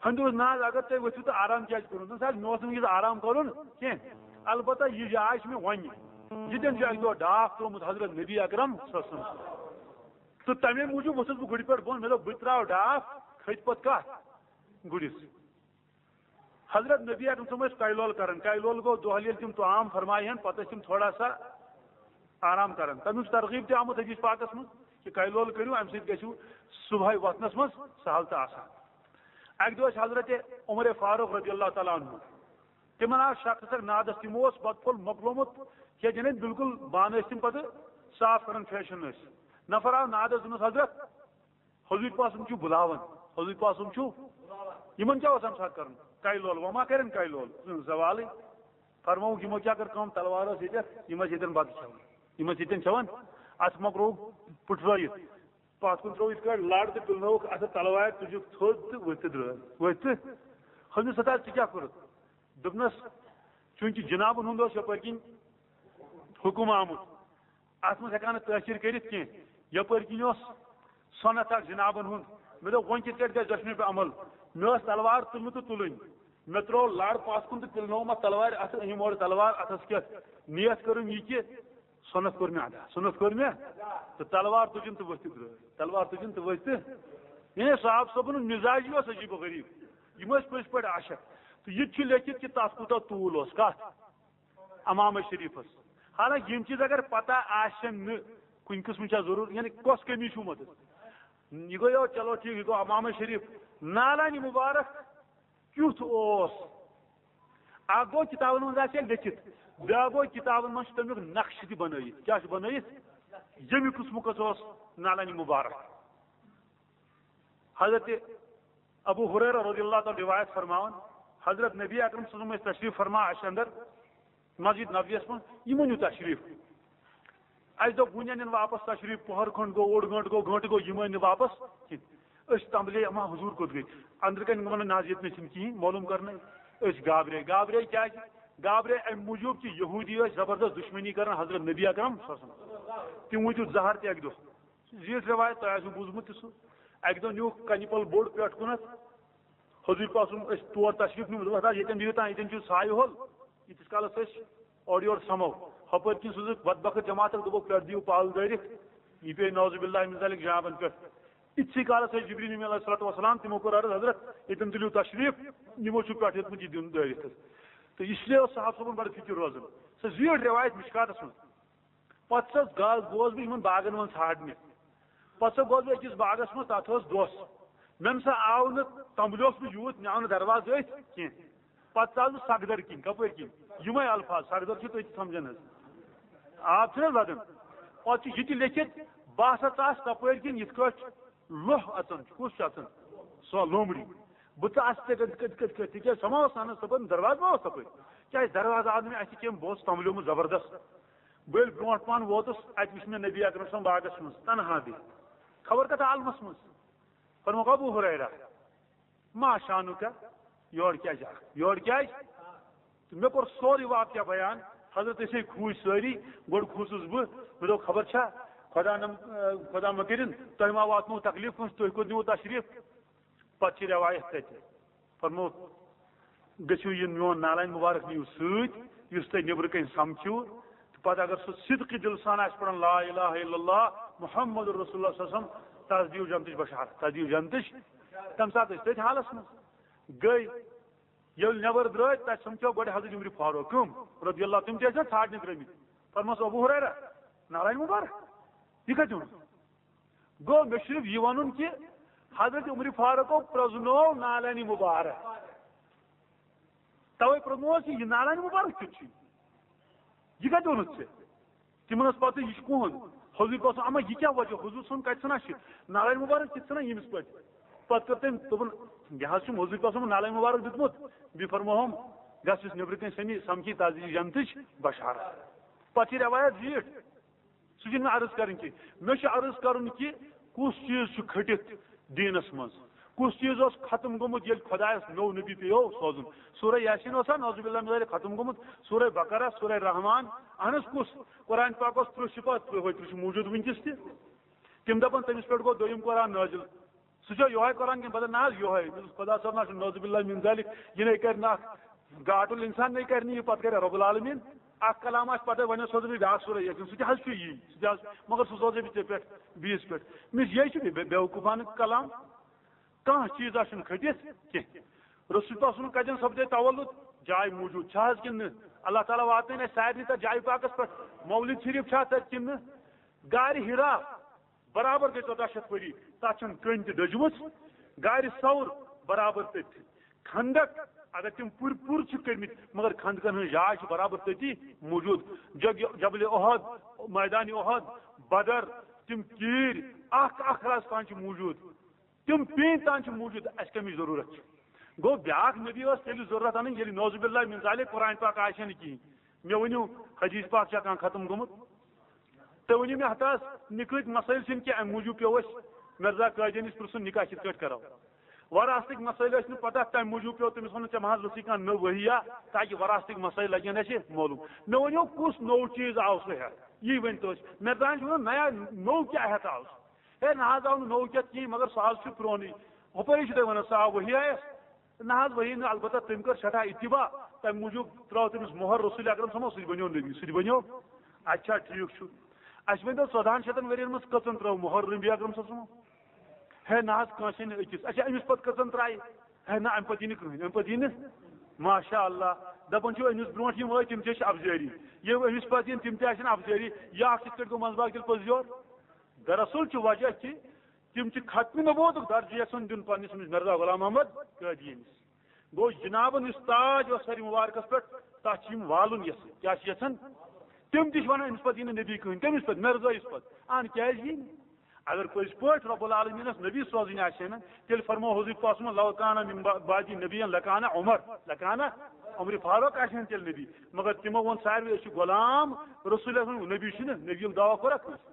ہُنٛد اوس ناز، اگر تُہۍ ؤتھِو تہٕ آرام کیٛازِ کوٚرُن؟ دوٚپُن، سر، مےٚ اوس نہٕ وٕنکیٚس آرام کَرُن کینٛہہ، البتہ یہِ جاے چھِ مےٚ وۄنۍ۔ ییٚتٮ۪ن چھُ اَکہِ دۄہ ڈاکھ ترٛوومُت حضرت نبی اکرم صلی اللہ علیہ وسلم۔ تہٕ تَمے موٗجوٗب ووٚتھُس بہٕ گُرِ پٮ۪ٹھ بۄن، مےٚ دوٚپ، بہٕ تہِ ترٛاوٕ ڈاکھ، کھٔتۍ پَتہٕ کَتھ؟ گُرِس۔ حضرت نبی اکرم صٲب ٲسۍ کَلہِ لول کران۔ کَلہِ لول گوٚو دۄہلہِ ییٚلہِ تِم طعام فرمایہِ ہن، پتہٕ ٲسۍ تِم تھوڑا سا آرام کران۔ تَمیُک چھُ ترغیب تہِ آمُت حدیث پاکس منٛز کہِ کَلہِ لول کٔرِو، اَمہِ سۭتۍ گژھِو صبحٲے وۄتھنس منٛز سہل تہٕ آسان۔ اَکہِ دۄہ ٲسۍ حضرت عمر فاروق رضی اللہ تعالیٰ عنہ، تِمن آو شخص اکھ نادس، تِمو اوس بتہٕ پھوٚل مۄکلومُت کھٮ۪تھ، یعنی بالکل بانہٕ ٲسۍ تِم پتہٕ صاف کران، فیشن ٲسۍ۔ نفر آو نادس، دوٚپنس، حضرت، حضوٗرۍ پاسُن چھُ بُلاوان، حضوٗرۍ پاسُن چھُ۔ یِمن کیٛاہ اوس اَمہِ ساتہٕ کَرُن؟ کَلہِ لول، وۄنۍ ما کَرن کَلہِ لول؟ زوالٕے۔ فرمووُکھ، یِمو کیٛاہ کٔر کٲم؟ تلوار ٲس ییٚتٮ۪تھ، یِم ٲسۍ ییٚتٮ۪ن بَتہٕ کھٮ۪وان، یِم ٲسۍ ییٚتٮ۪ن کھٮ۪وان۔ اَتھ مۄکلووُکھ پُٹھرٲیِتھ، پَتھ کُن ترٛوو یِتھ کٲٹھۍ لَڑ تہٕ پِلنٲوُکھ اَتھٕ تلوارِ، تُجُکھ تھوٚد تہٕ ؤتھۍ تہٕ درٛٲے، ؤتھۍ تہٕ۔ حضوٗرۍ ستار، ژٕ کیٛاہ کوٚرُتھ؟ دوٚپنَس، چوٗنٛکہِ جِنابَن ہُنٛد اوس یَپٲرۍ کِنۍ حُکُم آمُت، اَتھ منٛز ہٮ۪کان نہٕ تٲخیٖر کٔرِتھ کینٛہہ۔ یَپٲرۍ کِنۍ اوس سۄنَتھ اَکھ جِنابَن ہُنٛد۔ مےٚ دوٚپ، وۄنۍ کِتھ کٲٹھۍ گژھِ دۄشوٕنی پٮ۪ٹھ عمل؟ مےٚ ٲس تلوار تُلمٕژ تہٕ تُلٕنۍ۔ مےٚ ترٛوو لَڑ پَتھ کُن تہٕ پِلنووُم اَتھ تلوارِ اَتھٕ، أنِم اورٕ تلوار اَتھَس کٮ۪تھ۔ نیت کٔرٕم یہِ کہِ سۄنَتھ کوٚر مےٚ ادا، سۄنَتھ کوٚر مےٚ۔ تہٕ تلوار تُجِم تہٕ ؤتھۍ تہٕ درٛٲے، تلوار تُجِم تہٕ ؤتھۍ تہٕ۔ یعنی صاحب صٲبُن مِزاجی اوس عجیٖب و غریٖب۔ یِم ٲسۍ پٔزۍ پٲٹھۍ عاشق۔ تہٕ یہِ تہِ چھُ لیکھِتھ کہِ تَتھ کوٗتاہ طوٗل اوس، کَتھ؟ عمامہ شریفس۔ حالانکہ یِم چیٖز اگر پتہ آسن نہٕ، کُنہِ قٕسمہٕ چھا ضروٗرت، یعنی کۄس کٔمی چھُ مت؟ یہِ گوٚو، یو، چلو ٹھیٖک، یہِ گوٚو عمامہ شریف۔ نالانی مُبارک کیُتھ اوس؟ اکھ گوٚو کِتابن منٛز آسہِ ہے لیٚکھِتھ، بیٛاکھ گوٚو کِتابن منٛز چھُ تَمیُک نقشہٕ تہِ بنٲیِتھ۔ کیٛاہ چھُ بنٲیِتھ؟ ییٚمہِ قٕسمُک اوس نالانی مُبارک۔ حضرت ابو ہریرہ رضی اللہ تعالیٰ روایت فرماوان، حضرت نبی اکرم صلی اللہ علیہ وسلم ٲسۍ تشریف فرما اَسہِ اندر مسجد نبویس منٛز، یِمو نیوٗ تشریف۔ اَسہِ دوٚپ، وُنہِ اَنن واپس تشریف، پۄہر کھنٛڈ گوٚو، اوٚڑ گٲنٛٹہٕ گوٚو، گٲنٛٹہٕ گوٚو، یِم أنۍ نہٕ واپس کِہینۍ۔ أسۍ تمبلے، اما حضوٗر کوٚت گٔے؟ أنٛدرٕ کنہِ وَنان، نہ حظ، ییٚتہِ نَے چھِنہٕ کِہینۍ، معلوٗم کرنَے۔ أسۍ گابرے، گابرے کیازِ؟ گابرے اَمہِ موٗجوٗب کہِ یہوٗدی ٲسۍ زبردست دُشمنی کران حضرت نبی اکرم صلی اللہ علیہ وسلم۔ تِم وٕچھِو زہر تہِ اَکہِ دۄہ۔ زیٖٹھ رٮ۪وایت، تۄہہِ آسِوٕ بوٗزمُت تہِ سُہ۔ اَکہِ دۄہ نیوٗکھ کنہِ پل بوٚڑ پٮ۪ٹھ کُنتھ، حضوٗر پاسُن ٲسۍ تور تشریٖف نیوٗمُت، دوٚپُکھ، "حضرت، ییٚتٮ۪ن بِہِو تام، ییٚتٮ۪ن چھُ سایہِ ہول، ییٖتِس کالس أسۍ اورٕ یورٕ سَمو۔" ہُپٲرۍ کِنۍ سوٗزُکھ بدبخت جماعت اکھ، دوٚپُکھ، "پٮ۪ٹھ دِیِو پالہٕ دٲرِتھ، یہِ پیٚیہِ نعوذ باللہ من ذالک جہابن پٮ۪ٹھ۔" یِتھسٕے کالس ٲسۍ جبریل امیٖن علیہ الصلوۃ والسلام، تِمو کوٚر عرض، "حضرت، ییٚتٮ۪ن تُلِو تشریٖف، یِمو چھُ پٮ۪ٹھ ہیوٚتمُت یہِ دیُن دٲرِتھ حظ۔" تہٕ اس لیے اوس صحابہٕ صٲبُن بڑٕ فکر روزان۔ سۄ زیٖٹھ رٮ۪وایت مشکاتس منٛز۔ پتہٕ سا گا-، گوس بہٕ یِمن باغن منٛز ژھانڈنہِ۔ پتہٕ سا گوس بہٕ أکِس باغس منٛز، تتھ ٲس دۄس۔ مےٚ نہ سا آو نہٕ، تمبلہِ اوس بہٕ یوٗت، مےٚ آو نہٕ دروازٕ أتھۍ کینٛہہ۔ پتہٕ ژاس بہٕ سگدر کِنۍ، کپٲرۍ کِنۍ؟ یِمے الفاظ، سگدر چھِ تُہۍ تہِ سمجھان حظ۔ آب چھُنہ حظ لگان؟ پتہٕ چھُ یہِ تہِ لیٚکھِتھ، بہٕ ہسا ژاس تپٲرۍ کِنۍ، یِتھ کٲٹھۍ لوہ اژان چھُ۔ کُس چھُ اژان؟ سۄ لومڑی۔ بہٕ ژاس تِتھے کٔنۍ، کِتھ کٔنۍ، کِتھ کٔنۍ، تِکیٛازِ سۄ ما ٲس انان تپٲرۍ؟ دروازٕ ما اوس تپٲرۍ؟ کیٛازِ دروازٕ آو نہٕ مےٚ اَتھِ کینٛہہ، بہٕ اوسُس تمبلیومُت زبردست۔ بہٕ ییٚلہِ برونٛٹھ پہن ووتُس، اَتہِ وٕچھ مےٚ نبی اکرم صٲب باغس منٛز، تنہا بِہِتھ۔ خبر کتھ عالمس منٛز۔ فرمووُکھ ابو ہریرہ، ما شانُک، یورٕ کیٛازِ آکھ؟ یورٕ کیٛازِ؟ تہٕ مےٚ کوٚر سورُے واقعہ بیان۔ حضرت أسے کھوٗژۍ سٲری۔ گۄڈٕ کھوٗژُس بہٕ، مےٚ دوٚپ، خبر چھا خۄدا نم-، خۄدا مہ کٔرِنۍ تۄہہِ ما واتنو تکلیٖف کٲنٛسہِ، تُہۍ کوٚت نِوٕ تشریٖف؟ پتہٕ چھِ رٮ۪وایت تَتہِ۔ فرمووُکھ، گٔژھِو یہِ میون نالَن مُبارک نِیِو سۭتۍ، یُس تۄہہِ نیٚبرٕ کَنۍ سَمکھِو۔ تہٕ پَتہٕ اگر سُہ صدقی دِلہٕ سان آسہِ پَران لا الہ الا اللہ محمد رسول اللہ صلی اللہ علیہ وسلم، تَس دِیِو جنتٕچ بشارت، تَس دِیِو جنتٕچ۔ تَمہِ ساتہٕ ٲسۍ تٔتھۍ حالَس منٛز۔ گٔے، ییٚلہِ نٮ۪بر درٛاے، تَتہِ سَمکھیو گۄڈٕ حضرت عمر فاروق۔ کٕم؟ رضی اللہ، تِم تہِ ٲسۍ نا ژھانٛڈنہِ درٛٲمٕتۍ۔ فرموس، ابو ہریرہ، نالَن مُبارک، یہِ کَتہِ اوٚن؟ گوٚو، مےٚ چھُ صرف یہِ وَنُن کہِ حضرت عمر فاروقو پرٛزنوو نالَنہِ مُبارک۔ تَوَے پرٛزنووُس یہِ، یہِ نالَنہِ مُبارک کیُتھ چھُ؟ یہِ کَتہِ اوٚنُتھ ژےٚ؟ تِمن ٲس پَتہ یہِ چھُ کُہُنٛد۔ حضوٗر پاک صٲب، اما یہِ کیٛاہ وجہ؟ حضوٗر صٲبُن کَتہِ ژھٕنان چھِ نالَنہِ مُبارک، کِتھ ژھٕنان ییٚمِس پٲٹھۍ؟ پَتہٕ کٔر تٔمۍ، دوٚپُن، یہِ حظ چھُم حضوٗر پاک صٲبُن نالَنہِ مُبارک دیُتمُت۔ بیٚیہِ فرمووہم، گژھ یُس نیٚبرٕ کَنہِ سَمی سَمکھی، تَس دِیہِ جنتٕچ بشارت۔ پَتہٕ چھِ رٮ۪وایت زیٖٹھ۔ سُہ چھُنہٕ مےٚ عرض کَرٕنۍ کینٛہہ۔ مےٚ چھُ عرض کَرُن کہِ کُس چیٖز چھُ کھٔٹِتھ دیٖنَس منٛز؟ کُس چیٖز اوس ختم گوٚمُت ییٚلہِ خۄدایَس نوٚو نبی پیٚیو سوزُن؟ سورہ یاسین اوسا نعوذ باللہ من ذالک ختم گوٚمُت؟ سورہ بقرہ، سورہ رحمان، اہن حظ، کُس؟ قرآن پاک اوس تٕرٛہ صفات، تٕرٛہ وٲے تٕرٛہ چھِ موٗجوٗد وٕنکیٚس تہِ۔ تِم دَپَن تٔمِس پٮ۪ٹھ گوٚو دوٚیِم قرآن نٲزِل۔ سُہ چھا یِہوٚے قرآن کِنہٕ بدل؟ نہ حظ، یِہوٚے۔ خۄدا صٲب نہ چھُ نعوذ باللہ من ذالک، یہِ نے کَرِ نہٕ اکھ گاٹُل اِنسان نے کَرِ نہٕ یہِ، پَتہٕ کَرِ رب العالمین۔ اکھ کلام آسہِ، پَتہٕ وَنٮ۪س سوزٕ بہٕ بیٛاکھ سورہ یاسین، سُہ تہِ حظ چھُ یی، سُہ تہِ حظ، مگر سُہ سوزے بہٕ ژےٚ پٮ۪ٹھ بیٚیِس پٮ۪ٹھ۔ مےٚ چھُ یہِ چھُ بے-، بے-، بیوقوٗفانہٕ کلام۔ کانٛہہ چیٖز آسُن کھٔٹِتھ کینٛہہ۔ رسول پاک سُنٛد کَتٮ۪ن سَپدے تولُد؟ جاے موٗجوٗد چھا حظ کِنہٕ نہٕ؟ اللہ تعالیٰ واتنٲوِن اَسہِ سارنٕے تَتھ جایہِ پاکَس پٮ۪ٹھ۔ مولد شریٖف چھا تَتہِ کِنہٕ نہٕ؟ غارِ حرا برابر گٔے ژۄداہ شیٚتھ ؤری، تَتھ چھَنہٕ کٔنۍ تہِ ڈٔجمٕژ۔ غارِ ثور برابر تٔتھۍ۔ خندق، اگر تِم پوٗرٕ پوٗرٕ چھِ کٔرمٕتۍ، مگر خندقن ہٕنٛز جاے چھِ برابر تٔتی موٗجوٗد۔ جگ-، جبل احد، میدان احد، بدر، تِم کیٖرۍ اکھ اکھ رَز تام چھِ موٗجوٗد۔ تِم پیٖنتہِ تام چھِ موٗجوٗد، اَسہِ کَمِچ ضروٗرت چھِ؟ گوٚو، بیٛاکھ نبی ٲس تیٚلہِ ضروٗرت اَنٕنۍ، ییٚلہِ نعوذ باللہ من ذالک قرآن پاک آسہِ ہا نہٕ کِہیٖنۍ۔ مےٚ ؤنِو، حدیث پاک چھا کانٛہہ ختم گوٚمُت؟ تُہۍ ؤنِو مےٚ، ہتس نِکہٕ مَسٲیِل چھِنہٕ کینٛہہ، اَمہِ موٗجوٗب پیوٚو اَسہِ مرزا قٲدیانِس پرٛژھُن، نِکاح کِتھ کٲٹھۍ کرو؟ وراثتٕکۍ مَسٲیِل ٲسۍ نہٕ پَتہ، تَمہِ موٗجوٗب پیوٚو تٔمِس وَنُن، ژےٚ مہ حظ ٲسٕے کانٛہہ نٔو ؤحی یا، تاکہِ وراثتٕکۍ مَسٲیِل لَگن اَسہِ معلوٗم۔ مےٚ ؤنِو، کُس نوٚو چیٖز آو سُہ ہٮ۪تھ؟ یی ؤنۍ تو اَسہِ۔ مرزاہَن چھُ وَنان، نیا نوٚو کیٛاہ ہٮ۪تھ آو سُہ؟ ہے، نہ حظ آو نہٕ نوٚو کینٛہہ، کِہیٖنۍ، مگر سُہ حظ چھُ پرٛونُے۔ ہُپٲری چھُ تۄہہِ وَنان، سُہ آو ؤحی آیَس۔ نہ حظ، ؤحی نہٕ، البتہ تٔمۍ کٔر سٮ۪ٹھاہ اتباع، تَمہِ موٗجوٗب ترٛٲو تٔمِس مۄہر رسول اکرم صٲبَس، سُہ تہِ بنیو نبی، سُہ تہِ بنیو۔ اچھا، ٹھیٖک چھُ۔ اَسہِ ؤنۍ تو، ژۄدہَن شیٚتَن ؤرِین منٛز کٔژَن ترٛٲو مۄہر نبی اکرم صٲب صٲبَن؟ ہے نہ حظ، کٲنٛسے نہٕ أکِس۔ اچھا، أمِس پتہٕ کٔژَن ترٛایہِ؟ ہے نہ، اَمہِ پتہٕ یی نہٕ کٕہٕنۍ، اَمہِ پتہٕ یی نہٕ۔ ماشاء اللہ، دَپان چھِو، أمِس برونٛٹھ یِم ٲسۍ، تِم تہِ ٲسۍ افزٲری، یِم أمِس پتہٕ یِن، تِم تہِ آسن افزٲری۔ یہِ اکھ کِتھ کٲٹھۍ گوٚو منٛزباگ تیٚلہِ پٔزۍ یور؟ دراصل چھُ وجہ کہِ تِم چھِ ختم نبوتُک درجہٕ یژھان دیُن پننِس أمِس مرزا غلام محمد قٲدیٲنِس۔ گوٚو، جنابن یُس تاج اوس سرِ مبارکس پٮ۪ٹھ، تتھ چھِ یِم والُن یژھان۔ کیٛاہ چھِ یژھان؟ تِم تہِ چھِ ونان، أمِس پتہٕ یی نہٕ نبی کٕہٕنۍ، تٔمِس پتہٕ، مرزٲیِس پتہٕ۔ اہن، کیٛازِ یی نہٕ؟ اگر پٔزۍ پٲٹھۍ رب العالمیٖنس نبی سوزٕنۍ آسہِ ہے نہٕ، تیٚلہِ فرموو حضور پاک صلی اللہ علیہ وسلم، لو کان من با-، بعدی نبی لکان عمر، لکان عمر فاروق آسہِ ہے نہٕ تیٚلہِ نبی۔ مگر تِمو ووٚن سارِوٕے، أسۍ چھِ غلام رسول اکرم، نبی چھُنہٕ، نبی یُک دعویٰ کوٚرکھ کٲنٛسہِ۔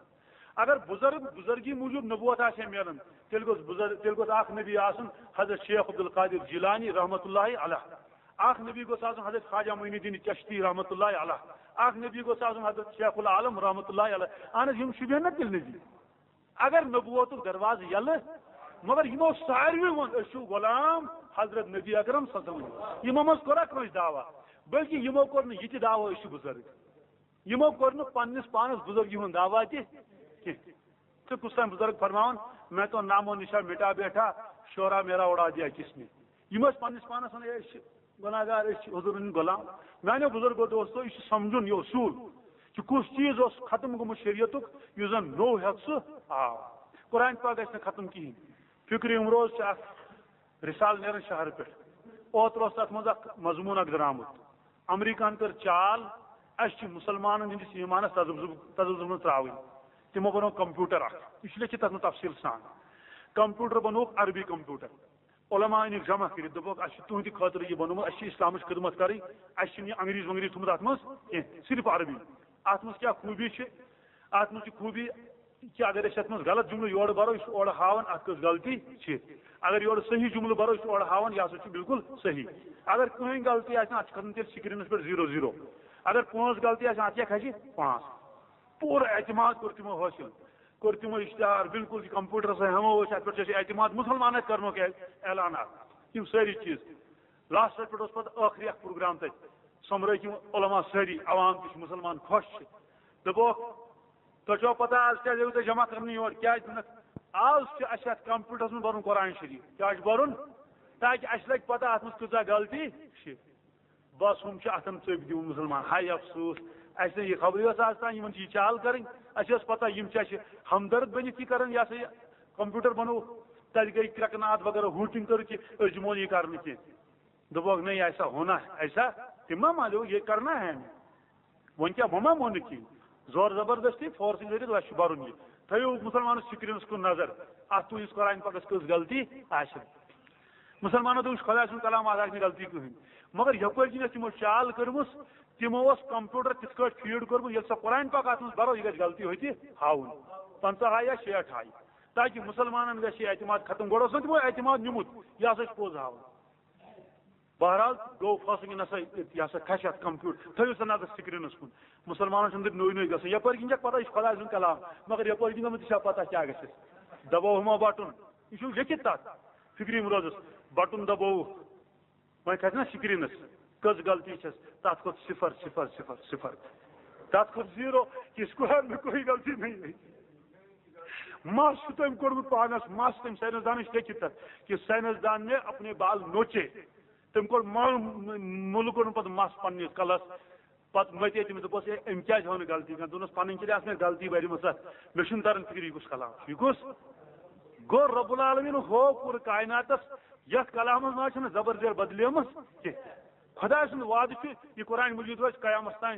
اگر بزرگ، بزرگی موٗجوٗب نبوت آسہِ ہے میلان، تیٚلہِ گوٚژھ بزرگ، تیٚلہِ گوٚژھ اکھ نبی آسُن حضرت شیخ عبدالقادر جیلانی رحمتہ اللہ علیہ، اکھ نبی گوٚژھ آسُن حضرت خواجہ معین الدین چشتی رحمتہ اللہ علیہ، اکھ نبی گوٚژھ آسُن حضرت شیخ العالم رحمتہ اللہ علیہ۔ اہن حظ، یِم شوٗبہِ ہن نا تیٚلہِ نبی؟ اگر نبوتُک دروازٕ یلہٕ، مگر یِمو ساروٕے ووٚن، أسۍ چھِ غلام حضرت نبی اکرم صلی اللہ علیہ وسلم۔ یِمو منٛز کوٚرا کٲنٛسہِ دعویٰ؟ بلکہِ یِمو کوٚر نہٕ یہِ تہِ دعویٰ، أسۍ چھِ بزرگ۔ یِمو کوٚر نہٕ پننِس پانس بزرگی ہُنٛد دعویٰ تہِ کینٛہہ۔ تہٕ کُس تام بزرگ فرماوان، "میں تو نام و نشان مٹا بیٹھا، شعرا میرا اڑا دیا کس نے۔" یِم ٲسۍ پننِس پانس ونان، "ہے، أسۍ چھِ گناہگار، أسۍ چھِ حضوٗرن ہٕنٛدۍ غلام۔" میانیو بزرگو دوستو، یہِ چھُ سمجھُن یہِ اصوٗل کہِ کُس چیٖز اوس ختم گوٚمُت شریعتُک، یُس زن نوٚو ہٮ۪تھ سُہ آو۔ قرآن پاک گژھِ نہٕ ختم کِہیٖنۍ۔ فکرِ امروز چھِ اکھ رسالہٕ نیران شہرٕ پٮ۪ٹھ۔ اوترٕ اوس تتھ منٛز اکھ مضموٗن اکھ درامُت۔ امریکہن کٔر چال، اسہِ چھِ مسلمانن ہٕنٛدِس ایمانس تذبذب، تذبذب منٛز ترٛاوٕنۍ۔ تِمو بنوو کمپیوٹر اکھ، یہِ چھُ لیکھِتھ تتھ منٛز تفصیٖل سان۔ کمپیوٹر بنووُکھ عربی کمپیوٹر۔ علماء أنِکھ جمع کٔرِتھ، دوٚپُکھ، اسہِ چھُ تُہنٛدِ خٲطرٕ یہِ بنوومُت، اسہِ چھِ اسلامٕچ خدمت کرٕنۍ، اسہِ چھُنہٕ یہِ انگریز ونگریز تھوٚمُت اتھ منٛز کینٛہہ، صرف عربی۔ اتھ منٛز کیٛاہ خوٗبی چھِ؟ اتھ منٛز چھِ خوٗبی، کہِ اگر أسۍ یَتھ منٛز غلط جملہٕ یورٕ بَرو، یہِ چھُ اورٕ ہاوان اَتھ کٔژ غلطی چھِ۔ اگر یورٕ صحیح جملہٕ بَرو، یہِ چھُ اورٕ ہاوان، یہِ ہسا چھُ بالکل صحیح۔ اگر کٕہٕنۍ غلطی آسہِ نہٕ، اَتھ چھُ کھسان تیٚلہِ screenس پٮ۪ٹھ zero zero۔ اگر پانٛژھ غلطی آسہِ، اَتھ کیٛاہ کھسہِ؟ پانٛژھ۔ پوٗرٕ اعتماد کوٚر تِمو حٲصِل، کوٚر تِمو اشتہار، بالکل یہِ کمپیوٹرس سۭتۍ ہٮ۪مو أسۍ، اَتھ پٮ۪ٹھ چھُ اَسہِ اعتماد، مُسلمانن کرنُک اعلان اَتھ۔ یِم سٲری چیٖز۔ لاسٹس پٮ۪ٹھ اوس پتہٕ ٲخری اکھ پروگرام تَتہِ، سۄمبرٲوِکھ یِم علماء سٲری، عوام تہِ چھِ، مُسلمان خۄش چھِ۔ دوٚپُکھ، تۄہہِ چھوا پتہ آز کیٛازِ آیوٕ تۄہہِ جمع کرنہٕ یور؟ کیٛازِ دوٚپنکھ، آز چھُ اَسہِ اَتھ کمپیوٹرس منٛز بَرُن قرآن شریٖف۔ کیٛاہ چھُ بَرُن؟ تاکہِ اَسہِ لَگہِ پتہ اَتھ منٛز کۭژاہ غلطی چھِ۔ بس ہُم چھِ اَتھن ژٔپۍ دِوان مُسلمان۔ ہاے افسوس، اَسہِ نہٕ یہِ خبرٕے ٲس آز تام یِمن چھِ یہِ چال کَرٕنۍ۔ اَسہِ ٲس پتہ یِم چھِ اَسہِ ہمدرد بٔنِتھ یہِ کَران، یہِ ہسا یہِ کمپیوٹر بَنووُکھ، تَتہِ گٔے کرٛٮ۪کہٕ ناد وغیرہ، ہُہ تِم کٔرٕکھ کہِ أسۍ دِمو نہٕ یہِ کرنہٕ کینٛہہ۔ دوٚپُکھ، نہیں، ایسا ہونا، ایسا تِم ما مانو، یہ کرنا ہے ہمیں۔ وۄنۍ کیٛاہ، وۄنۍ ما ووٚنُکھ کِہیٖنۍ؟ زور زبردستی، فورسِنگ کٔرِتھ، وۄنۍ چھُ بَرُن یہِ۔ تھٲیِو مُسلمانَس screenس کُن نظر، اَتھ تُہٕنٛدِس قرآن پاکَس کٔژ غلطی آسن۔ مُسلمانو دوٚپ، یہِ چھُ خۄداے سُنٛد کلام، اَتھ آسہِ نہٕ غلطی کٕہٕنۍ۔ مگر یَپٲرۍ کِنۍ ٲس تِمو چال کٔرمٕژ، تِمو اوس کمپیوٹر تِتھ کٲٹھۍ فیٖڈ کوٚرمُت، ییٚلہِ سۄ قرآن پاک اَتھ منٛز بَرو، یہِ گژھِ غلطی ہوٚتہِ ہاوُن، پنٛژاہ ہاے یا شیٹھ ہاے، تاکہِ مُسلمانَن گژھِ یہِ اعتماد ختم۔ گۄڈٕ اوس نہٕ تِمو اعتماد نیُمُت، یہِ ہسا چھُ پوٚز ہاوُن۔ بہرحال گوٚو فٲصلہٕ کہِ نسا یہِ ہسا کھسہِ اَتھ کمپیوٹر، تھٲیِو سا نظر screenس کُن۔ مُسلمانن چھُنہٕ تیٚلہِ نوٚے نوٚے گژھان۔ یپٲرۍ کِنۍ چھکھ پتہ، یہِ چھُ خۄداے سُنٛد کلام، مگر یپٲرۍ کِنۍ گٔمٕژ، یہِ چھا پتہ کیٛاہ گژھِ؟ دباوہما بٹن، یہِ چھُ لیکھِتھ تتھ فکری امروزس، بٹن دبووُکھ، وۄنۍ کھسہِ نا screenس، کٔژ غلطی چھس، تتھ کھوٚت صفر، صفر، صفر، صفر، تتھ کھوٚت zero، کہِ اس کو ہم کوئی غلطی نہیں ہے۔ مس چھُ تٔمۍ کوٚرمُت پانس، مس تٔمۍ ساینس دانن چھُ لیکھِتھ تتھ کہِ ساینس دان نے اپنے بال نوچے۔ تٔمۍ کوٚر مل-، مُلہٕ کوٚرُن پتہٕ مس پننِس کلس۔ پتہٕ متے تٔمِس، دوٚپُس، "ہے، أمۍ کیازِ ہٲو نہٕ غلطی کانٛہہ؟" دوٚپنس، "پنٕنۍ کِنۍ آسہٕ مےٚ غلطی واریاہ، مےٚ مےٚ چھُنہٕ تران فِکرِ، یہِ کُس کلام چھُ، یہِ کُس؟" گوٚو رب العالمین ہوو پوٗرٕ کائناتس، یتھ کلامس منٛز چھنہٕ زبر زیر بدلیمٕژ کینٛہہ۔ خۄداے سُنٛد وعدٕ چھُ، یہِ قرآن مجید روزِ قیامس تام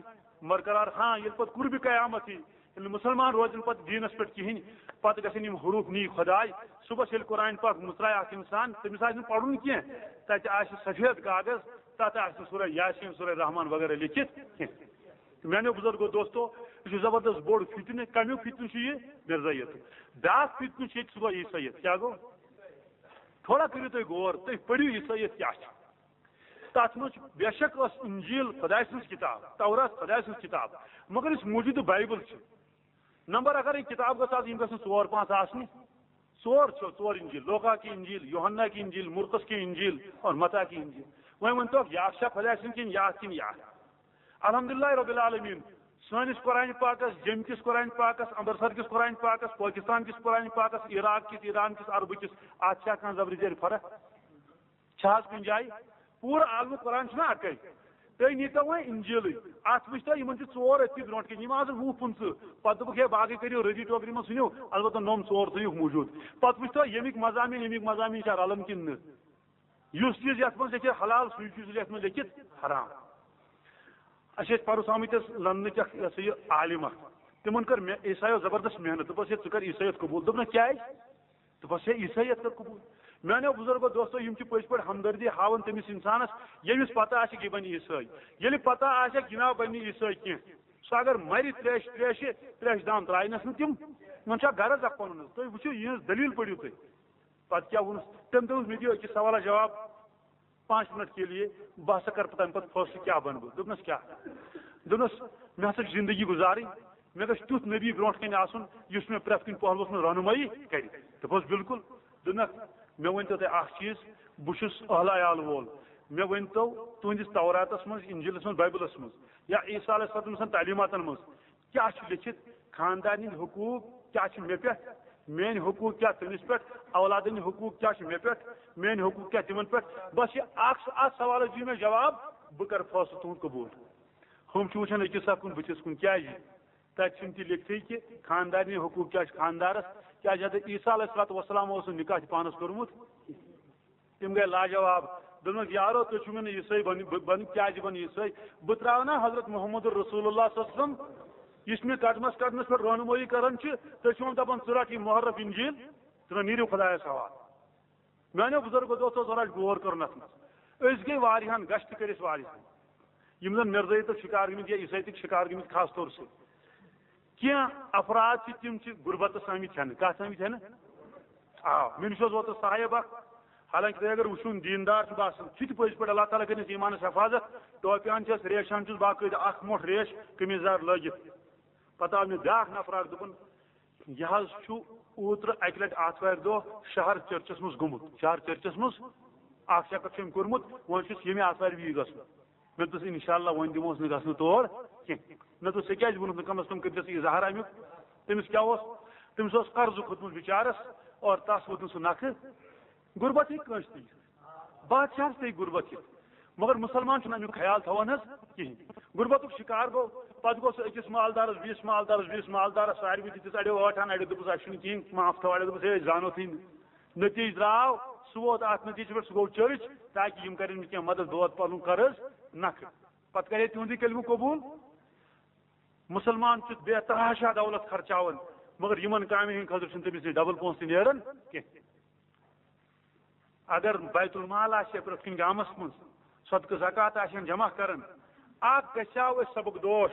برقرار۔ ہاں، ییٚلہِ پتہٕ قربِ قیامت یی، ییٚلہِ نہٕ مُسلمان روزن پتہٕ دیٖنس پٮ۪ٹھ کِہیٖنۍ، پتہٕ گژھن یِم حروٗف نی خۄداے۔ صُبحس ییٚلہِ قرآن پاک مُژرایہِ اکھ اِنسان، تٔمِس آسہِ نہٕ پرُن کینٛہہ، تتہِ آسہِ سفید کاغذ، تتھ آسہِ نہٕ سورہ یاسین، سورہ رحمان وغیرہ لیکھِتھ کینٛہہ۔ میانیو بزرگو دوستو، یہِ چھُ زبردست بوٚڑ فتنہٕ۔ کمیُک فتنہٕ چھُ یہِ؟ مرزٲیت۔ بیاکھ فتنہٕ چھُ ییٚتہِ، سُہ گوٚو عیسٲیت۔ کیٛاہ گوٚو؟ تھوڑا کٔرِو تُہۍ غور، تُہۍ پٔرِو عیسٲیت کیٛاہ چھِ۔ تتھ منٛز چھُ، بے شک ٲس انجیل خۄداے سٕنٛز کِتاب، تورات خۄداے سٕنٛز کِتاب، مگر یُس موجودٕ بایبل چھِ، نمبر اگر یہِ کِتاب گٔژھ آسٕنۍ، یِم گژھن ژور پانٛژھ آسنہِ۔ ژور چھِ، ژور انجیل، لوقا کی انجیل، یوحنا کی انجیل، مرقس کی انجیل اور متا کی انجیل۔ وۄنۍ ؤنۍ تو، یہِ اکھ چھا خۄداے سٕنٛز کِنہٕ یہِ اکھ کِنہٕ یہِ اکھ؟ الحمدللہ رب العالمین، سٲنِس قرآن پاکس، جیٚمہِ کِس قرآن پاکس، امرتسر کِس قرآن پاکس، پٲکستان کِس قرآن پاکس، عراق کِس، ایران کِس، عربہٕ کِس، اتھ چھا کانٛہہ زبرِ زیرِ فرق؟ چھا حظ کُنہِ جایہِ؟ پوٗرٕ عالمِ قرآن چھُنہ اکے۔ تُہۍ نیٖتو وۄنۍ انجیلٕے، اتھ وٕچھتو، یِمن چھِ ژور أتھی برونٛٹھ کِنۍ، یِم آسہٕ وُہ پٕنٛژٕہ۔ پتہٕ دوٚپُکھ، "ہے، باقٕے کٔرِو رٔدی ٹوکرِ منٛز ژھٕنِو، البتہ نوٚم ژور تھٲیِو موٗجوٗد۔" پتہٕ وٕچھتو، ییٚمِکۍ مضامین، ییٚمِکۍ مضامین چھا رلان کِنہٕ نہٕ۔ یُس چیٖز یتھ منٛز لیکھِ حلال، سُے چیٖز یتھ منٛز لیکھِ حرام۔ اسہِ ٲسۍ پرُس آمٕتۍ ٲسۍ لندنٕکۍ اکھ، یہِ ہسا یہِ عالم اکھ، تِمن کٔر مےٚ عیسایو زبردست محنت، دوٚپُس، "ہے، ژٕ کر عیسٲیت قبول؟" دوٚپنَکھ، "کیازِ؟" دوٚپُس، "ہے، عیسٲیت کٔر قبول۔" میانیو بُزرگو دوستو، یِم چھِ پٔزۍ پٲٹھۍ ہمدردی ہاوان تٔمِس اِنسانَس، ییٚمِس پتہ آسہِ کہِ یہِ بَنہِ عیسٲے۔ ییٚلہِ پتہ آسہِ کہِ یہِ نا بَنہِ عیسٲے کینٛہہ، سُہ اگر مَرِ ترٛیشہِ، ترٛیشہِ، ترٛیشہِ دام ترٛاونَس نہٕ تِم۔ وۄنۍ چھا غرض اَکھ پَنُن حظ؟ تُہۍ وٕچھِو، یِہٕنٛز دٔلیٖل پٔرِو تُہۍ۔ پتہٕ کیٛاہ ووٚنُس تٔمۍ؟ دوٚپُس، "مےٚ دِیِو أکِس سوالَس جواب۔" پانچ منٹ کے لیے، بہٕ ہسا کرٕ پتہٕ تَمہِ پتہٕ فٲصلہٕ کیٛاہ بنہٕ بہٕ۔ دوٚپنَس، "کیٛاہ؟" دوٚپنَس، "مےٚ ہسا چھِ زندگی گُزارٕنۍ، مےٚ گژھِ تیُتھ نبی برونٛٹھ کَنہِ آسُن، یُس مےٚ پرٛٮ۪تھ کُنہِ پہلوَس منٛز رہنمٲیی کرِ۔" دوٚپُس، "بِلکُل۔" دوٚپنَکھ، "مےٚ ؤنۍتو تُہۍ اَکھ چیٖز، بہٕ چھُس اہل عیال وول، مےٚ ؤنۍتو تُہٕنٛدِس توراتَس منٛز، اِنجیٖلَس منٛز، بایبلَس منٛز یا عیسیٰ علیہ السلام سٕنٛدٮ۪ن تعلیٖماتَن منٛز، کیٛاہ چھُ لیٚکھِتھ؟ خاندارنہِ ہٕنٛدۍ حقوٗق کیٛاہ چھِ مےٚ پٮ۪ٹھ؟ میٛٲنۍ حقوٗق کیٛاہ تٔمِس پٮ۪ٹھ؟ اولادن ہٕنٛدۍ حقوٗق کیٛاہ چھِ مےٚ پٮ۪ٹھ؟ میٛٲنۍ حقوٗق کیٛاہ تِمن پٮ۪ٹھ؟" بس یہِ اکھ، اتھ سوالس دِیِو مےٚ جواب، بہٕ کرٕ فٲصلہٕ تُہُنٛد قبوٗل۔ ہُم چھِ وُچھان أکِس اکھ کُن بٕتھِس کُن، کیٛازِ؟ تتہِ چھُنہٕ تہِ لیکھتھٕے کہِ خاندارنہِ حقوٗق کیٛاہ چھِ خاندارس، کیٛازِ حضرت عیسیٰ علیہ الصلوۃ والسلام اوس نہٕ نکاح تہِ پانس کوٚرمُت۔ تِم گٔے لاجواب۔ دوٚپمَکھ، "یارو، تُہۍ چھِو مےٚ نہٕ عیسٲے بَنہِ، بہٕ بَنہٕ کیٛازِ بَنہٕ عیسٲے؟ بہٕ ترٛاوٕ نا حضرت محمد رسول اللہ صلی اللہ علیہ وسلم، یُس مےٚ قدمَس قدمَس پٮ۪ٹھ رہنمٲیی کران چھِ، تُہۍ چھِو وۄنۍ دَپان، ژٕ رَٹ یہِ محرف انجیل، ژٕ رَٹ، نیٖرِو خۄدایَس حوالہٕ۔" میٛانیو بُزرگو دوستو، ذرا غور کٔرِن اَتھ منٛز۔ أسۍ گٔے واریاہَن، گشت کٔرۍ أسۍ واریاہَن، یِم زَن مرزٲیتُک شِکار گٔمٕتۍ یا عیسٲیتُک شِکار گٔمٕتۍ خاص طور سۭتۍ۔ کینٛہہ افراد چھِ، تِم چھِ غربتس آمٕتۍ ہٮ۪نہٕ۔ کتھ آمٕتۍ ہٮ۪نہٕ؟ آ، مےٚ نِش اوس اوترٕ صاحب اکھ، حالانکہ تُہۍ اگر وٕچھُن، دیٖندار چھُ باسان، چھُ تہِ پٔزۍ پٲٹھۍ، اللہ تعالیٰ کٔرِنَس ایٖمانَس حفاظت، ٹوپہِ ہن چھَس، ریشہِ ہن چھُس باقٲعدٕ اکھ موٚٹھ ریش قمیٖض یَزار لٲگِتھ۔ پتہٕ آو مےٚ بیٛاکھ نفر اکھ، دوٚپُن، یہِ حظ چھُ اوترٕ اکہِ لٹہِ آتھوارِ دۄہ شہر چرچس منٛز گوٚمُت، شہر چرچس منٛز اکھ چکر چھُ أمۍ کوٚرمُت، وۄنۍ چھُس ییٚمہِ آتھوارِ بیٚیہِ گژھُن۔ مےٚ دوٚپُس، انشاءاللہ وۄنۍ دِموس نہٕ گژھنہٕ تور کینٛہہ۔ مےٚ دوٚپُس، ژےٚ کیٛازِ ووٚنُتھ نہٕ؟ کم از کم کٔرۍ زٮ۪س اظہار امیُک۔ تٔمِس کیٛاہ اوس؟ تٔمِس اوس قرضہٕ کھوٚتمُت بِچارس، اور تس ووٚت نہٕ سُہ نکھٕ۔ غربت ہیٚکہِ کٲنٛسہِ تہِ یِتھ۔ بادشاہس تہِ ہیٚکہِ غربت یِتھ۔ مگر مسلمان چھُنہٕ امیُک خیال تھاوان حظ کِہیٖنۍ۔ غربتُک شکار گوٚو، پتہٕ گوٚو سُہ أکِس مالدارس، بیٚیِس مالدارس، بیٚیِس مالدارس، ساروی دِتِس اڑیو ٲٹھن، اڑیو دوٚپُس، اسہِ چھُنہٕ کِہیٖنۍ، معاف تھاو، اڑیو دوٚپُس، ہے، أسۍ زانو تھٕے نہٕ۔ نتیجہٕ درٛاو، سُہ ووت اتھ نتیجس پٮ۪ٹھ، سُہ گوٚو چرچ، تاکہِ یِم کرن نہٕ کینٛہہ مدد، بہٕ واتہٕ پنُن قرض نکھٕ۔ پتہٕ کرے تِہُنٛدُے کلمہٕ قبول۔ مسلمان چھُ بے تحاشا دولت خرچاوان، مگر یِمن کامٮ۪ن ہٕنٛدِ خٲطرٕ چھُنہٕ تٔمِس نِش ڈبل پونٛسہٕ تہِ نیران کینٛہہ۔ اگر بیت المال آسہِ ہے پرٛٮ۪تھ کُنہِ گامس منٛز، صدقہٕ زکوٰۃ آسہِ ہن جمع کران، اکھ گژھِ ہا اَسہِ سبق دوش،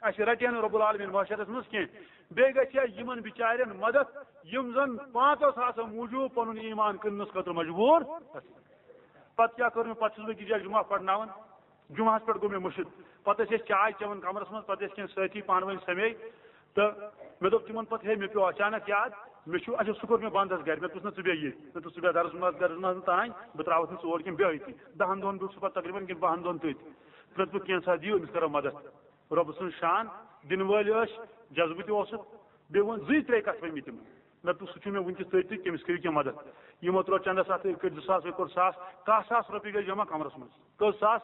اَسہِ رٹہِ ہا نہٕ رب العالمین محشرس منٛز کینٛہہ۔ بیٚیہِ گژھِ ہا یِمن بِچارٮ۪ن مدد، یِم زن پانٛژو ساسو موٗجوٗب پنُن ایمان کٕننس خٲطرٕ مجبوٗر۔ پتہٕ کیٛاہ کٔر مےٚ؟ پتہٕ چھُس بہٕ أکِس جایہِ جمعہ پرناوان، جمعہس پٮ۪ٹھ گوٚو مےٚ مٔشِتھ۔ پتہٕ ٲسۍ أسۍ چاے چٮ۪وان کمرس منٛز، پتہٕ ٲسۍ کینٛہہ سٲتھی پانہٕ ؤنۍ سمے، تہٕ مےٚ دوٚپ تِمن پتہٕ، ہے، مےٚ پیوٚو اچانک یاد، مےٚ چھُ، اچھا، سُہ کوٚر مےٚ بنٛد حظ گرِ۔ مےٚ دوٚپُس، نہ، ژٕ بیٚہہ ییٚتۍ۔ مےٚ دوٚپ، ژٕ بیٚہہ درس منٛز، درس منٛز تام، بہٕ ترٛاوَتھ نہٕ ژٕ اور کینٛہہ، بیٚہہ ییٚتی۔ دَہَن دۄہَن بیوٗٹھ سُہ پتہٕ تقریٖباً کِنہٕ بَہَن دۄہَن تٔتھۍ۔ مےٚ دوٚپ، کینٛژھا دِیِو أمِس، کرو مدد۔ رۄبہٕ سٕنٛز شان، دِنہٕ وٲلۍ ٲسۍ، جذبہٕ تہِ اوسُکھ، بیٚیہِ ووٚن زٕے ترٛےٚ کَتھٕ ؤنۍ مٕتۍ تِمن۔ مےٚ دوٚپ، سُہ چھُ مےٚ وٕنکیٚس تٔتھۍ تہٕ تٔمِس کٔرِو کینٛہہ مدد۔ یِمو ترٛوو چندس اَتھٕ، کٔرۍ زٕ ساس، کٔرۍ کوٚر ساس، کاہ ساس رۄپیہِ گٔے جمع کمرس منٛز۔ کٔژ ساس؟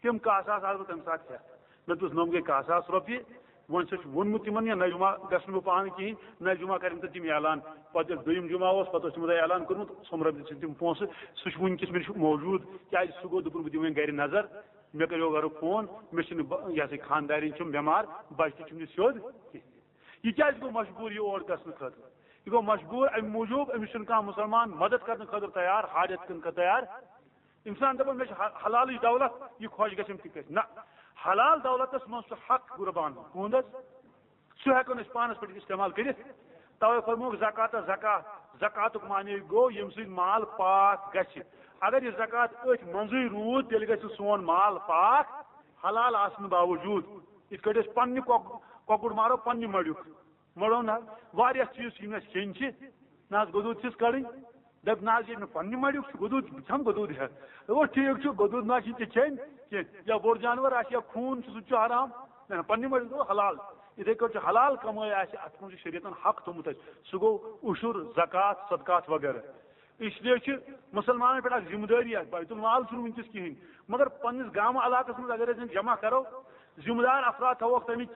تِم کاہ ساس آسہٕ بہٕ تَمہِ ساتہٕ ہٮ۪تھ۔ مےٚ دوٚپُس، نۄم گٔے کاہ ساس رۄپیہِ، وۄنۍ چھُ ووٚنمُت تِمن، یا نہ جمعہ گژھٕ نہٕ بہٕ پانہٕ کِہیٖنۍ، نہ جمعہ کَرن تہٕ تِم اعلان۔ پتہٕ ییٚلہِ دوٚیِم جمعہ اوس، پتہٕ اوس تِمو تۄہہِ اعلان کوٚرمُت، سۄمبرٲومٕتۍ چھِ تِم پونٛسہٕ، سُہ چھُ وٕنکیٚس مےٚ نِش موجوٗد، کیٛازِ سُہ گوٚو، دوٚپُن، بہٕ دِمہٕ وۄنۍ گرِ نظر، مےٚ کَریو گرُک فون، مےٚ چھِنہٕ بہ-، یہِ ہسا یہِ خانٛدارِنۍ چھِم بٮ۪مار، بچہِ تہِ چھِم نہٕ سیوٚد کِہیٖنۍ۔ یہِ کیٛازِ گوٚو مجبوٗر یہِ اور گژھنہٕ خٲطرٕ؟ یہِ گوٚو مجبوٗر اَمہِ موٗجوٗب، أمِس چھُنہٕ کانٛہہ مُسلمان مدد کرنہٕ خٲطرٕ تیار، حاجت کَرنہٕ خٲطرٕ تیار۔ اِنسان دَپان، مےٚ چھِ حا-، حلالٕچ دولت، یہِ خۄش گژھٮ۪م تہِ گژھِ۔ نہ، حلال دولتس منٛز چھُ حق قربان۔ تُہُنٛد حظ؟ سُہ ہٮ۪کو نہٕ أسۍ پانَس پٮ۪ٹھ استعمال کٔرِتھ۔ تَوَے فرمووُکھ زکاتَس زکات۔ زکاتُک معنی گوٚو ییٚمہِ سۭتۍ مال پاک گژھِ۔ اگر یہِ زکات أتھۍ منٛزٕے روٗد، تیٚلہِ گژھِ سون مال پاک حلال آسنہٕ باوجوٗد۔ یِتھ کٲٹھۍ أسۍ پنٛنہِ کۄک-، کۄکُر مارو پنٛنہِ مَڑیُک۔ مَڑو نہ، واریاہ چیٖز چھِ یِم اَسہِ کھیٚنۍ چھِ۔ نہ حظ، گۄدُر چھِس کَڑٕنۍ۔ دَپ، نہ حظ، ییٚلہِ مےٚ پنٛنہِ مَڑیُک چھُ گۄدُر، بہٕ کھٮ۪مہٕ گۄدُر ہٮ۪تھ۔ دوٚپُس، ٹھیٖک چھُ، گۄدُر نہ چھُ تہِ کھیٚنۍ کینٛہہ۔ یا بوٚڑ جانوَر آسہِ یا خوٗن چھُ، سُہ تہِ چھُ حرام۔ نہ، نہ، پنٛنہِ مَڑیُک گوٚو حلال۔ یِتھَے کٲٹھۍ چھُ حلال کمٲے آسہِ، اَتھ منٛز چھُ شریعتن حق تھوٚمُت اَسہِ۔ سُہ گوٚو عُشُر، زکوٰۃ، صدقات وغیرہ۔ اس لیے چھِ مُسلمانَن پٮ۪ٹھ اَکھ ذمہٕ دٲری، اَتھ بیت المال چھُنہٕ وٕنکیٚس کِہیٖنۍ، مگر پنٛنِس گامہٕ علاقَس منٛز اگر أسۍ یِم جمع کَرو، ذمہٕ دار افراد تھاووکھ تَمِچ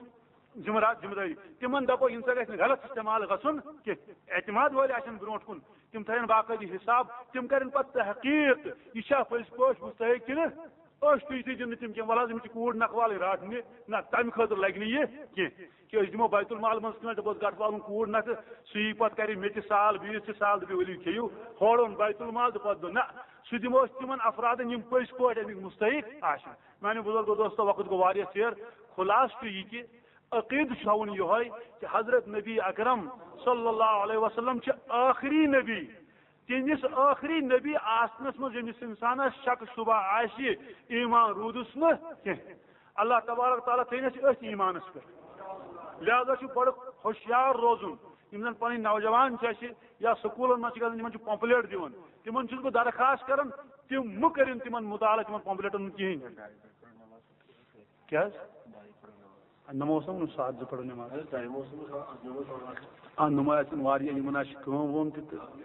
ذمہٕ دار، ذمہٕ دٲری۔ تِمن دَپو، یِم سا گژھِ نہٕ غلط استعمال گژھُن کینٛہہ۔ اعتماد وٲلۍ آسن برونٛٹھ کُن، تِم تھاون باقٲعدٕ حساب، تِم کرن پتہٕ تحقیق، یہِ چھا پٔزۍ پٲٹھۍ مستحق کِنہٕ؟ أسۍ تُہۍ تہِ دِنہٕ تِم کینٛہہ، وَلہٕ حظ، یِم چھِ کوٗر نکھوالٕنۍ رٹنہِ، نہ، تَمہِ خٲطرٕ لگہِ نہٕ یہِ کینٛہہ۔ کہِ أسۍ دِمو بیت المال منٛز کٲنٛسہِ، دَپوس، گٹہٕ والُن کوٗر نکھٕ، سُہ یی پتہٕ کرِ مےٚ تہِ سال، بیٚیِس تہِ سال، دَپہِ، ؤلِو کھیٚیِو، ہورٕ اوٚن بیت المال تہٕ پتہٕ دوٚپ، نہ، سُہ دِمو أسۍ تِمن افرادن، یِم پٔزۍ پٲٹھۍ اَمِکۍ مستحق آسن۔ میانیو بزرگو دوستو، وقت گوٚو واریاہ ژیر۔ خلاصہٕ چھُ یہِ کہِ عقیدٕ چھُ تھاوُن یِہوٚے کہِ حضرت نبی اکرم صلی اللہ علیہ وسلم چھِ ٲخری نبی۔ تِہنٛدِس ٲخری نبی آسنس منٛز ییٚمِس انسانس شک شبہ آسہِ، ایمان روٗدُس نہٕ کینٛہہ۔ اللہ تبارک تعالیٰ تھٲینَس أتھۍ ایمانس پٮ۪ٹھ۔ لہذا چھُ بڑٕ ہوشیار روزُن۔ یِم زن پنٕنۍ نوجوان چھِ اَسہِ یا سکوٗلن منٛز چھِ گژھان، یِمن چھُ پمپلیٹ دِوان۔ تِمن چھُس بہٕ درخواست کران، تِم مہٕ کٔرِن تِمن مطالعہٕ تِمن پمپلیٹن منٛز کِہیٖنۍ۔ کیٛاہ حظ؟ نماز اوس نہ ووٚنمُت ساعت زٕ پرو نماز۔ اہن، نماز آسن واریاہ، یِمن آسہِ کٲم وٲم تہِ تہٕ۔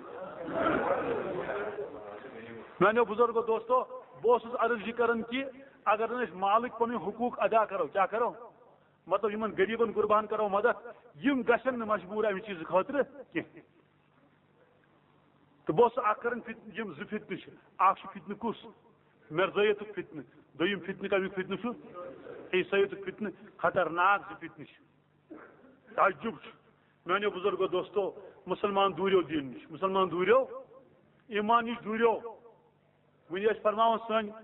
میانیو بزرگو دوستو، بہٕ اوسُس عرض یہِ کران کہِ اگر نہٕ أسۍ مالٕکۍ پنٕنۍ حقوٗق ادا کرو، کیٛاہ کرو؟ مطلب، یِمن غریٖبن قربان کرو مدد، یِم گژھن نہٕ مجبوٗر امہِ چیٖزٕ خٲطرٕ کینٛہہ۔ تہٕ بہٕ اوسُس اکھ کران فت-، یِم زٕ فتنہٕ چھِ۔ اکھ چھُ فتنہٕ کُس؟ مرزٲیتُک فتنہٕ۔ دوٚیِم فتنہٕ کمیُک فتنہٕ چھُ؟ عیسٲیتُک فتنہٕ۔ خطرناک زٕ فتنہٕ چھِ۔ تعجب چھُ۔ میانیو بزرگو دوستو، مسلمان دوٗریو دیٖن نِش، مسلمان دوٗریو ایمان نِش دوٗریو۔ وۄنۍ ٲسۍ فرماوان سٲنۍ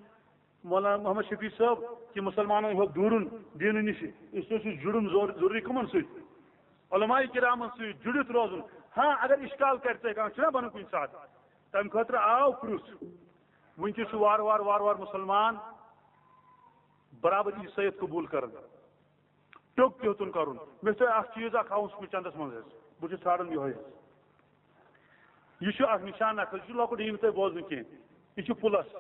مولانا محمد شفیع صٲب، کہِ مُسلمانن ہیوٚک دوٗرُن دیٖنہٕ نِش، اس لیے چھُ جُڑُن ضروٗری کٕمن سۭتۍ؟ علماء کرامن سۭتۍ جُڑِتھ روزُن۔ ہاں، اگر اشکال کرِ ژےٚ کانٛہہ، چھُنہ بنُن کُنہِ ساتہٕ، تمہِ خٲطرٕ آو پرُژھ۔ وٕنکیٚس چھُ وارٕ وارٕ وارٕ وارٕ مُسلمان برابر عیسٲیت قبوٗل کران۔ ٹیوٚک تہِ ہیوٚتُن کرُن۔ مےٚ چھُ تۄہہِ اکھ چیٖز اکھ ہاوُن سُہ چندس منٛز حظ۔ بہٕ چھُس ژھانڈان یِہوٚے حظ۔ یہِ چھُ اکھ نشان اکھ حظ، یہِ چھُ لۄکُٹ، یہِ یِیہِ نہٕ تۄہہِ بوزنہٕ کینٛہہ۔ یہِ چھُ پُلس۔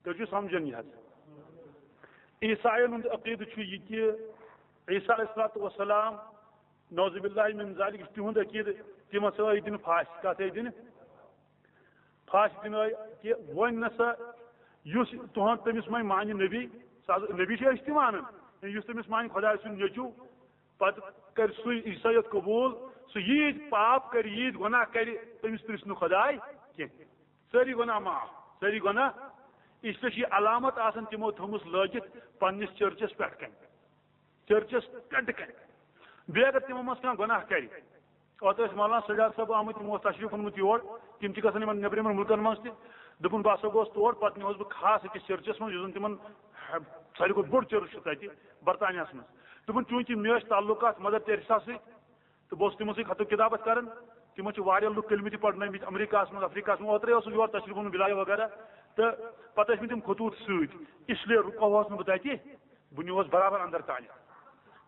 تُہۍ چھِو سمجھان یہِ حظ؟ عیساین ہُنٛد عقیدٕ چھُ یہِ کہِ عیسیٰ علیہ الصلوۃ والسلام، نعوذ باللہ من ذالک، یہِ چھُ تِہُنٛد عقیدٕ، تِم ہسا ٲسۍ دِنہٕ پھاسہِ۔ کتھ ٲسۍ دِنہٕ؟ پھاسہِ دِنہٕ ٲسۍ۔ کہِ وۄنۍ نسا یُس تُہُنٛد تٔمِس وۄنۍ مانہِ نبی، سُہ حظ نبی چھِ أسۍ تہِ مانان، یُس تٔمِس مانہِ خۄداے سُنٛد نیٚچوٗ، پتہٕ کرِ سُے عیسٲیت قبوٗل، سُہ ییٖتۍ پاپ کرِ، ییٖتۍ گۄناہ کرِ، تٔمِس پرٛژھِ نہٕ خۄداے کینٛہہ۔ سٲری گۄناہ معاف، سٲری گۄناہ۔ اس لیے چھِ یہِ علامت آسان تِمو تھٲومٕژ لٲگِتھ پننِس چرچس پٮ۪ٹھ کنہِ، چرچس پٮ۪ٹھ کنہِ۔ بیٚیہِ اگر تِمو منٛز کانٛہہ گۄناہ کرِ، اوترٕ ٲسۍ مولانا سجاد صٲب آمٕتۍ، تِمو اوس تشریف اوٚنمُت یور، تِم چھِ گژھان یِمن نیٚبرِمٮ۪ن مُلکن منٛز تہِ۔ دوٚپُن، بہٕ ہسا گوس تور، پتہٕ نِوس بہٕ خاص أکِس چرچس منٛز، یُس زن تِمن ساروی کھۄتہٕ بوٚڑ چرچ چھُ تتہِ برطانیہس منٛز۔ دوٚپُن، چوٗنٛکہِ مےٚ ٲسۍ تعلقات مدر ٹیریسا سۭتۍ، تہٕ بہٕ اوسُس تِمن سۭتۍ خط و کتابت کران۔ تِمن چھِ واریاہ لُکھ کٔلمٕتۍ پرنٲومٕتۍ امریکہس منٛز، افریقہس منٛز۔ اوترے اوسُس یور تشریف اوٚنمُت بلال وغیرہ، تہٕ پتہٕ ٲسۍ مٕتۍ تِم خطوٗط سۭتۍ، اس لیے رُکوہس نہٕ بہٕ تتہِ، بہٕ نیوٗہس برابر اندر تانۍ۔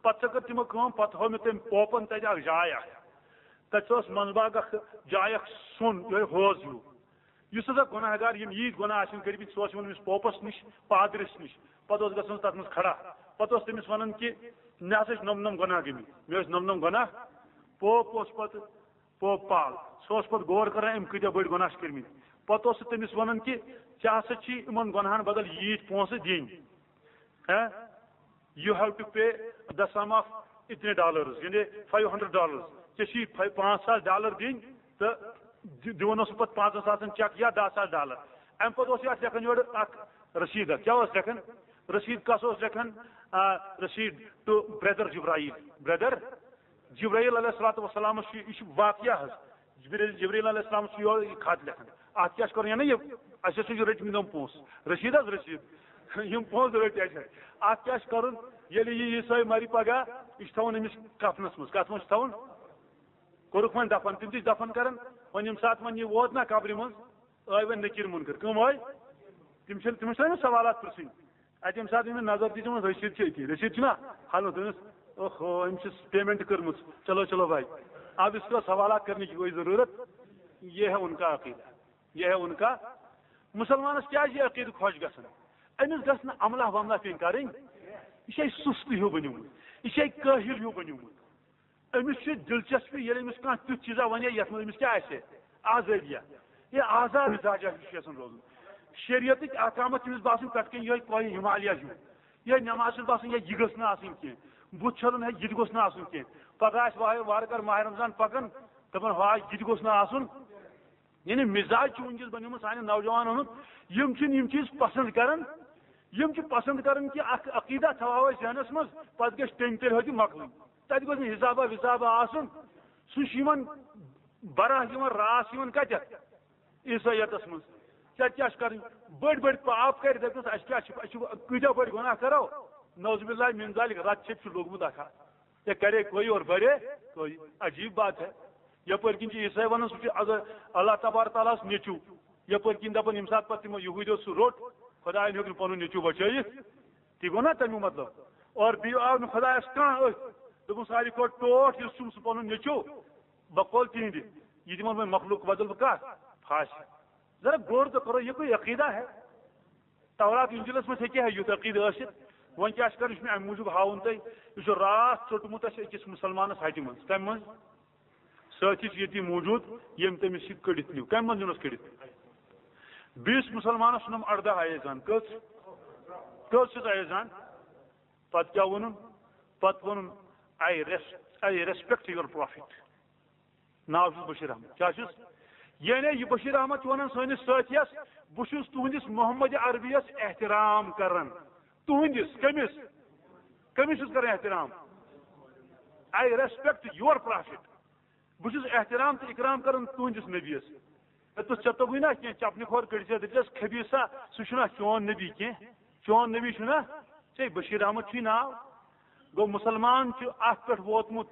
پتہٕ سا کٔر تِمو کٲم، پتہٕ ہٲو مےٚ تٔمۍ پوپن تتہِ اکھ جاے اکھ، تتہِ سا ٲس منٛزباگ اکھ جاے اکھ، سۄن یِہوٚے حوض ہیوٗ۔ یُس ہسا گۄناہ گار، یِم ییٖتۍ گۄناہ آسن کٔرمٕتۍ، سُہ اوس یِوان أمِس پوپس نِش، پادرِس نِش، پتہٕ اوس گژھان تتھ منٛز کھڑا، پتہٕ اوس تٔمِس ونان کہِ مےٚ ہسا چھِ نۄم نۄم گۄناہ گٔمٕتۍ، مےٚ ٲسۍ نۄم نۄم گۄناہ۔ پوپ اوس پتہٕ، پوپ پال، سُہ اوس پتہٕ غور کران أمۍ کۭتیاہ بٔڑۍ گۄناہ چھِ کٔرمٕتۍ۔ پتہٕ اوس سُہ تٔمِس ونان کہِ ژےٚ ہسا چھی یِمن گۄناہن بدل ییٖتۍ پونٛسہٕ دِنۍ۔ ہہ؟ You have to pay the sum of اتنے dollars، یعنی five hundred dollars۔ ژےٚ چھی فاے-، پانٛژھ ساس ڈالر دِنۍ تہٕ دِ-، دِوان اوس سُہ پتہٕ پانٛژن ساسن چیک یا دہ ساس ڈالر۔ امہِ پتہٕ اوس یہِ اتھ لیکھان یورٕ اکھ رسیٖد اکھ۔ کیٛاہ اوس لیکھان؟ رسیٖد کس اوس لیکھان؟ آ، رسیٖد to brother جبرائیل۔ Brother جبرائیل علیہ الصلوۃ والسلامس چھُ، یہِ چھُ واقعہ حظ۔ جبرائیل، جبرائیل علیہ السلام چھُ یورٕ یہِ خط لیکھان۔ اتھ کیٛاہ چھُ کرُن؟ یعنی یہِ، اسہِ ہسا چھُ رٔٹۍ مٕتۍ یِم پونٛسہٕ۔ رسیٖد حظ، رسیٖد۔ یِم پونٛسہٕ رٔٹۍ اَسہِ۔ اتھ کیٛاہ چھُ کرُن؟ ییٚلہِ یہِ عیسٲے مرِ پگاہ، یہِ چھُ تھاوُن أمِس کفنس منٛز۔ کتھ منٛز چھُ تھاوُن؟ کوٚرُکھ وۄنۍ دفن، تِم تہِ چھِ دفن کران۔ وۄنۍ ییٚمہِ ساتہٕ وۄنۍ یہِ ووت نا قبرِ منٛز، آے وۄنۍ نکیر منکر۔ کٕم آے؟ تِم چھِنہٕ، تِمن چھِنہٕ سوالات پرژھٕنۍ۔ اتہِ ییٚمہِ ساتہٕ أمِس نظر دِژ، وۄنۍ رٔسیٖد چھِ أتی۔ رٔسیٖد چھُنہ؟ ہلو، دوٚپمس، اوہو، أمۍ چھِ پیمنٹ کٔرمٕژ۔ چلو، چلو بھائی، اب اس کا سوالات کرنے کی کوئی ضرورت؟ یہ ہے ان کا عقیدہ، یہ ہے ان کا۔ مسلمانس کیٛازِ یہِ عقیدٕ خۄش گژھان؟ أمِس گژھِ نہٕ عملہ وملہ پیٚنۍ کرٕنۍ۔ یہِ چھُ اَسہِ سُستہٕ ہیوٗ بنیومُت، یہِ چھُ اَسہِ کٲہِل ہیوٗ بنیومُت۔ أمِس چھِ دلچسپی، ییٚلہِ أمِس کانٛہہ تیُتھ چیٖزا وَنہِ، یَتھ منٛز أمِس کیٛاہ آسہِ؟ آزٲدیہ۔ یہِ آزاد مِزاجا ہیوٗ چھُ یَژھان روزُن۔ شریعتٕکۍ احکامات چھِ أمِس باسان پٮ۪ٹھ کَنۍ یِہوٚے کوہِ ہمالیہ ہیوٗ۔ یِہوٚے نٮ۪ماز چھِ باسان، یہِ، یہِ گٔژھ نہٕ آسٕنۍ کینٛہہ۔ بُتھ چھَلُن ہے، یہِ تہِ گوٚژھ نہٕ آسُن کینٛہہ۔ پَگاہ آسہِ وارٕ، وارٕ کارٕ ماہِ رمضان پَکان، دَپان، ہاے، یہِ تہِ گوٚژھ نہٕ آسُن۔ یعنی مِزاج چھُ وٕنکیٚس بَنیومُت سانٮ۪ن نوجوانَن ہُنٛد، یِم چھِنہٕ یِم چیٖز پَسنٛد کَران، یِم چھِ پَسنٛد کَران کہِ اَکھ عقیٖدہ تھاوہاو أسۍ ذہنَس منٛز، پَتہٕ گژھِ ٹیٚنۍ تیٚلہِ ہیوٚتُے مۄکلٕنۍ۔ تَتہِ گوٚژھ نہٕ حِسابا وِسابا آسُن۔ سُہ چھُ یِمَن براہ یِوان، راس یِوان کَتٮ۪تھ؟ عیسٲیتَس منٛز۔ ژےٚ کیٛاہ چھِ کَرٕنۍ؟ بٔڑۍ بٔڑۍ پاپ کَرِ، دَپٮ۪س، اَسہِ کیٛاہ چھِ، اَسہِ چھِ کۭتیٛاہ بٔڑۍ گۄناہ کَرو؟ نعوذ باللہ من ذالک، رَتہٕ چھِتھ چھُ لوٚگمُت اَکھ اَکھ۔ یہ کرے کوئی اور بھرے کوئی، عجیب بات ہے۔ یپٲرۍ کِنۍ چھِ عیسائی ونان سُہ چھُ اگر اللہ تبارک تعالیٰ ہس نیٚچوٗ، یپٲرۍ کِنۍ دپان ییٚمہِ ساتہٕ پتہٕ تِمو یہوٗدیو سُہ روٚٹ، خۄداین ہیوٚک نہٕ پنُن نیٚچوٗ بچٲیِتھ۔ تہِ گوٚو نا تمیُک مطلب؟ اور بیٚیہِ آو نہٕ خۄدایس کانٛہہ أتھۍ، دوٚپُن ساروی کھۄتہٕ ٹوٹھ یُس چھُم سُہ پنُن نیٚچوٗ، بہٕ کھولہٕ تِہنٛدِ، یہِ دِمن وۄنۍ مخلوق بدل بہٕ کتھ؟ پھاسہِ۔ ذرا غور تو کرو، یہ کوئی عقیدہ ہے؟ تورات انجیلس منٛز ہیٚکہِ ہا یُتھ عقیدٕ ٲسِتھ۔ وۄنۍ کیٛاہ چھُ کرُن، یہِ چھُ مےٚ امہِ موٗجوٗب ہاوُن تۄہہِ، یہِ چھُ راتھ ژوٚٹمُت اَسہِ أکِس مُسلمانس ہٹہِ منٛز۔ کمہِ منٛز؟ سٲتھی چھِ ییٚتی موٗجوٗد، ییٚمۍ تٔمِس یہِ کٔڑِتھ نیوٗ۔ کمہِ منٛز نیوٗنس کٔڑِتھ؟ بیٚیِس مُسلمانس چھُنم اردہ آیے زن۔ کٔژ؟ کٔژ چھِس آیے زن؟ پتہٕ کیٛاہ ووٚنُن؟ پتہٕ ووٚنُن، I res-, I respect your prophet۔ ناو چھُس بشیر احمد۔ کیٛاہ چھُس؟ یعنی یہِ بشیر احمد چھُ ونان سٲنِس سٲتھیَس، بہٕ چھُس تُہنٛدِس محمد عربیَس احترام کران۔ تُہنٛدِس؟ کٔمِس؟ کٔمِس چھُس کران احترام؟ I respect your prophet۔ بہٕ چھُس احترام تہٕ اکرام کران تُہنٛدِس نبیَس۔ ہے، تُہۍ ژےٚ توٚگُے نا کینٛہہ، چپنہِ کھۄر کٔڑۍ زِ، دٔپزٮ۪س، خبیٖثا، سُہ چھُنہ چون نبی کینٛہہ۔ چون نبی چھُ نا، ژےٚ بشیر احمد چھُے ناو۔ گوٚو، مسلمان چھُ اتھ پٮ۪ٹھ ووتمُت،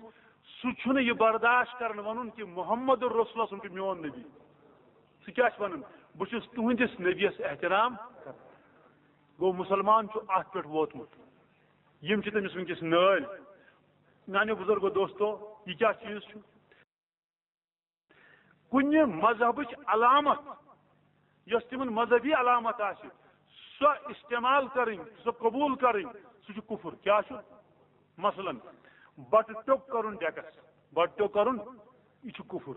سُہ چھُنہٕ یہِ برداشت کران ونُن کہِ محمد رسول اللہ چھُ میون نبی۔ سُہ کیٛاہ چھُ ونان؟ بہٕ چھُس تُہنٛدِس نبیَس احترام کران۔ گوٚو، مسلمان چھُ اتھ پٮ۪ٹھ ووتمُت۔ یِم چھِ تٔمِس وٕنکیٚس نٲلۍ۔ میانیو بزرگو دوستو، یہِ کیٛاہ چیٖز چھُ؟ کُنہِ مذہبٕچ علامت، یۄس تِمن مذہبی علامت آسہِ، سۄ استعمال کرٕنۍ، سۄ قبول کرٕنۍ، سُہ چھُ کفر۔ کیٛاہ چھُ؟ مثلاً، بٹہٕ ٹیوٚک کرُن ڈیکس، بٹہٕ ٹیوٚک کرُن، یہِ چھُ کفر۔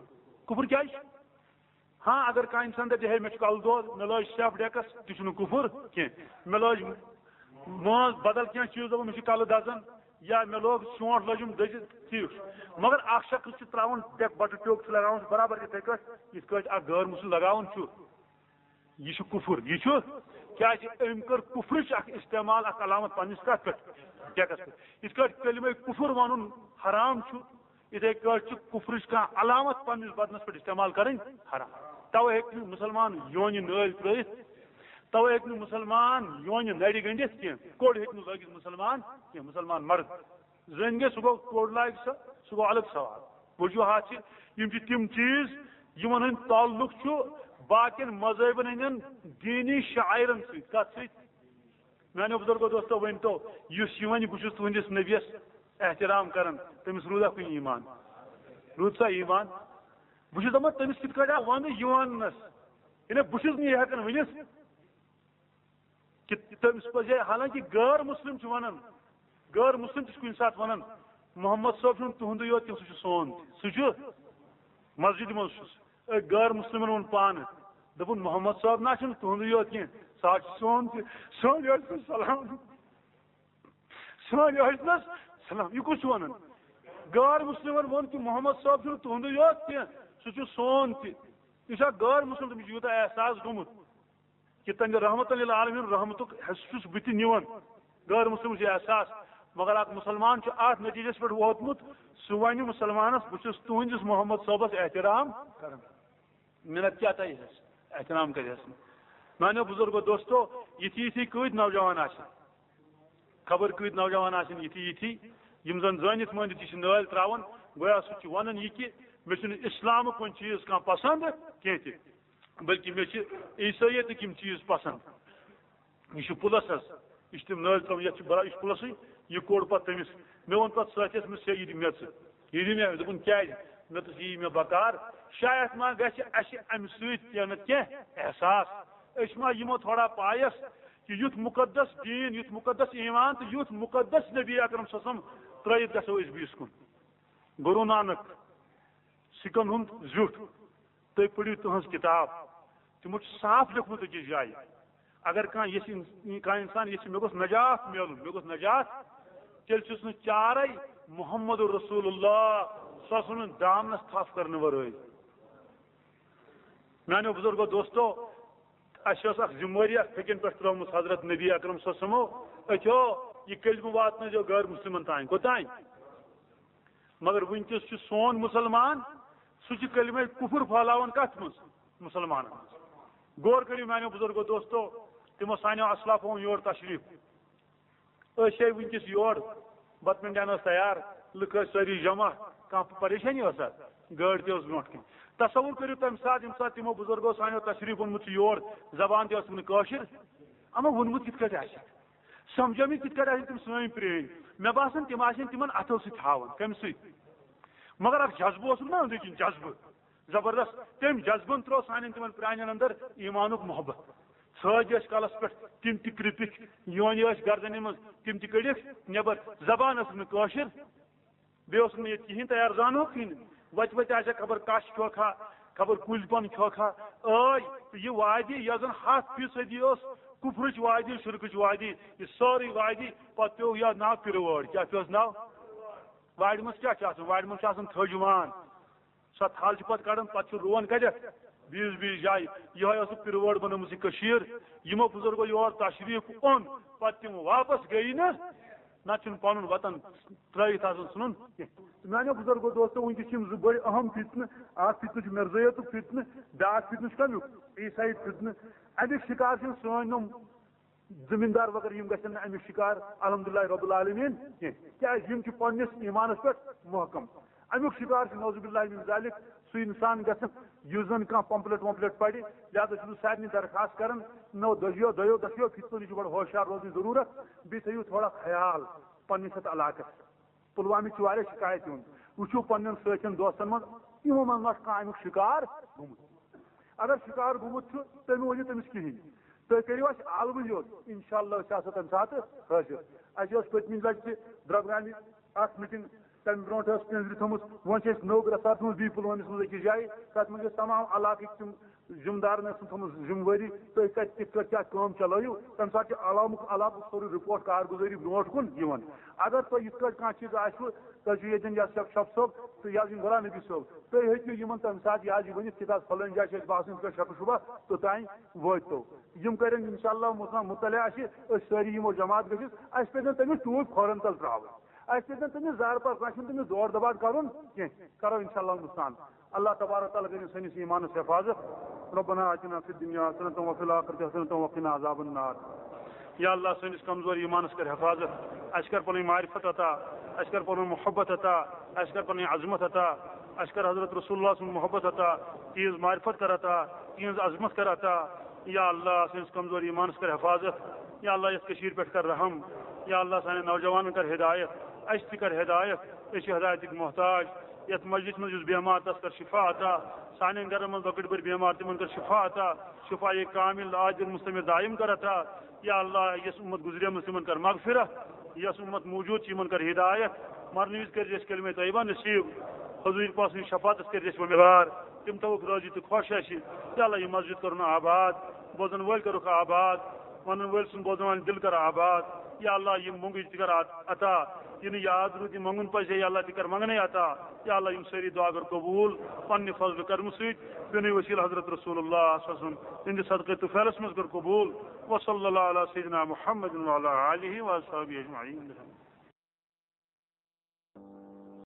کفر کیٛازِ چھُ؟ ہاں، اگر کانٛہہ انسان دپہِ، ہے، مےٚ چھُ کلہٕ دود، مےٚ لٲج سیٚپھ ڈیکس، تہِ چھُنہٕ کفر کینٛہہ۔ مےٚ لٲج مٲنٛز بدل کینٛہہ چیٖز، دوٚپُن، مےٚ چھُ کلہٕ دزان، یا مےٚ لوگ شونٛٹھ لٔجِم دٔزِتھ، ٹھیٖک چھُ۔ مگر اکھ شخص چھُ ترٛاوان ڈیک، بٹہٕ ٹیوٚک چھُ لگاوان، سُہ برابر یِتھے کٲٹھۍ، یِتھ کٲٹھۍ اکھ غٲر مسلم لگاوان چھُ۔ یہِ چھُ کفر، یہِ چھُ کیٛازِ؟ أمۍ کٔر کفرٕچ اکھ استعمال، اکھ علامت پننِس کتھ پٮ۪ٹھ؟ ڈیکس پٮ۪ٹھ۔ یِتھ کٲٹھۍ کلمہ کفر ونُن حرام چھُ، یِتھے کٲٹھۍ چھُ کفرٕچ کانٛہہ علامت پننِس بدنس پٮ۪ٹھ استعمال کرٕنۍ حرام۔ توے ہیٚکہِ نہٕ مسلمان یونہِ نٲلۍ ترٲیِتھ، توے ہیٚکہِ نہٕ مسلمان یونہِ نرِ گٔنڈِتھ کینٛہہ، کوٚڑ ہیٚکہِ نہٕ لٲگِتھ مسلمان کینٛہہ، مسلمان مرد۔ زٔنۍ گٔے، سُہ گوٚو کوٚڑ لاگہِ سۄ، سُہ گوٚو الگ سوال۔ وجوہات چھِ، یِم چھِ تِم چیٖز یِمن ہُنٛد تعلق چھُ باقین مذہبن ہٕنٛدٮ۪ن دینی شعائرن سۭتۍ۔ کتھ سۭتۍ؟ میانیو بزرگو دوستو، ؤنۍ تو، یُس یہِ وَنہِ، بہٕ چھُس تُہنٛدِس نبیَس احترام کران، تٔمِس روٗدا کُنہِ ایمان؟ روٗد سا ایمان؟ بہٕ چھُس دَپان، تٔمِس کِتھ کٲٹھۍ آو وَنہٕ یہِ وَننَس؟ یعنی، بہٕ چھُس نہٕ یہِ ہٮ۪کان ؤنِتھ کہِ تٔمِس پَزِ، حالانکہِ غٲر مسلم چھُ وَنان، غٲر مسلم تہِ چھُ کُنہِ ساتہٕ وَنان، محمد صٲب چھُنہٕ تُہُنٛدُے یوت کینٛہہ، سُہ چھُ سون تہِ، سُہ چھُ مسجدِ منٛز چھُس۔ أکۍ غٲر مسلمن ووٚن پانہٕ، دوٚپُن، محمد صٲب نہ چھُنہٕ تُہُنٛدُے یوت کینٛہہ، سُہ حظ چھُ سون تہِ، سٲنۍ حظ چھِ سلام، سٲنۍ حظ چھِ نہ سلام۔ یہِ کُس چھُ وَنان؟ غٲر مسلمن ووٚن کہِ محمد صٲب چھُنہٕ تُہُنٛدُے یوت کینٛہہ، سُہ چھُ سون تہِ۔ یہِ چھا غٲر مسلم؟ تٔمِس چھُ یوٗتاہ احساس گوٚمُت۔ کہ تمہِ رحمتن للعالمین رحمتُک حصہٕ چھُس بہٕ تہِ نِوان۔ غٲر مسلم چھُ احساس، مگر اکھ مسلمان چھُ اتھ نتیجس پٮ۪ٹھ ووتمُت، سُہ ونہِ مسلمانس، بہٕ چھُس تُہنٛدِس محمد صٲبس احترام کران۔ منت کیٛاہ تۄہہِ حظ؟ احترام کرِ حظ۔ میانیو بزرگو دوستو، یِتھی یِتھی کۭتۍ نوجوان آسن، خبر کۭتۍ نوجوان آسن یِتھی یِتھی، یِم زن زٲنِتھ مٲنِتھ یہِ چھِ نٲلۍ تراوان، گویا سُہ چھُ ونان یہِ کہِ مےٚ چھُنہٕ اسلامُک کُنہِ چیٖز کانٛہہ پسند کینٛہہ تہِ۔ بلکہ مےٚ چھِ عیسٲیتٕکۍ یِم چیٖز پسنٛد۔ یہِ چھُ پُلس حظ، یہِ چھِ تِم نٲلۍ ترٛاوان، یَتھ چھِ برا-، یہِ چھُ پُلسٕے، یہِ کوٚڑ پتہٕ تٔمِس۔ مےٚ ووٚن پتہٕ ساتھیَس، مےٚ سا یہِ دِ مےٚ ژٕ۔ یہِ دِ مےٚ، دوٚپُن، کیٛازِ؟ مےٚ دوٚپُس، یی مےٚ بکار، شاید ما گژھِ اَسہِ اَمہِ سۭتۍ تہِ نہٕ کینٛہہ احساس۔ أسۍ ما یِمو تھوڑا پایَس کہِ یُتھ مُقدس دیٖن، یُتھ مُقدس ایٖمان تہٕ یُتھ مُقدس نبی اکرم صلی اللہ علیہ وسلم ترٛٲیِتھ گژھو أسۍ بیٚیِس کُن۔ گُروٗ نانک سِکن ہُنٛد زیُٹھ، تُہۍ پٔرِو تُہٕنٛز کِتاب، تِمو چھُ صاف لیوٚکھمُت أکِس جایہِ، اگر کانٛہہ یژھِ، کانٛہہ اِنسان یژھِ، مےٚ گوٚژھ نجات میلُن، مےٚ گوٚژھ نجات، تیٚلہِ چھُس نہٕ چارے محمد رسول اللہ صلی اللہ علیہ وسلم دامنس تھپھ کرنہٕ ورٲے۔ میانیو بزرگو دوستو، اَسہِ ٲس اکھ ذمہٕ وٲری اکھ فِکرِ پٮ۪ٹھ ترٲومٕژ حضرت نبی اکرم صلی اللہ علیہ وسلمو، أتھیو یہِ کلمہٕ واتنٲیزیو غٲر مسلمن تام۔ کوٚتام؟ مگر وٕنکیٚس چھُ سون مُسلمان، سُہ چھُ کلمہ کفر پھٔہلاوان کتھ منٛز؟ مُسلمانن منٛز۔ غور کٔرِو میانیو بزرگو دوستو، تِمو سانیو اسلافو اوٚن یور تشریف۔ أسۍ چھِ وٕنکیٚس یور، بتہٕ منڈیان ٲس تیار، لُکھ ٲسۍ سٲری جمع، کانٛہہ پریشٲنی ٲسا؟ گٲڑۍ تہِ ٲس برونٛٹھ کِنۍ۔ تصور کٔرِو تمہِ ساتہٕ، ییٚمہِ ساتہٕ تِمو بزرگو سانیو تشریف اوٚنمُت چھُ یور، زبان تہِ ٲس نہٕ کٲشِر، اما ووٚنمُت کِتھ کٲٹھۍ آسہِ؟ سمجھٲومٕتۍ کِتھ کٲٹھۍ آسن تِم سٲنۍ پرٛٲنۍ؟ مےٚ باسان، تِم آسن تِمن اتھو سۭتۍ تھاوان۔ کمہِ سۭتۍ؟ مگر اکھ جذبہٕ اوسُکھ نا أنٛدرۍ کِنۍ، جذبہٕ زبردست۔ تٔمۍ جذبن ترٛوو سانٮ۪ن تِمن پرٛانٮ۪ن اندر ایٖمانُک محبت۔ سٲجۍ ٲسۍ کلس پٮ۪ٹھ، تِم تہِ کرٛپِکھ، یونہِ ٲسۍ گردنہِ منٛز، تِم تہِ کٔڑِکھ نٮ۪بر۔ زبان ٲسٕکھ نہٕ کٲشِر، بیٚیہِ اوس نہٕ ییٚتہِ کِہیٖنۍ تیار، زانہوکھ کِہیٖنۍ۔ وتہِ وتہِ آسہِ ہا خبر کش کھیوکھ ہا، خبر کُلۍ پن کھیوکھ ہا۔ ٲے تہٕ یہِ وادی، یۄس زن ہتھ فیٖصدی ٲس کفرٕچ وادی، شرکٕچ وادی، یہِ سٲرٕے وادی، پتہٕ پیوٚو یتھ ناو پِروٲڑ۔ کیٛاہ پیوس ناو؟ وارِ منٛز کیٛاہ چھُ آسان؟ وارِ منٛز چھُ آسان تھٔج وان۔ سۄ تھل چھِ پتہٕ کڑان، پتہٕ چھُ رُوان کتٮ۪تھ؟ بیٚیِس بیٚیِس جایہِ۔ یِہوٚے ٲسٕکھ پِروٲڑ بنٲومٕژ یہِ کٔشیٖر۔ یِمو بزرگو یور تشریٖف اوٚن، پتہٕ تِم واپس گٔیی نہٕ، نتہٕ چھُنہٕ پنُن وطن ترٛٲوِتھ آسان ژھٕنُن کینٛہہ۔ تہٕ میانیو بزرگو دوستو، وٕنکیٚس چھِ یِم زٕ بٔڑۍ اہم فتنہٕ۔ اکھ فتنہٕ چھُ مرزٲیتُک فتنہٕ، بیٛاکھ فتنہٕ چھُ کمیُک؟ عیسائی فتنہٕ۔ امیُک شکار چھِ یِم سٲنۍ یِم زمیٖندار وغٲرٕ یِم گژھن نہٕ اَمیُک شِکار الحمدللہ رب العالمین کینٛہہ، کیٛازِ یِم چھِ پننِس ایٖمانَس پٮ۪ٹھ محکم۔ اَمیُک شِکار چھُ نعوذ باللہ من ذالک سُہ اِنسان گژھن یُس زَن کانٛہہ پمپلیٹ ومپلیٹ پَرِ۔ لہذا چھُس بہٕ سارنٕے درخواست کران، نو دۄشیو دۄیو دۄشیو خطبو نِش چھُ بڑٕ ہوشیار روزُن ضروٗرت، بیٚیہِ تھٲیِو تھوڑا خیال پننِس یَتھ علاقَس۔ پلوامہِ چھُ واریاہ شِکایت یِوان، وٕچھِو پننٮ۪ن سٲتھٮ۪ن دوستن منٛز، یِمو منٛز ما چھُ کانٛہہ اَمیُک شِکار گوٚمُت۔ اگر شِکار گوٚمُت چھُ، تیٚلہِ مہٕ ؤنِو تٔمِس کِہیٖنۍ۔ تُہۍ کٔرِو اَسہِ عالمٕے یوت، اِنشاءاللہ أسۍ آسو تَمہِ ساتہٕ حٲضِر۔ اَسہِ ٲس پٔتمہِ لَٹہِ تہِ درٛبگامہِ اَکھ میٖٹِنٛگ، تَمہِ برونٛٹھ ٲس پِنٛزرِ تھٲومٕژ، وۄنۍ چھِ أسۍ نٔو رَژھ اَتھ منٛز بیٚیہِ پُلوٲمِس منٛز أکِس جایہِ، تَتھ منٛز چھِ أسۍ تَمام علاقٕکۍ تِم ذِمہٕ دارَن ٲسٕم تھٲومٕژ ذِمہٕ وٲری، تُہۍ کَتہِ کِتھ کٲٹھۍ کیٛاہ کٲم چَلٲیِو، تَمہِ ساتہٕ چھِ علاقُک علاقُک سورُے رِپورٹ کارگُزٲری برونٛٹھ کُن یِوان۔ اگر تۄہہِ یِتھ کٲٹھۍ کانٛہہ چیٖز آسِوٕ، تۄہہِ چھُ ییٚتٮ۪ن یَس شَف شَف صٲب تہٕ یَس یِم غلام نبی صٲب، تُہۍ ہیٚکِو یِمَن تَمہِ ساتہٕ یہِ حظ یہِ ؤنِتھ، کہِ تَتھ فَلٲنۍ جایہِ چھِ اَسہِ باسان یِتھ کٲٹھۍ شَکہٕ شُبہ، توٚتام وٲتۍ تو۔ یِم کَرن اِنشاءاللہ مُطلع-، مُطلع اَسہِ، أسۍ سٲری یِمو جماعت گٔژھِتھ، اَسہِ پَزِ نہٕ تٔمِس ٹوٗپۍ کھۄرَن تَل ترٛاوٕنۍ، اَسہِ پَزِ نہٕ تٔمِس زارٕ پَتہٕ، اَسہِ چھُنہٕ تٔمِس دورٕ دَباٹ کَرُن کینٛہہ، کَرو اِنشاءاللہ ہِندُستان۔ اللہ تبارک تعالیٰ کٔرِنۍ سٲنِس ایٖمانَس حفاظت۔ ربنا آتنا فی الدنیا حسنة وفی الآخرة حسنة وقنا عذاب النار۔ یا اللہ، سٲنِس کمزور ایٖمانَس کر حفاظت، اَسہِ کر پَنٕنۍ معرفت عطا، اَسہِ کر پَنُن محبت عطا، اَسہِ کر پَنٕنۍ عظمت عطا، اَسہِ کر حضرت رسول اللہ سُنٛد محبت عطا، تِہنٛز معرفت کر عطا، تِہنٛز عظمت کر عطا۔ یا اللہ، سٲنِس کمزور ایٖمانَس کر حفاظت۔ یا اللہ، یَتھ کٔشیٖرِ پٮ۪ٹھ کر رحم۔ یا اللہ، سانٮ۪ن نوجوانَن کر ہدایت، اَسہِ تہِ کر ہدایت، أسۍ چھِ ہدایتٕکۍ محتاج۔ یَتھ مجلِس منٛز یُس بیمار، تَس کر شفا عطا۔ سانٮ۪ن گرن منٛز لۄکٕٹۍ بٔڑۍ بیمار، تِمن کر شفا عطا، شفا کامل عاجل مستمر دائم کر عطا۔ یا اللہ، یۄس اُمت گزریمٕژ، تِمن کر مغفرت، یۄس اُمت موجود چھِ، یِمن کر ہدایت، مرنہٕ وِزِ کٔرۍ اَسہِ کلمہ طیبہ نصیب، حضور پاک سٕنٛدِ شفاعتس کٔرۍ اَسہِ امیدوار، تِم تھاوُکھ رٲضی تہٕ خۄش اَسہِ۔ یا اللہ، یہِ مسجد کرُن آباد، بوزن وٲلۍ کرُکھ آباد، ونن وٲلۍ سُنٛد بوزن والٮ۪ن دِل کر آباد۔ یا اللہ، یِم مۄنٛگٕج تہِ کر عطا، یہِ نہٕ یاد روٗد، یہِ منٛگُن پزِ ہے، یا اللہ، تہِ کر منٛگنے عطا۔ یا اللہ، یِم سٲری دعا کر قبول پننہِ فضل کرمہٕ سۭتۍ، بنوسیلہٕ حضرت رسول اللہ صلی اللہ علیہ وسلم، تِہنٛدِ صدقے طفیلس منٛز کر قبول۔ وصلی اللہ علی سیدنا محمد وعلی آلہ وصحبہ اجمعین۔